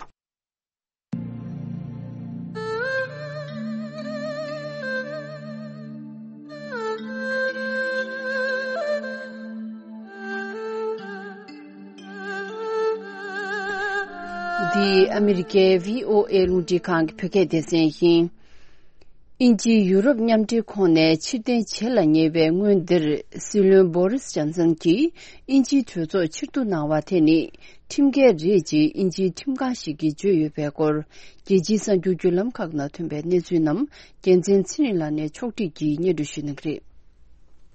འདི་ཨ་མི་རི་ཀའི་བྷི་ཨོ་ཨེ་རླུང་འཕྲིན་ཁང་གི་བོད་སྐད་སྡེ་ཚན་ཡིན། དབྱིན་ཇིའི་ཡུ་རོབ་མཉམ་འབྲེལ་ཁོངས་ནས་ཕྱིར་འཐེན་བྱེད་ལ་ཉེ་བའི་སྔོན་འདིར། སྲིད་བློན་བོ་རིས་ཇོན་སན་གྱིས་དབྱིན་ཇིའི་གྲོས་ཚོགས་ཕྱིར་བསྡུ་གནང་བ་དེ་ནི་ཁྲིམས་འགལ་རེད་ཅེས་དབྱིན་ཇིའི་ཁྲིམས་ཁང་ཞིག་གིས་བརྗོད་ཡོད་པའི་སྐོར། རྒྱལ་སྤྱིའི་གསར་འགྱུར་བརྒྱུད་ལམ་ཁག་ནང་ཐོན་པའི་གནས་ཚུལ་རྣམས་རྒྱལ་མཚན་ཚེ་རིང་ལགས་ནས་ཕྱོགས་སྒྲིག་གིས་སྙན་སྒྲོན་ཞུ་གནང་གི་རེད།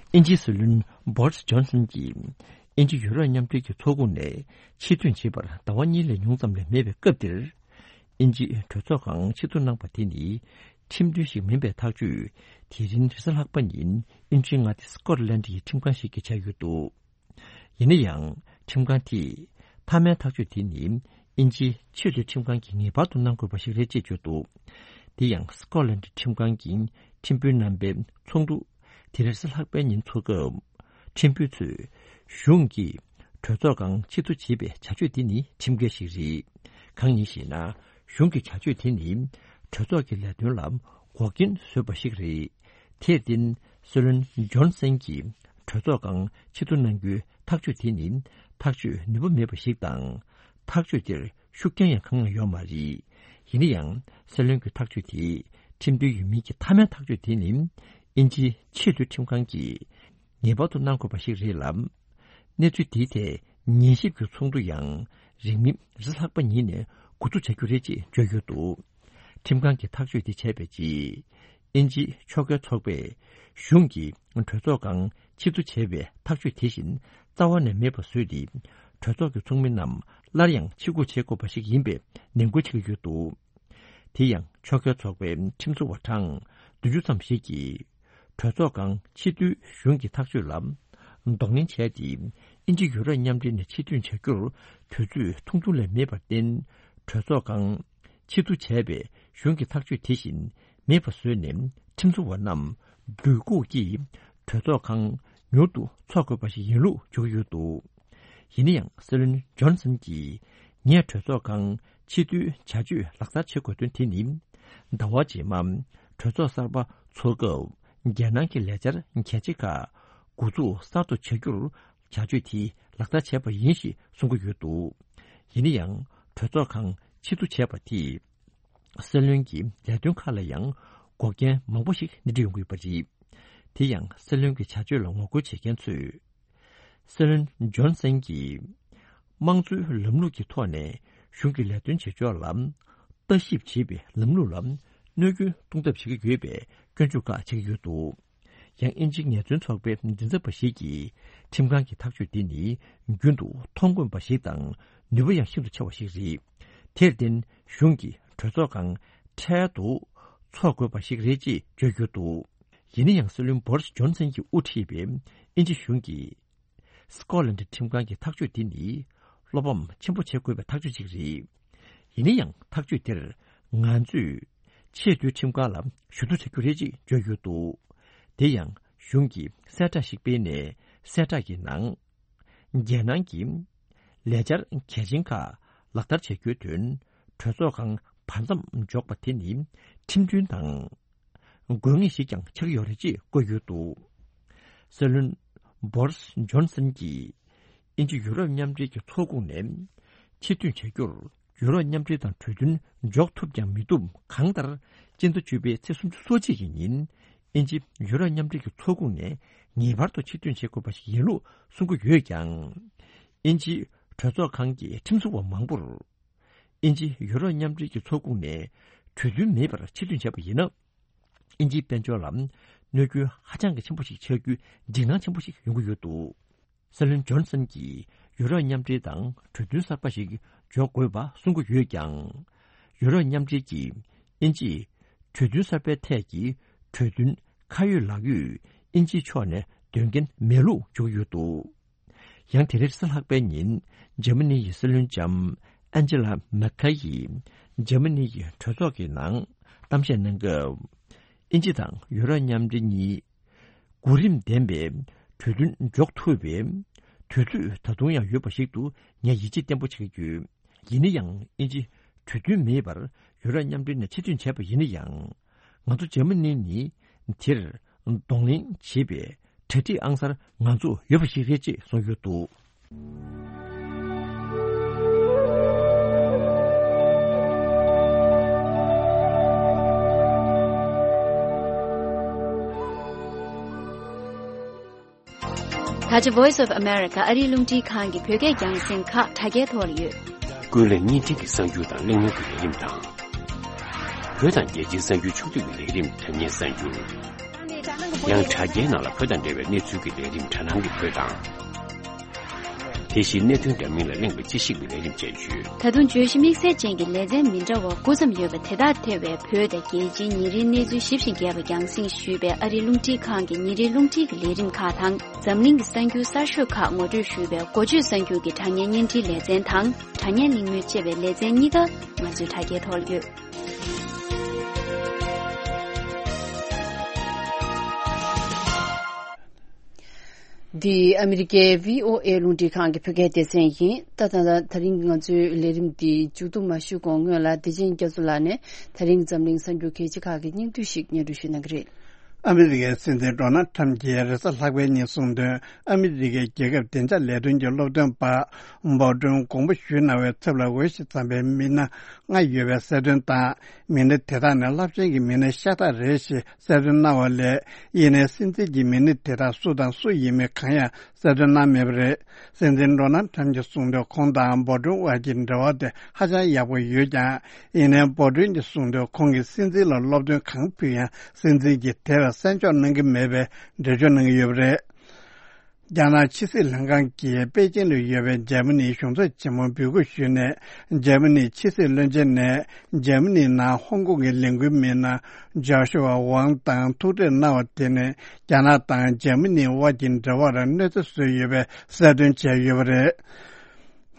དབྱིན་ཇིའི་སྲིད་བློན་བོ་རིས་ཇོན་སན་གྱིས་དབྱིན་ཇི་ཡུ་རོབ་མཉམ་འབྲེལ་གྱི་ཚོགས་ཁོངས་ནས་ཕྱིར་ཐོན་བྱེད་པར་ཟླ་བ་གཉིས་ལས་ཉུང་ཙམ་ལས་མེད་པའི་སྐབས་འདིར། དབྱིན་ཇིས་གྲོས་ཚོགས་ཁང་ཕྱིར་བསྡུ་གནང་པ་དེ་ནི་ཁྲིམས་མཐུན་ཞིག་མིན་པའི་ཐག་གཅོད་དེ་རིང་རེས་གཟའ་ལྷག་པ་ཉིན་དབྱིན་ཇིའི་མངའ་སྡེ་སི་ཀོ་ཊ་ལན་ཌི་ཡི་ཁྲིམས་ཁང་ཞིག་གིས་བྱས་ཡོད་འདུག་ཡིན་ན་ཡང་ཁྲིམས་ཁང་དེས་མཐའ་མའི་ཐག་གཅོད་དེ་ནི་དབྱིན་ཇིའི་ཆེས་མཐོའི་ཁྲིམས་ཁང་གིས་ངེས་པར་དུ་གནང་དགོས་པ་ཞིག་རེད་ཅེས་བརྗོད་འདུག་དེ་ཡང་སི་ཀོ་ཊ་ལན་ཌི་ཁྲིམས་ཁང་གི་ཁྲིམས་དཔོན་རྣམ་པའི་ཚོགས་འདུ་དེ་རེས་གཟའ་ལྷག་པའི་ཉིན་འཚོགས་སྐབས། ཁྲིམས་དཔོན་ཚོས་གཞུང་གིས་གྲོས་ཚོགས་ཁང་ཕྱིར་བསྡུ་བྱེད་པའི་བྱ་སྤྱོད་དེ་ནི་ཁྲིམས་འགལ་ཞིག་རེད། གང་ཡིན་ཞེ་ན། གཞུང་གི་བྱ་སྤྱོད་དེ་ནི་གྲོས་ཚོགས་ཀྱི་ལས་དོན་ལ་འགོག་རྐྱེན་བཟོས་པ་ཞིག་རེད། དེར་བརྟེན། སྲིད་བློན་ཇོན་སན་གྱིས་གྲོས་ཚོགས་ཁང་ཕྱིར་བསྡུ་གནང་རྒྱུའི་ཐག་གཅོད་དེ་ནི་ཐག་གཅོད་ནུས་པ་མེད་པ་ཞིག་དང་། ཐག་གཅོད་དེར་ཤུགས་རྐྱེན་ཡང་གང་ཡང་ཡོད་མ་རེད། ཡིན་ན་ཡང་སྲིད་བློན་གྱི་ཐག་གཅོད་དེ་ཁྲིམས་མཐུན་ཡིན་མིན་གྱི་མཐའ་མའི་ཐག་གཅོད་དེ་ནི་དབྱིན་ཇིའི་ཆེས་མཐོའི་ཁྲིམས་ཁང་གིས་ངེས་པར་དུ་གནང་དགོས་པ་ཞིག་རེད་ལ། གནས་ཚུལ་དེའི་ཐད་ཉན་ཞིབ་ཀྱི་ཚོགས་འདུ་ཡང་རིང་མིན་རེས་གཟའ་ལྷག་པ་ཉིན་ནས་འགོ་འཛུགས་བྱ་རྒྱུ་རེད་ཅེས་བརྗོད་ཡོད་འདུག་ཁྲིམས་ཁང་གིས་ཐག་གཅོད་དེ་བྱས་པའི་རྗེས། དབྱིན་ཇིའི་ཕྱོགས་འགལ་ཚོགས་པས་གཞུང་གིས་གྲོས་ཚོགས་ཁང་ཕྱིར་བསྡུ་བྱས་པའི་ཐག་གཅོད་དེ་བཞིན་རྩ་བ་ནས་མེད་པ་བཟོས་ཏེ། གྲོས་ཚོགས་ཀྱི་ཚོགས་མི་རྣམས་སླར་ཡང་ཕྱིར་འགུག་བྱེད་དགོས་པ་ཞིག་ཡིན་པའི་ནན་སྐུལ་བྱེད་ཀྱི་ཡོད་འདུག་དེ་ཡང་ཕྱོགས་འགལ་ཚོགས་པའི་ཁྲིམས་བཟོ་བ་གྲངས་བདུན་ཅུ་ཙམ་ཞིག་གིས། གྲོས་ཚོགས་ཁང་ཕྱིར་བསྡུའི་གཞུང་གི་ཐག་གཅོད་ལ་གདོང་ལེན་བྱས་ཏེ། དབྱིན་ཇི་ཡུ་རོབ་མཉམ་འབྲེལ་ནས་ཕྱིར་ཐོན་བྱ་རྒྱུར་དུས་ཚོད་ཐུང་ཐུང་ལས་མེད་པར་བརྟེན། གྲོས་ཚོགས་ཁང་ཕྱིར་བསྡུ་བྱས་པའི་གཞུང་གི་ཐག་གཅོད་དེ་བཞིན་མེད་པ་བཟོས་ནས། ཁྲིམས་བཟོ་བ་རྣམས་སྒྲོ་འགུག་གིས་གྲོས་ཚོགས་ཁང་མྱུར་དུ་འཚོགས་དགོས་པ་ཞིག་ཡིན་ལུགས་བརྗོད་ཀྱི་ཡོད་འདུག་ཡིན་ན་ཡང་སྲིད་བློན་ཇོན་སན་གྱིས་ངས་གྲོས་ཚོགས་ཁང་ཕྱིར་བསྡུའི་བྱ་སྤྱོད་ལག་བསྟར་བྱེད་དགོས་དོན་དེ་ནི། ཟླ་བ་རྗེས་མ་གྲོས་ཚོགས་གསར་པ་འཚོགས་སྐབས་རྒྱལ་ནང་གི་ལས་འཆར་གལ་ཆེ་ཁག་འགོ་འཛུགས་གསར་དུ་བྱ་རྒྱུར་བྱ་སྤྱོད་དེ་ལག་བསྟར་བྱས་པ་ཡིན་ཞེས་གསུང་གི་ཡོད་འདུག་ཡིན་ན་ཡང་གྲོས་ཚོགས་ཁང་ཕྱིར་བསྡུ་བྱས་པ་དེས། སྲིད་བློན་གྱི་ལས་དོན་ཁག་ལ་ཡང་འགོག་རྐྱེན་མང་པོ་ཞིག་སྣེ་ཁྲིད་ཡོང་གི་ཡོད་པ་རེད། དེ་ཡང་སྲིད་བློན་གྱི་བྱ་སྤྱོད་ལ་ངོ་རྒོལ་བྱེད་མཁན་ཚོས། སྲིད་བློན་ཇོན་སན་གྱིས་དམངས་གཙོའི་ལམ་ལུགས་ཀྱི་ཐོག་ནས་གཞུང་གི་ལས་དོན་བྱེད་ཕྱོགས་ལ་ལྟ་ཞིབ་བྱེད་པའི་ལམ་ལུགས་ལ་གནོད་སྐྱོན་གཏོང་ཐབས་བྱེད་ཀྱི་ཡོད་པའི་སྐྱོན་བརྗོད་ཁག་བྱེད་ཀྱི་ཡོད་འདུག་ཡང་དབྱིན་ཇིའི་ངལ་རྩོལ་ཚོགས་པའི་མགྲིན་ཚབ་པ་ཞིག་གིས་ཁྲིམས་ཁང་གི་ཐག་གཅོད་འདི་ནི་རྒྱུན་དུ་མཐོང་དཀོན་པ་ཞིག་དང་ནུས་པ་ཡང་ཤིན་ཏུ་ཆེ་བ་ཞིག་རེད། དེར་བརྟེན་གཞུང་གིས་གྲོས་ཚོགས་ཁང་འཕྲལ་དུ་འཚོགས་དགོས་པ་ཞིག་རེད་ཅེས་བརྗོད་ཡོད་འདུག་ཡིན་ན་ཡང་སྲིད་བློན་བོ་རིས་ཇོན་སན་གྱིས་དབུ་ཁྲིད་པའི་དབྱིན་ཇི་གཞུང་གིས། སི་ཀོ་ལན་ཌི་ཁྲིམས་ཁང་གི་ཐག་གཅོད་འདི་ནི་བློ་ཕམ་ཆེན་པོ་བྱེད་དགོས་པའི་ཐག་གཅོད་ཅིག་རེད། ཡིན་ན་ཡང་ཐག་གཅོད་དེར་ང་ཚོས་ཆེས་མཐོའི་ཁྲིམས་ཁང་ལ་ཞུ་གཏུག་བྱ་རྒྱུ་རེད་ཅེས་བརྗོད་ཡོད་འདུག་དེ་ཡང་གཞུང་གིས་གསལ་བསྒྲགས་ཤིག་སྤེལ་ནས། གསལ་བསྒྲགས་ཀྱི་ནང་། རྒྱལ་ནང་གི་ལས་འཆར་གལ་ཆེན་ཁག་ལག་བསྟར་བྱ་རྒྱུའི་དོན་གྲོས་ཚོགས་ཁང་བར་མཚམས་འཇོག་པ་དེ་ནི་ཁྲིམས་མཐུན་དང་། དགོས་ངེས་ཤིག་ཀྱང་ཆགས་ཀྱི་ཡོད་རེད་ཅེས་བཀོད་ཡོད་འདུག་སྲིད་བློན་བོ་རིས་ཇོན་སན་གྱིས་དབྱིན་ཇི་ཡུ་རོབ་མཉམ་འབྲེལ་གྱི་ཚོགས་ཁོངས་ནས་ཕྱིར་ཐོན་བྱ་རྒྱུར་ཡུ་རོབ་མཉམ་འབྲེལ་དང་གྲོས་མཐུན་འཇོག་ཐུབ་ཀྱང་མི་ཐུབ། གང་ལྟར་སྤྱི་ཟླ་བཅུ་པའི་ཚེས་སུམ་ཅུ་སོ་གཅིག་གི་ཉིན་དབྱིན་ཇི་ཡུ་རོབ་མཉམ་འབྲེལ་གྱི་ཚོགས་ཁོངས་ནས་ངེས་པར་དུ་ཕྱིར་ཐོན་བྱེད་དགོས་པ་ཞིག་ཡིན་ལུགས་གསུང་གི་ཡོད་ཀྱང་། དབྱིན་ཇིའི་གྲོས་ཚོགས་ཁང་གི་ཁྲིམས་བཟོ་བ་མང་པོར། དབྱིན་ཇི་ཡུ་རོབ་མཉམ་འབྲེལ་གྱི་ཚོགས་ཁོངས་ནས་གྲོས་མཐུན་མེད་པར་ཕྱིར་ཐོན་བྱས་པ་ཡིན་ན། དབྱིན་ཇིའི་དཔལ་འབྱོར་ལ་གནོད་སྐྱོན་ཧ་ཅང་གི་ཆེན་པོ་ཞིག་ཆགས་རྒྱུའི་འཇིགས་སྣང་ཆེན་པོ་ཞིག་ཡོང་གི་ཡོད་འདུག་སྲིད་བློན་ཇོན་སན་གྱིས་ཡུ་རོབ་མཉམ་འབྲེལ་དང་གྲོས་མཐུན་གསར་པ་ཞིག་འཇོག་དགོས་པ་གསུང་གི་ཡོད་ཀྱང་། ཡུ་རོབ་མཉམ་འབྲེལ་གྱིས་དབྱིན་ཇིས་གྲོས་མཐུན་གསར་པའི་ཐད་ཀྱི་གྲོས་མཐུན་ཁ་ཡོད་ལག་ཡོད་དབྱིན་ཇིའི་ཕྱོགས་ནས་འདོན་མཁན་མེད་ལུགས་བརྗོད་ཀྱི་ཡོད་འདུག་ཡང་དེ་རིང་རེས་གཟའ་ལྷག་པའི་ཉིན་འཇར་མ་ནི་ཡི་སྲིད་བློན་ལྕམ་ཨན་ཇེ་ལ་མེར་ཁེལ་ཡིས་འཇར་མ་ནི་ཡི་གྲོས་ཚོགས་ཀྱི་ནང་གཏམ་བཤད་གནང་སྐབས། དབྱིན་ཇི་དང་ཡུ་རོབ་མཉམ་འབྲེལ་གཉིས་གོ་རིམ་ལྡན་པའི་གྲོས་མཐུན་འཇོག་ཐུབ་པའི་དུས་ཚོད་ད་དུང་ཡང་ཡོད་པ་ཞིག་ཏུ་ངས་ཡིད་ཆེས་བརྟན་པོ་བྱེད་ཀྱི་ཡོད། ཡིན་ན་ཡང་དབྱིན་ཇི་གྲོས་མཐུན་མེད་པར་ཡུ་རོབ་མཉམ་འབྲེལ་ནས་ཕྱིར་ཐོན་བྱས་པ་ཡིན་ན་ཡང་། ང་ཚོ་འཇར་མ་ནི་ནི་དེར་གདོང་ལེན་བྱེད་པའི་གྲ་སྒྲིག་ཨང་གསར་ང་ཚོ་ཡོད་པ་ཞིག་རེད་ཅེས་གསུངས་ཡོད་འདུག། ད་ཆ་Voice of America ཨ་རིའི་རླུང་འཕྲིན་ཁང་གི་བོད་སྐད་རྒྱང་སྲིང་ཁག་དྲ་རྒྱའི་ཐོག་ལ་ཡོད། ཀུན་གླེང་བརྙན་འཕྲིན་གྱི་གསར་འགྱུར་དང་གླེང་མོལ་གྱི་ལས་རིམ་དང་། བོད་དང་རྒྱལ་སྤྱིའི་གསར་འགྱུར་ཕྱོགས་བསྡུས་ཀྱི་ལས་རིམ་དྲ་བརྙན་གསར་འགྱུར། ཡང་དྲ་རྒྱའི་ནང་ལ་བོད་དང་འབྲེལ་བའི་གནས་ཚུལ་གྱི་ལས་རིམ་དྲ་སྣང་གི་བོད་དང་། དེ་བཞིན་གནད་དོན་འདྲ་མིན་ལ་གླེང་བའི་དཔྱད་ཞིབ་ཀྱི་ལས་རིམ་བཅས་ཡོད། ད་དུང་བརྗོད་གཞི་དམིགས་བསལ་ཅན་གྱི་ལེ་ཚན་མི་འདྲ་བ་དགུ་ཙམ་ཡོད་པ་དེ་དག་ཐེ་བའི་བོད་དང་རྒྱལ་སྤྱིའི་ཉིན་རེའི་གནས་ཚུལ་ཞིབ་ཅིང་རྒྱས་པ་རྒྱང་སྲིང་ཞུས་པའི་ཨ་རིའི་རླུང་འཕྲིན་ཁང་གི་ཉིན་རེའི་རླུང་འཕྲིན་གྱི་ལས་རིམ་ཁག་དང་། འཛམ་གླིང་གི་གསར་འགྱུར་གསར་ཤོས་ཁག་ངོ་སྤྲོད་ཞུས་པའི་འགོ་བརྗོད་གསར་འགྱུར་གྱི་དྲ་བརྙན་བརྙན་འཕྲིན་ལེ་ཚན་དང་། དྲ་བརྙན་གླེང་མོལ་ཅེས་པའི་ལེ་ཚན་གཉིས་ཀ་ང་ཚོའི་དྲ་རྒྱའི་ཐོག་ལ་ཡོད། འདི་ཨ་མི་རི་ཀའི་བྷི་ཨོ་ཨེ་རླུང་འཕྲིན་ཁང་གི་བོད་སྐད་སྡེ་ཚན་ཡིན། ད་ད་ད་ད་རིང་ང་ཚོའི་ལས་རིམ་འདི་མཇུག་བསྡོམས་མ་ཞུས་གོང་སྔོན་ལ་བདེ་ཆེན་རྒྱ་མཚོ་ལགས་ནས་ད་རིང་འཛམ་གླིང་གསར་འགྱུར་གལ་ཆེ་ཁག་གི་སྙིང་བསྡུས་ཤིག་སྙན་སྒྲོན་ཞུ་གནང་གི་རེད། ཨ་མི་རི་ཀའི་སྲིད་འཛིན་ཌོ་ནལ་ཁྲམ་གྱིས་རེས་གཟའ་ལྷག་པའི་ཉིན་གསུངས་དོན། ཨ་མི་རི་ཀའི་རྒྱལ་ཁབ་བདེ་འཇགས་ལས་དོན་གྱི་སློབ་སྟོན་པ་འབོར་ཀྲུང་དགོངས་པ་ཞུས་གནང་བའི་ཚབ་ལ་འོས་ཤིང་འཚམ་པའི་མི་སྣ་ལྔ་ཡོད་པའི་གསལ་སྟོན་དང་། མི་སྣ་དེ་དག་ནི་རླབས་ཆེན་གྱི་མི་སྣ་ཤ་སྟག་རེད་ཞེས་གསལ་སྟོན་གནང་བ་ལས། ཡིན་ནའི་སྲིད་འཛིན་གྱིས་མི་སྣ་དེ་དག་སུ་དང་སུ་ཡིན་མིན་གང་ཡང་གསལ་སྟོན་གནང་མེད་པ་རེད། སྲིད་འཛིན་ཌོ་ནལ་ཁྲམ་གྱིས་གསུངས་དོན། ཁོང་དང་འབོར་ཀྲུང་དབར་གྱི་འབྲེལ་བ་དེ་ཧ་ཅང་ཡག་པོ་ཡོད་ཀྱང་། ཡིན་ནའི་འབོར་ཀྲུང་གིས་གསུངས་དོན། ཁོང་གིས་སྲིད་འཛིན་ལ་སློབ་སྟོན་གང་ཕུལ་ཡང་། སྲིད་འཛིན་གྱིས་དེར་གསན་འཇོག་གནང་གི་མེད་པའི་འགྲེལ་བརྗོད་གནང་གི་ཡོད་པ་རེད། རྒྱ་ནག་ཕྱི་སྲིད་ལྷན་ཁང་གིས་པེ་ཅིན་དུ་ཡོད་པའི་འཇར་མ་ནིའི་གཞུང་ཚབ་ཆེན་མོར་འབོད་སྐུལ་ཞུས་ནས། འཇར་མ་ནིའི་ཕྱི་སྲིད་བློན་ཆེན་ནས་འཇར་མ་ནིའི་ནང་ཧོང་ཀོང་གི་ལས་འགུལ་མི་སྣ་ཇོ་ཤུ་ཝ་ཝང་དང་ཐུག་འཕྲད་གནང་བ་དེ་ནི། རྒྱ་ནག་དང་འཇར་མ་ནིའི་དབར་གྱི་འབྲེལ་བར་གནོད་འཚེ་བཟོས་ཡོད་པའི་གསལ་སྟོན་བྱས་ཡོད་པ་རེད།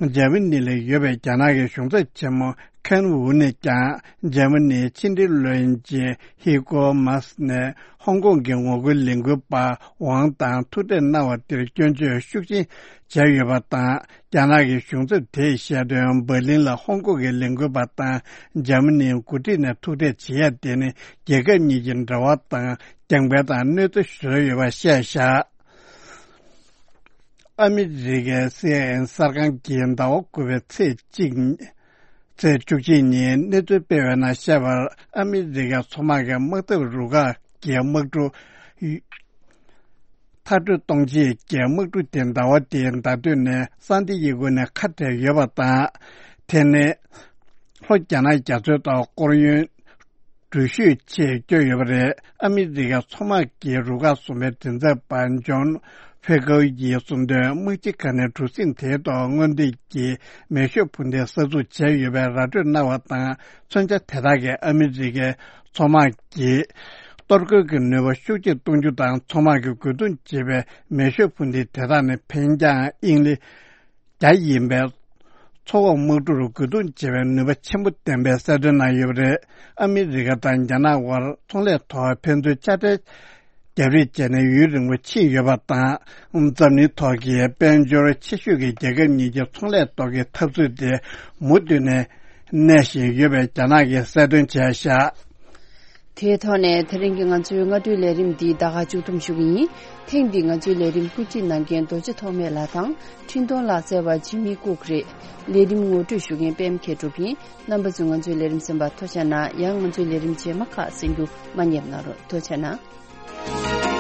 འཇར་མ་ནི་ལ་ཡོད་པའི་རྒྱ་ནག་གི་གཞུང་ཚབ་ཆེན་མོ་ཁན་ཝུ་ནས་ཀྱང་། འཇར་མ་ནིའི་ཕྱི་འབྲེལ་བློན་ཆེན་ཧི་ཀོ་མཱས་ནས་ཧོང་ཀོང་གི་ངོ་རྒོལ་ལས་འགུལ་པ་ཝང་དང་ཐུག་འཕྲད་གནང་བ་དེར་སྐྱོན་བརྗོད་ཤུགས་ཆེན་བྱས་ཡོད་པ་དང་། རྒྱ་ནག་གི་གཞུང་ཚབ་དེས་བཤད་དོན། འབར་ལིན་ལ་ཧོང་ཀོང་གི་ལས་འགུལ་པ་དང་འཇར་མ་ནིའི་འགོ་ཁྲིད་ནས་ཐུག་འཕྲད་བྱེད་ཡ་དེ་ནི། རྒྱལ་ཁབ་གཉིས་ཀྱི་འབྲེལ་བ་དང་རྒྱང་འཕེན་དང་གནོད་འཚེ་བཟོས་ཡོད་པ་བཤད་བཞག། ཨ་མི་རི་ཀའི་སི་ཨེན་ཨེན་གསར་ཁང་གིས་ཟླ་བ་དགུ་པའི་ཚེས་གཅིག་ཚེས་བཅུ་གཅིག་ཉིན་གནས་ཚུལ་སྤེལ་བའི་ནང་བཤད་པར། ཨ་མི་རི་ཀའི་མཚོ་དམག་གི་དམག་འཐབ་རུ་ཁག་གི་དམག་གྲུ་མཐར་སྐྲོད་གཏོང་ཆེད་ཀྱི་དམག་གྲུ་དེ་ཟླ་བ་འདིའི་ཟླ་སྟོད་ནས་སན་ཏི་ཡེ་གོ་ནས་ཁ་བྲལ་ཡོད་པ་དང་། དེ་ནི་ལྷོ་རྒྱ་ནག་རྒྱ་མཚོའི་ཐོག་སྐོར་གཡོན་འགྲུལ་བཞུད་ཆེད་བསྐྱོད་ཡོད་པ་རེད། ཨ་མི་རི་ཀའི་མཚོ་དམག་གི་རུ་ཁག་གསུམ་པའི་མགྲིན་ཚབ་པ་ཇོན་ཕེ་ཀོ་ཡིས་གསུངས་དོན། དམག་སྤྱི་ཁག་ནས་གྲུ་གཟིངས་དེའི་ཐོག་སྔོན་ཐོན་གྱི་མེ་ཤོད་འཕུར་མདེལ་གསར་འཛུགས་བྱས་ཡོད་པའི་ར་སྤྲོད་གནང་བ་དང་། མཚོན་ཆ་དེ་དག་གིས་ཨ་མི་རི་ཀའི་མཚོ་དམག་གིས་གཏོར་རྒོལ་གྱི་ནུས་པ་ཤུགས་ཆེར་གཏོང་རྒྱུ་དང་། མཚོ་དམག་གིས་རྒོལ་རྡུང་བྱེད་པའི་མེ་ཤོད་འཕུར་མདེལ་དེ་དག་ནི་འཕེན་རྒྱང་དབྱིངས་ལེ་བརྒྱ་ཡིན་པའི་མཚོ་འོག་དམག་གྲུར་རྒོལ་རྡུང་བྱེད་པའི་ནུས་པ་ཆེན་པོ་ལྡན་པའི་གསལ་སྟོན་གནང་ཡོད་པ་རེད། ཨ་མི་རི་ཀ་དང་རྒྱ་ནག་དབར་ཚོང་ལས་ཐོག་ཕན་ཚུན་དཔྱ་ཁྲལ་རྒྱབ་རེས་བྱས་ནས་ཡུན་རིང་པོ་ཕྱིན་ཡོད་པ་དང་། འཛམ་གླིང་ཐོག་གི་དཔལ་འབྱོར་ཆེ་ཤོས་ཀྱི་རྒྱལ་ཁབ་གཉིས་ཀྱི་ཚོང་ལས་ཐོག་གི་འཐབ་རྩོད་དེ་མུ་མཐུད་ནས་གནས་བཞིན་ཡོད་པའི་རྒྱ་ནག་གིས་གསལ་སྟོན་བྱས་བཞག། དེའི་ཐོག་ནས་དེ་རིང་གི་ང་ཚོའི་སྔ་དྲོའི་ལས་རིམ་འདི་ད་ག་མཇུག་བསྡོམས་ཞུ་གི་ཡིན། ཐེངས་འདིའི་ང་ཚོའི་ལས་རིམ་སྐུ་མཁྱེན་གནང་མཁན་རྡོ་རྗེ་ཐོགས་མེད་ལགས་དང་འཕྲིན་གཏོང་ལག་རྩལ་བ་ཇི་མི་ཀུག་རེད། ལས་རིམ་ངོ་སྤྲོད་ཞུ་མཁན་པད་མ་མཁས་གྲུབ་ཡིན། རྣམ་པ་ཚོས་ང་ཚོའི་ལས་རིམ་གསན་པར་ཐུགས་རྗེ་གནང་། ཡང་ང་ཚོའི་ལས་རིམ་རྗེས་མ་ཁག་གསན་རྒྱུ་མ་བསྙེལ་གནང་རོགས། ཐུགས་རྗེ་གནང་།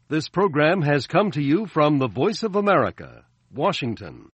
This program has come to you from the Voice of America, Washington.